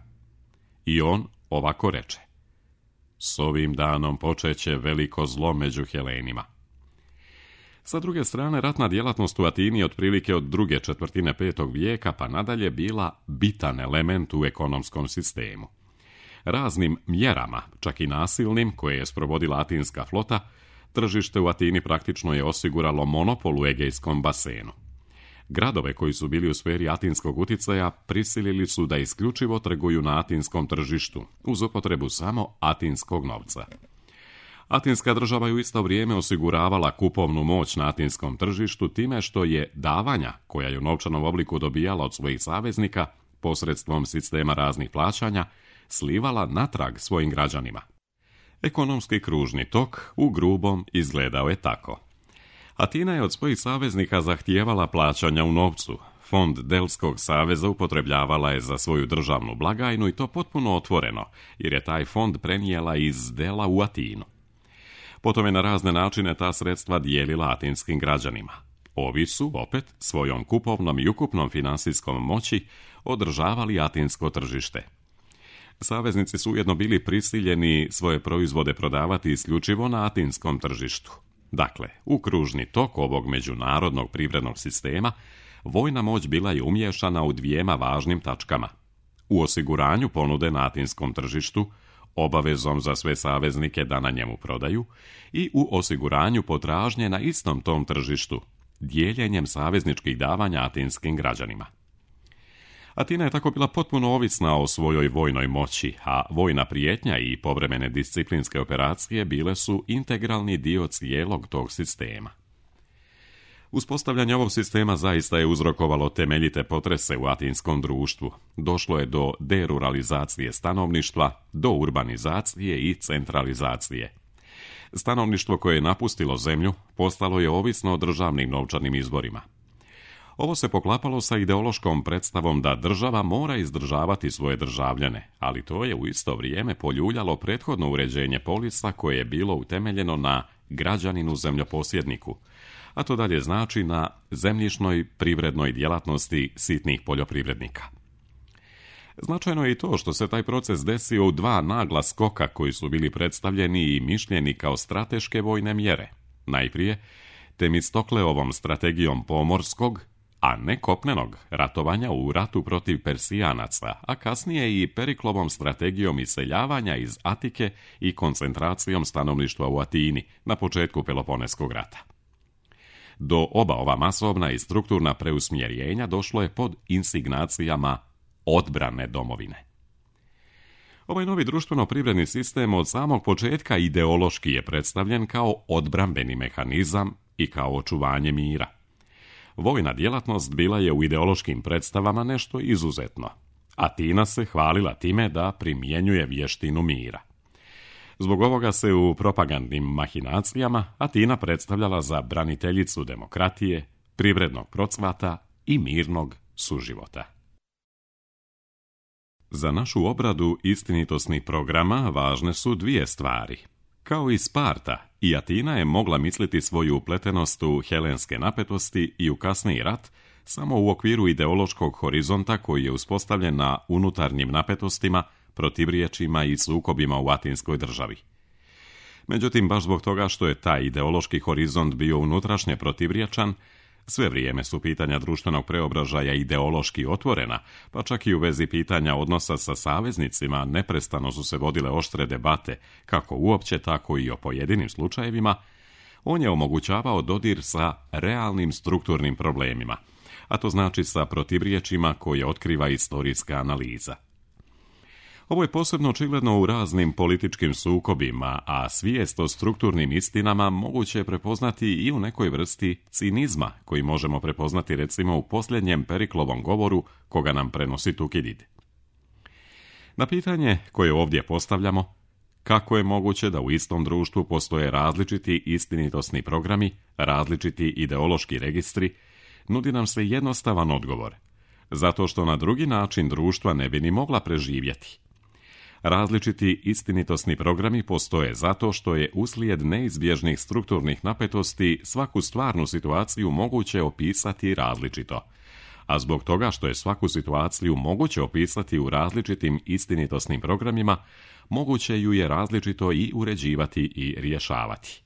I on ovako reče: "S ovim danom počeće veliko zlo među Helenima." Sa druge strane, ratna djelatnost u Atini je otprilike od druge četvrtine 5. vijeka pa nadalje bila bitan element u ekonomskom sistemu. Raznim mjerama, čak i nasilnim, koje je sprovodila atinska flota, tržište u Atini praktično je osiguralo monopol u Egejskom basenu. Gradove koji su bili u sferi atinskog uticaja prisilili su da isključivo trguju na atinskom tržištu, uz upotrebu samo atinskog novca. Atinska država je u isto vrijeme osiguravala kupovnu moć na atinskom tržištu time što je davanja, koja je u novčanom obliku dobijala od svojih saveznika, posredstvom sistema raznih plaćanja, slivala natrag svojim građanima. Ekonomski kružni tok u grubom izgledao je tako. Atina je od svojih saveznika zahtijevala plaćanja u novcu. Fond Delskog saveza upotrebljavala je za svoju državnu blagajnu i to potpuno otvoreno, jer je taj fond prenijela iz Dela u Atinu. Potom je na razne načine ta sredstva dijelila atinskim građanima. Ovi su, opet, svojom kupovnom i ukupnom finansijskom moći održavali atinsko tržište. Saveznici su ujedno bili prisiljeni svoje proizvode prodavati isključivo na atinskom tržištu. Dakle, u kružni tok ovog međunarodnog privrednog sistema vojna moć bila je umiješana u dvijema važnim tačkama. U osiguranju ponude na atinskom tržištu, obavezom za sve saveznike da na njemu prodaju, i u osiguranju potražnje na istom tom tržištu, dijeljenjem savezničkih davanja atinskim građanima. Atina je tako bila potpuno ovisna o svojoj vojnoj moći, a vojna prijetnja i povremene disciplinske operacije bile su integralni dio cijelog tog sistema. Uspostavljanje ovog sistema zaista je uzrokovalo temeljite potrese u atinskom društvu. Došlo je do deruralizacije stanovništva, do urbanizacije i centralizacije. Stanovništvo koje je napustilo zemlju postalo je ovisno o državnim novčanim izvorima. Ovo se poklapalo sa ideološkom predstavom da država mora izdržavati svoje državljane, ali to je u isto vrijeme poljuljalo prethodno uređenje polisa koje je bilo utemeljeno na građaninu zemljoposjedniku, a to dalje znači na zemljišnoj privrednoj djelatnosti sitnih poljoprivrednika. Značajno je i to što se taj proces desio u dva nagla skoka koji su bili predstavljeni i mišljeni kao strateške vojne mjere. Najprije, Temistokleovom strategijom pomorskog, a ne kopnenog, ratovanja u ratu protiv Persijanaca, a kasnije i Periklovom strategijom iseljavanja iz Atike i koncentracijom stanovništva u Atini na početku Peloponeskog rata. Do oba ova masovna i strukturna preusmjerenja došlo je pod insignacijama odbrane domovine. Ovaj novi društveno-privredni sistem od samog početka ideološki je predstavljen kao odbrambeni mehanizam i kao očuvanje mira. Vojna djelatnost bila je u ideološkim predstavama nešto izuzetno. Atina se hvalila time da primjenjuje vještinu mira. Zbog ovoga se u propagandnim mahinacijama Atina predstavljala za braniteljicu demokratije, privrednog procvata i mirnog suživota. Za našu obradu istinitosnih programa važne su dvije stvari. Kao i Sparta, i Atina je mogla misliti svoju upletenost u helenske napetosti i u kasniji rat samo u okviru ideološkog horizonta koji je uspostavljen na unutarnjim napetostima, protivriječima i sukobima u atinskoj državi. Međutim, baš zbog toga što je taj ideološki horizont bio unutrašnje protivriječan, sve vrijeme su pitanja društvenog preobražaja ideološki otvorena, pa čak i u vezi pitanja odnosa sa saveznicima neprestano su se vodile oštre debate, kako uopće, tako i o pojedinim slučajevima. On je omogućavao dodir sa realnim strukturnim problemima, a to znači sa protivriječima koje otkriva istorijska analiza. Ovo je posebno očigledno u raznim političkim sukobima, a svijest o strukturnim istinama moguće je prepoznati i u nekoj vrsti cinizma, koji možemo prepoznati recimo u posljednjem Periklovom govoru koga nam prenosi Tukidid. Na pitanje koje ovdje postavljamo, kako je moguće da u istom društvu postoje različiti istinitosni programi, različiti ideološki registri, nudi nam se jednostavan odgovor, zato što na drugi način društva ne bi ni mogla preživjeti. Različiti istinitosni programi postoje zato što je uslijed neizbježnih strukturnih napetosti svaku stvarnu situaciju moguće opisati različito, a zbog toga što je svaku situaciju moguće opisati u različitim istinitosnim programima, moguće ju je različito i uređivati i rješavati.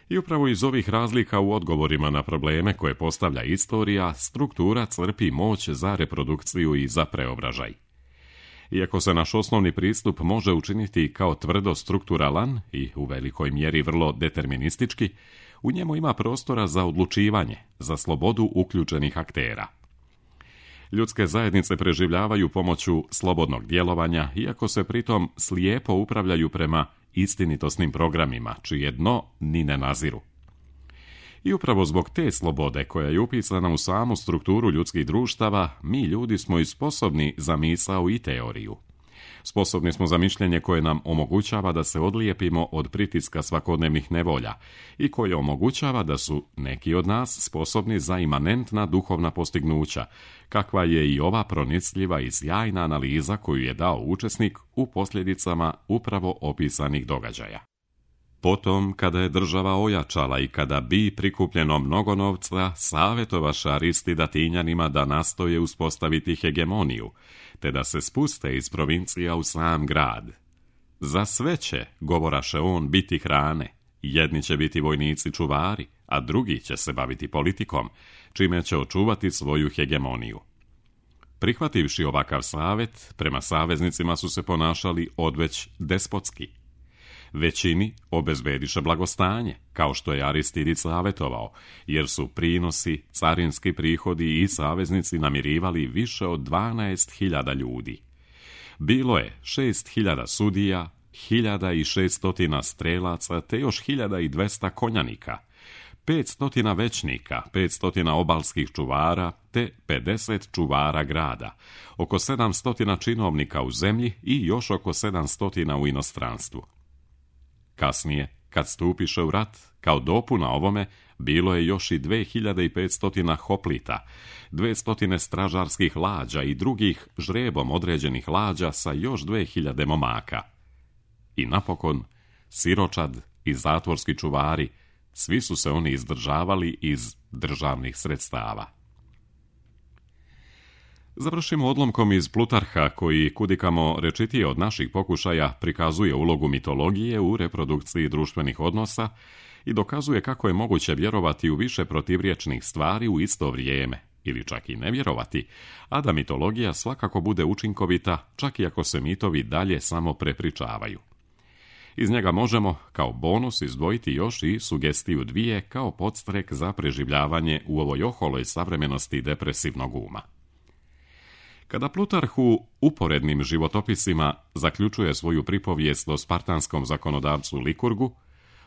I upravo iz ovih razlika u odgovorima na probleme koje postavlja istorija, struktura crpi moć za reprodukciju i za preobražaj. Iako se naš osnovni pristup može učiniti kao tvrdo strukturalan i u velikoj mjeri vrlo deterministički, u njemu ima prostora za odlučivanje, za slobodu uključenih aktera. Ljudske zajednice preživljavaju pomoću slobodnog djelovanja, iako se pritom slijepo upravljaju prema istinitosnim programima, čije dno ni ne naziru. I upravo zbog te slobode koja je upisana u samu strukturu ljudskih društava, mi ljudi smo i sposobni za misao i teoriju. Sposobni smo za mišljenje koje nam omogućava da se odlijepimo od pritiska svakodnevnih nevolja i koje omogućava da su neki od nas sposobni za imanentna duhovna postignuća, kakva je i ova pronicljiva i sjajna analiza koju je dao učesnik u posljedicama upravo opisanih događaja. Potom, kada je država ojačala i kada bi prikupljeno mnogo novca, savjetovaša Aristidatinjanima da nastoje uspostaviti hegemoniju, te da se spuste iz provincija u sam grad. Za sve će, govoraše on, biti hrane, jedni će biti vojnici čuvari, a drugi će se baviti politikom, čime će očuvati svoju hegemoniju. Prihvativši ovakav savjet, prema saveznicima su se ponašali odveć despotski. Većini obezbediše blagostanje, kao što je Aristidid savjetovao, jer su prinosi, carinski prihodi i saveznici namirivali više od 12.000 ljudi. Bilo je 6.000 sudija, 1.600 strelaca, te još 1.200 konjanika, 500 većnika, 500 obalskih čuvara, te 50 čuvara grada, oko 700 činovnika u zemlji i još oko 700 u inostranstvu. Kasnije, kad stupiše u rat, kao dopuna ovome, bilo je još i 2.500 hoplita, 200 stražarskih lađa i drugih žrebom određenih lađa sa još 2.000 momaka. I napokon, siročad i zatvorski čuvari, svi su se oni izdržavali iz državnih sredstava. Završimo odlomkom iz Plutarha koji kudikamo rečitije od naših pokušaja prikazuje ulogu mitologije u reprodukciji društvenih odnosa i dokazuje kako je moguće vjerovati u više protivriječnih stvari u isto vrijeme, ili čak i ne vjerovati, a da mitologija svakako bude učinkovita, čak i ako se mitovi dalje samo prepričavaju. Iz njega možemo, kao bonus, izdvojiti još i sugestiju 2 kao podstrek za preživljavanje u ovoj oholoj savremenosti depresivnog uma. Kada Plutarh u uporednim životopisima zaključuje svoju pripovijest o spartanskom zakonodavcu Likurgu,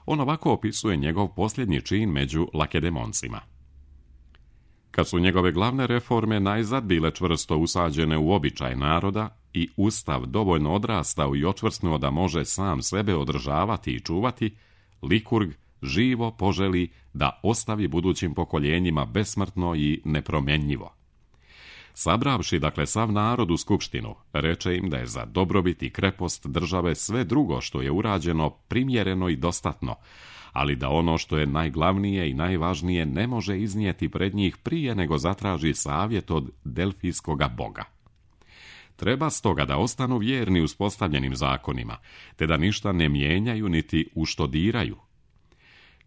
on ovako opisuje njegov posljednji čin među Lakedemoncima. Kad su njegove glavne reforme najzad bile čvrsto usađene u običaj naroda i ustav dovoljno odrastao i očvrsnuo da može sam sebe održavati i čuvati, Likurg živo poželi da ostavi budućim pokoljenjima besmrtno i nepromjenjivo. Sabravši, dakle, sav narod u skupštinu, reče im da je za dobrobit i krepost države sve drugo što je urađeno primjereno i dostatno, ali da ono što je najglavnije i najvažnije ne može iznijeti pred njih prije nego zatraži savjet od delfijskoga boga. Treba stoga da ostanu vjerni uspostavljenim zakonima, te da ništa ne mijenjaju niti uštodiraju.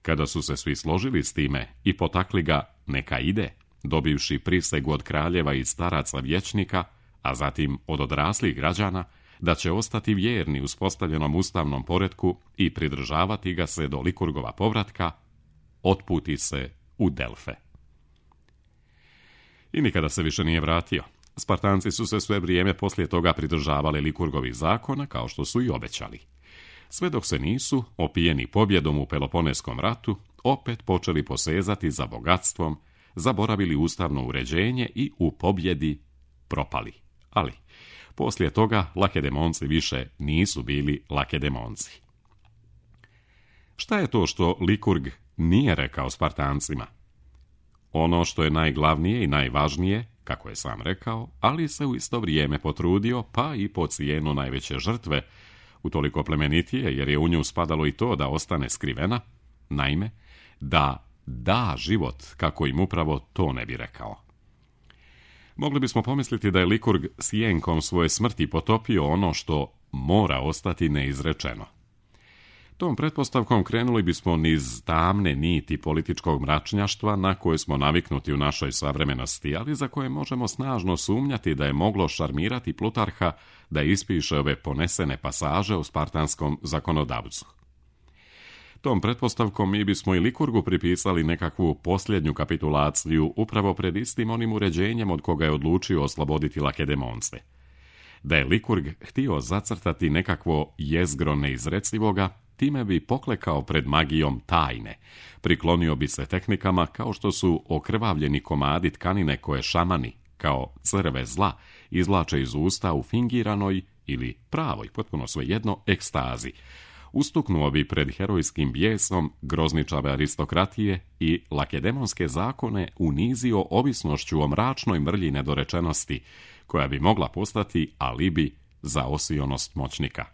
Kada su se svi složili s time i potakli ga neka ide, dobivši prisegu od kraljeva i staraca vijećnika, a zatim od odraslih građana, da će ostati vjerni uspostavljenom ustavnom poretku i pridržavati ga se do Likurgova povratka, otputi se u Delfe. I nikada se više nije vratio. Spartanci su se sve vrijeme poslije toga pridržavali Likurgovih zakona, kao što su i obećali. Sve dok se nisu, opijeni pobjedom u Peloponeskom ratu, opet počeli posezati za bogatstvom, zaboravili ustavno uređenje i u pobjedi propali. Ali poslije toga Lakedemonci više nisu bili Lakedemonci. Šta je to što Likurg nije rekao Spartancima? Ono što je najglavnije i najvažnije, kako je sam rekao, ali se u isto vrijeme potrudio, pa i po cijenu najveće žrtve, utoliko plemenitije jer je u nju spadalo i to da ostane skrivena, naime, da život, kako im upravo to ne bi rekao. Mogli bismo pomisliti da je Likurg sjenkom svoje smrti potopio ono što mora ostati neizrečeno. Tom pretpostavkom krenuli bismo niz tamne niti političkog mračnjaštva na koje smo naviknuti u našoj savremenosti, ali za koje možemo snažno sumnjati da je moglo šarmirati Plutarha da ispiše ove ponesene pasaže o spartanskom zakonodavcu. Tom pretpostavkom mi bismo i Likurgu pripisali nekakvu posljednju kapitulaciju upravo pred istim onim uređenjem od koga je odlučio osloboditi Lakedemonce. Da je Likurg htio zacrtati nekakvo jezgro neizrecivoga, time bi poklekao pred magijom tajne, priklonio bi se tehnikama kao što su okrvavljeni komadi tkanine koje šamani, kao crve zla, izvlače iz usta u fingiranoj ili pravoj, potpuno svejedno, ekstazi. Ustuknuo bi pred herojskim bijesom grozničave aristokratije i lakedemonske zakone unizio ovisnošću o mračnoj mrlji nedorečenosti, koja bi mogla postati alibi za osionost moćnika.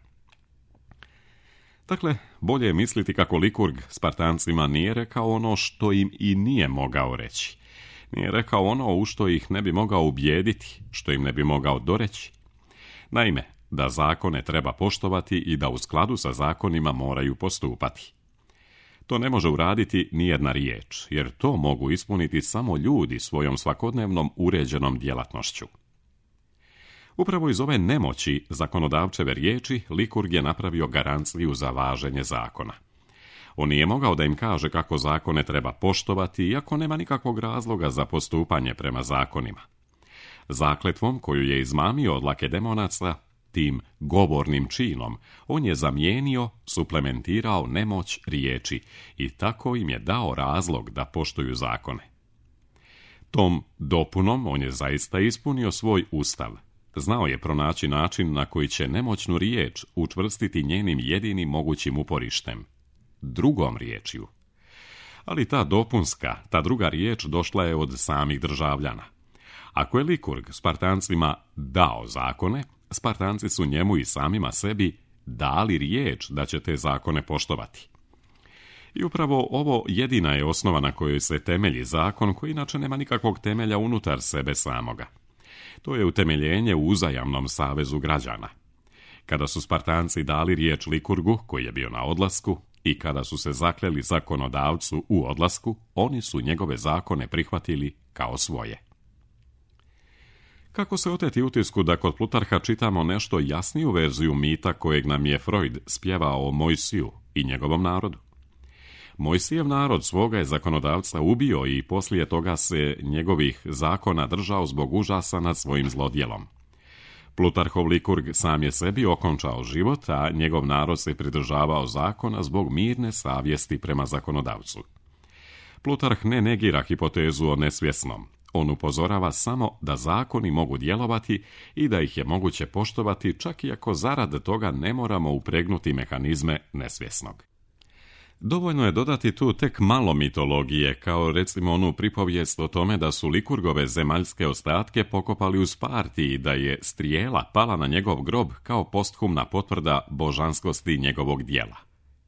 Dakle, bolje je misliti kako Likurg Spartancima nije rekao ono što im i nije mogao reći. Nije rekao ono u što ih ne bi mogao ubijediti, što im ne bi mogao doreći. Naime, da zakone treba poštovati i da u skladu sa zakonima moraju postupati. To ne može uraditi nijedna riječ, jer to mogu ispuniti samo ljudi svojom svakodnevnom uređenom djelatnošću. Upravo iz ove nemoći zakonodavčeve riječi Likurg je napravio garanciju za važenje zakona. On nije mogao da im kaže kako zakone treba poštovati, iako nema nikakvog razloga za postupanje prema zakonima. Zakletvom koju je izmamio od Lakedemonaca, tim govornim činom, on je zamijenio, suplementirao nemoć riječi i tako im je dao razlog da poštuju zakone. Tom dopunom on je zaista ispunio svoj ustav. Znao je pronaći način na koji će nemoćnu riječ učvrstiti njenim jedinim mogućim uporištem, drugom riječju. Ali ta dopunska, ta druga riječ došla je od samih državljana. Ako je Likurg Spartancima dao zakone, Spartanci su njemu i samima sebi dali riječ da će te zakone poštovati. I upravo ovo jedina je osnova na kojoj se temelji zakon, koji inače nema nikakvog temelja unutar sebe samoga. To je utemeljenje u uzajamnom savezu građana. Kada su Spartanci dali riječ Likurgu, koji je bio na odlasku, i kada su se zakleli zakonodavcu u odlasku, oni su njegove zakone prihvatili kao svoje. Kako se oteti utisku da kod Plutarha čitamo nešto jasniju verziju mita kojeg nam je Freud spjevao o Mojsiju i njegovom narodu? Mojsijev narod svoga je zakonodavca ubio i poslije toga se njegovih zakona držao zbog užasa nad svojim zlodjelom. Plutarhov Likurg sam je sebi okončao život, a njegov narod se pridržavao zakona zbog mirne savjesti prema zakonodavcu. Plutarh ne negira hipotezu o nesvjesnom. On upozorava samo da zakoni mogu djelovati i da ih je moguće poštovati čak i ako zarad toga ne moramo upregnuti mehanizme nesvjesnog. Dovoljno je dodati tu tek malo mitologije, kao recimo onu pripovijest o tome da su Likurgove zemaljske ostatke pokopali u Sparti i da je strijela pala na njegov grob kao posthumna potvrda božanskosti njegovog djela.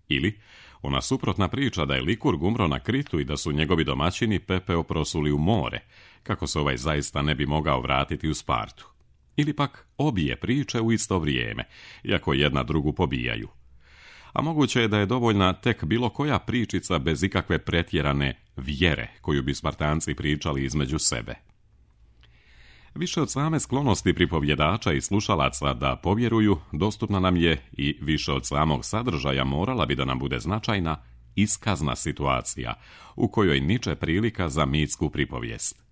Ili ona suprotna priča da je Likurg umro na Kritu i da su njegovi domaćini pepeo prosuli u more, kako se ovaj zaista ne bi mogao vratiti u Spartu. Ili pak obje priče u isto vrijeme, iako jedna drugu pobijaju. A moguće je da je dovoljna tek bilo koja pričica bez ikakve pretjerane vjere koju bi Spartanci pričali između sebe. Više od same sklonosti pripovjedača i slušalaca da povjeruju, dostupna nam je i više od samog sadržaja morala bi da nam bude značajna iskazna situacija u kojoj niče prilika za mitsku pripovijest.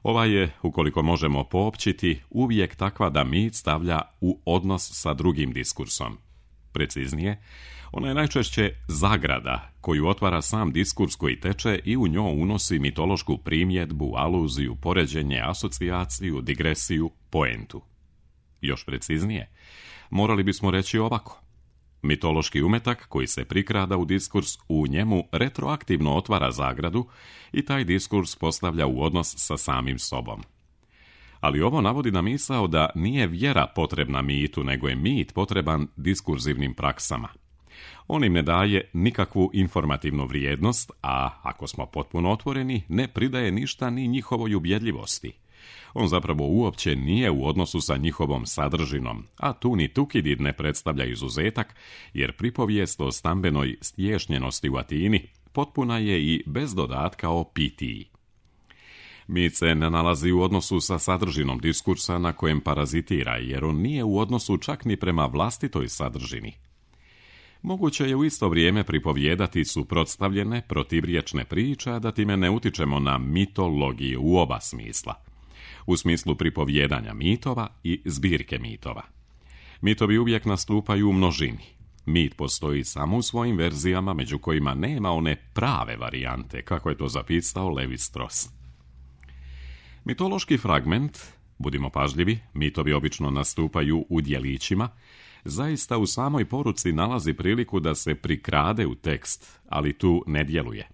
Ova je, ukoliko možemo poopćiti, uvijek takva da mit stavlja u odnos sa drugim diskursom. Preciznije, ona je najčešće zagrada koju otvara sam diskurs koji teče i u njoj unosi mitološku primjedbu, aluziju, poređenje, asocijaciju, digresiju, poentu. Još preciznije, morali bismo reći ovako. Mitološki umetak koji se prikrada u diskurs u njemu retroaktivno otvara zagradu i taj diskurs postavlja u odnos sa samim sobom. Ali ovo navodi na misao da nije vjera potrebna mitu, nego je mit potreban diskurzivnim praksama. On im ne daje nikakvu informativnu vrijednost, a ako smo potpuno otvoreni, ne pridaje ništa ni njihovoj ubjedljivosti. On zapravo uopće nije u odnosu sa njihovom sadržinom, a tu ni Tukidid ne predstavlja izuzetak, jer pripovijest o stambenoj stješnjenosti u Atini potpuna je i bez dodatka o pitiji. Mit se ne nalazi u odnosu sa sadržinom diskursa na kojem parazitira, jer on nije u odnosu čak ni prema vlastitoj sadržini. Moguće je u isto vrijeme pripovjedati suprotstavljene, protivriječne priče, a da time ne utičemo na mitologiju u oba smisla. U smislu pripovjedanja mitova i zbirke mitova. Mitovi uvijek nastupaju u množini. Mit postoji samo u svojim verzijama, među kojima nema one prave varijante, kako je to zapisao Levi Strauss. Mitološki fragment, budimo pažljivi, mitovi obično nastupaju u djelićima, zaista u samoj poruci nalazi priliku da se prikrade u tekst, ali tu ne djeluje.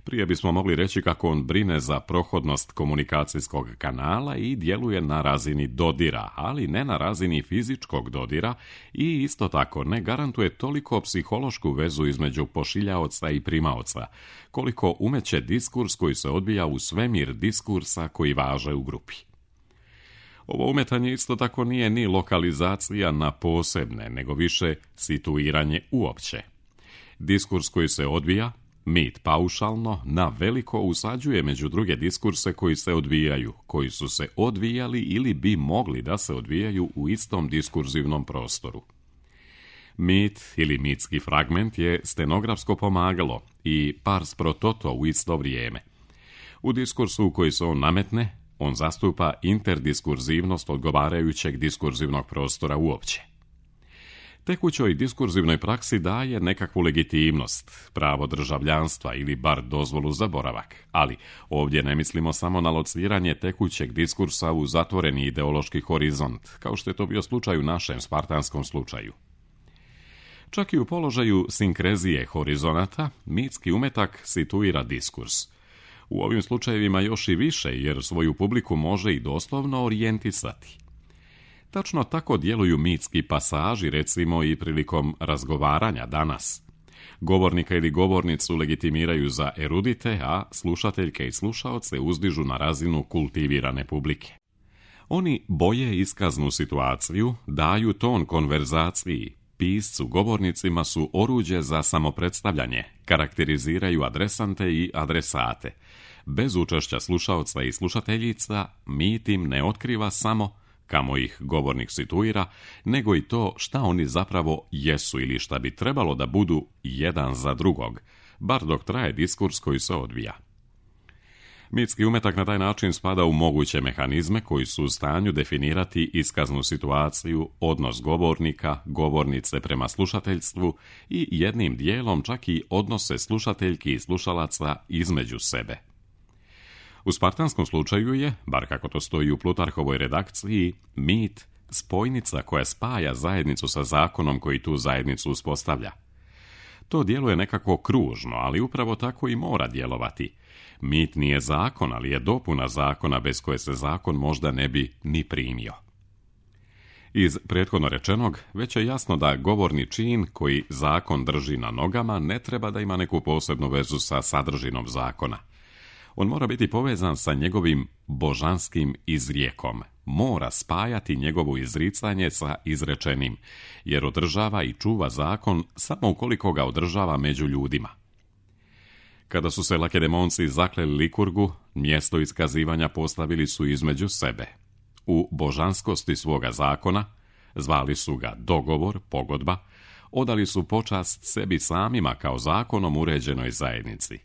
Prije bismo mogli reći kako on brine za prohodnost komunikacijskog kanala i djeluje na razini dodira, ali ne na razini fizičkog dodira i isto tako ne garantuje toliko psihološku vezu između pošiljaoca i primaoca, koliko umeće diskurs koji se odvija u svemir diskursa koji važe u grupi. Ovo umetanje isto tako nije ni lokalizacija na posebne, nego više situiranje uopće. Diskurs koji se odvija, mit paušalno, na veliko usađuje među druge diskurse koji se odvijaju, koji su se odvijali ili bi mogli da se odvijaju u istom diskurzivnom prostoru. Mit ili mitski fragment je stenografsko pomagalo i pars pro toto u isto vrijeme. U diskursu u koji se on nametne, on zastupa interdiskurzivnost odgovarajućeg diskurzivnog prostora uopće. Tekućoj diskurzivnoj praksi daje nekakvu legitimnost, pravo državljanstva ili bar dozvolu za boravak, ali ovdje ne mislimo samo na lociranje tekućeg diskursa u zatvoreni ideološki horizont, kao što je to bio slučaj u našem spartanskom slučaju. Čak i u položaju sinkrezije horizonata, mitski umetak situira diskurs. U ovim slučajevima još i više, jer svoju publiku može i doslovno orijentisati. Tačno tako djeluju mitski pasaži, recimo i prilikom razgovaranja danas. Govornika ili govornicu legitimiraju za erudite, a slušateljke i slušaoce uzdižu na razinu kultivirane publike. Oni boje iskaznu situaciju, daju ton konverzaciji, piscu, govornicima su oruđe za samopredstavljanje, karakteriziraju adresante i adresate. Bez učešća slušaoca i slušateljica, mit im ne otkriva samo kamo ih govornik situira, nego i to šta oni zapravo jesu ili šta bi trebalo da budu jedan za drugog, bar dok traje diskurs koji se odvija. Mitski umetak na taj način spada u moguće mehanizme koji su u stanju definirati iskaznu situaciju, odnos govornika, govornice prema slušateljstvu i jednim dijelom čak i odnose slušateljki i slušalaca između sebe. U spartanskom slučaju je, bar kako to stoji u Plutarhovoj redakciji, mit spojnica koja spaja zajednicu sa zakonom koji tu zajednicu uspostavlja. To djeluje nekako kružno, ali upravo tako i mora djelovati. Mit nije zakon, ali je dopuna zakona bez koje se zakon možda ne bi ni primio. Iz prethodno rečenog, već je jasno da govorni čin koji zakon drži na nogama ne treba da ima neku posebnu vezu sa sadržinom zakona. On mora biti povezan sa njegovim božanskim izrijekom. Mora spajati njegovo izricanje sa izrečenim, jer održava i čuva zakon samo ukoliko ga održava među ljudima. Kada su se Lakedemonci zakleli Likurgu, mjesto iskazivanja postavili su između sebe. U božanskosti svoga zakona, zvali su ga dogovor, pogodba, odali su počast sebi samima kao zakonom uređenoj zajednici.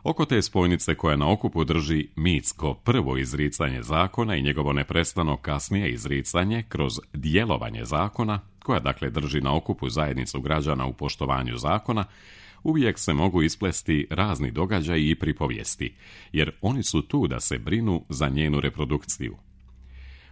Oko te spojnice koja na okupu drži mitsko prvo izricanje zakona i njegovo neprestano kasnije izricanje kroz djelovanje zakona, koja dakle drži na okupu zajednicu građana u poštovanju zakona, uvijek se mogu isplesti razni događaji i pripovijesti, jer oni su tu da se brinu za njenu reprodukciju.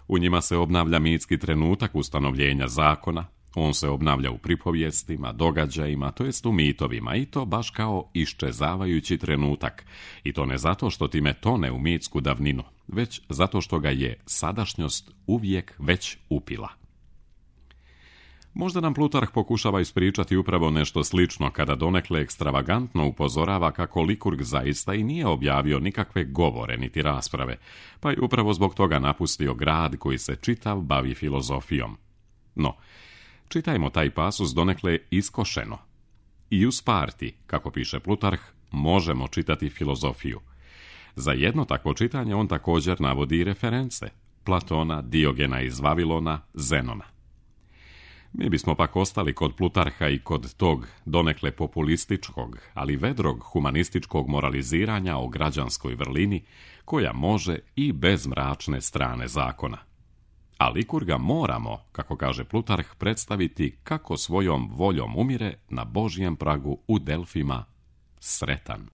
U njima se obnavlja mitski trenutak ustanovljenja zakona, on se obnavlja u pripovijestima, događajima, to jest u mitovima, i to baš kao iščezavajući trenutak, i to ne zato što time tone u mitsku davninu, već zato što ga je sadašnjost uvijek već upila. Možda nam Plutarh pokušava ispričati upravo nešto slično kada donekle ekstravagantno upozorava kako Likurg zaista i nije objavio nikakve govore niti rasprave, pa je upravo zbog toga napustio grad koji se čitav bavi filozofijom. No, čitajmo taj pasus donekle iskošeno. I u Sparti, kako piše Plutarh, možemo čitati filozofiju. Za jedno takvo čitanje on također navodi reference: Platona, Diogena iz Vavilona, Zenona. Mi bismo pak ostali kod Plutarha i kod tog donekle populističkog, ali vedrog humanističkog moraliziranja o građanskoj vrlini, koja može i bez mračne strane zakona. A Likurga moramo, kako kaže Plutarh, predstaviti kako svojom voljom umire na Božjem pragu u Delfima sretan.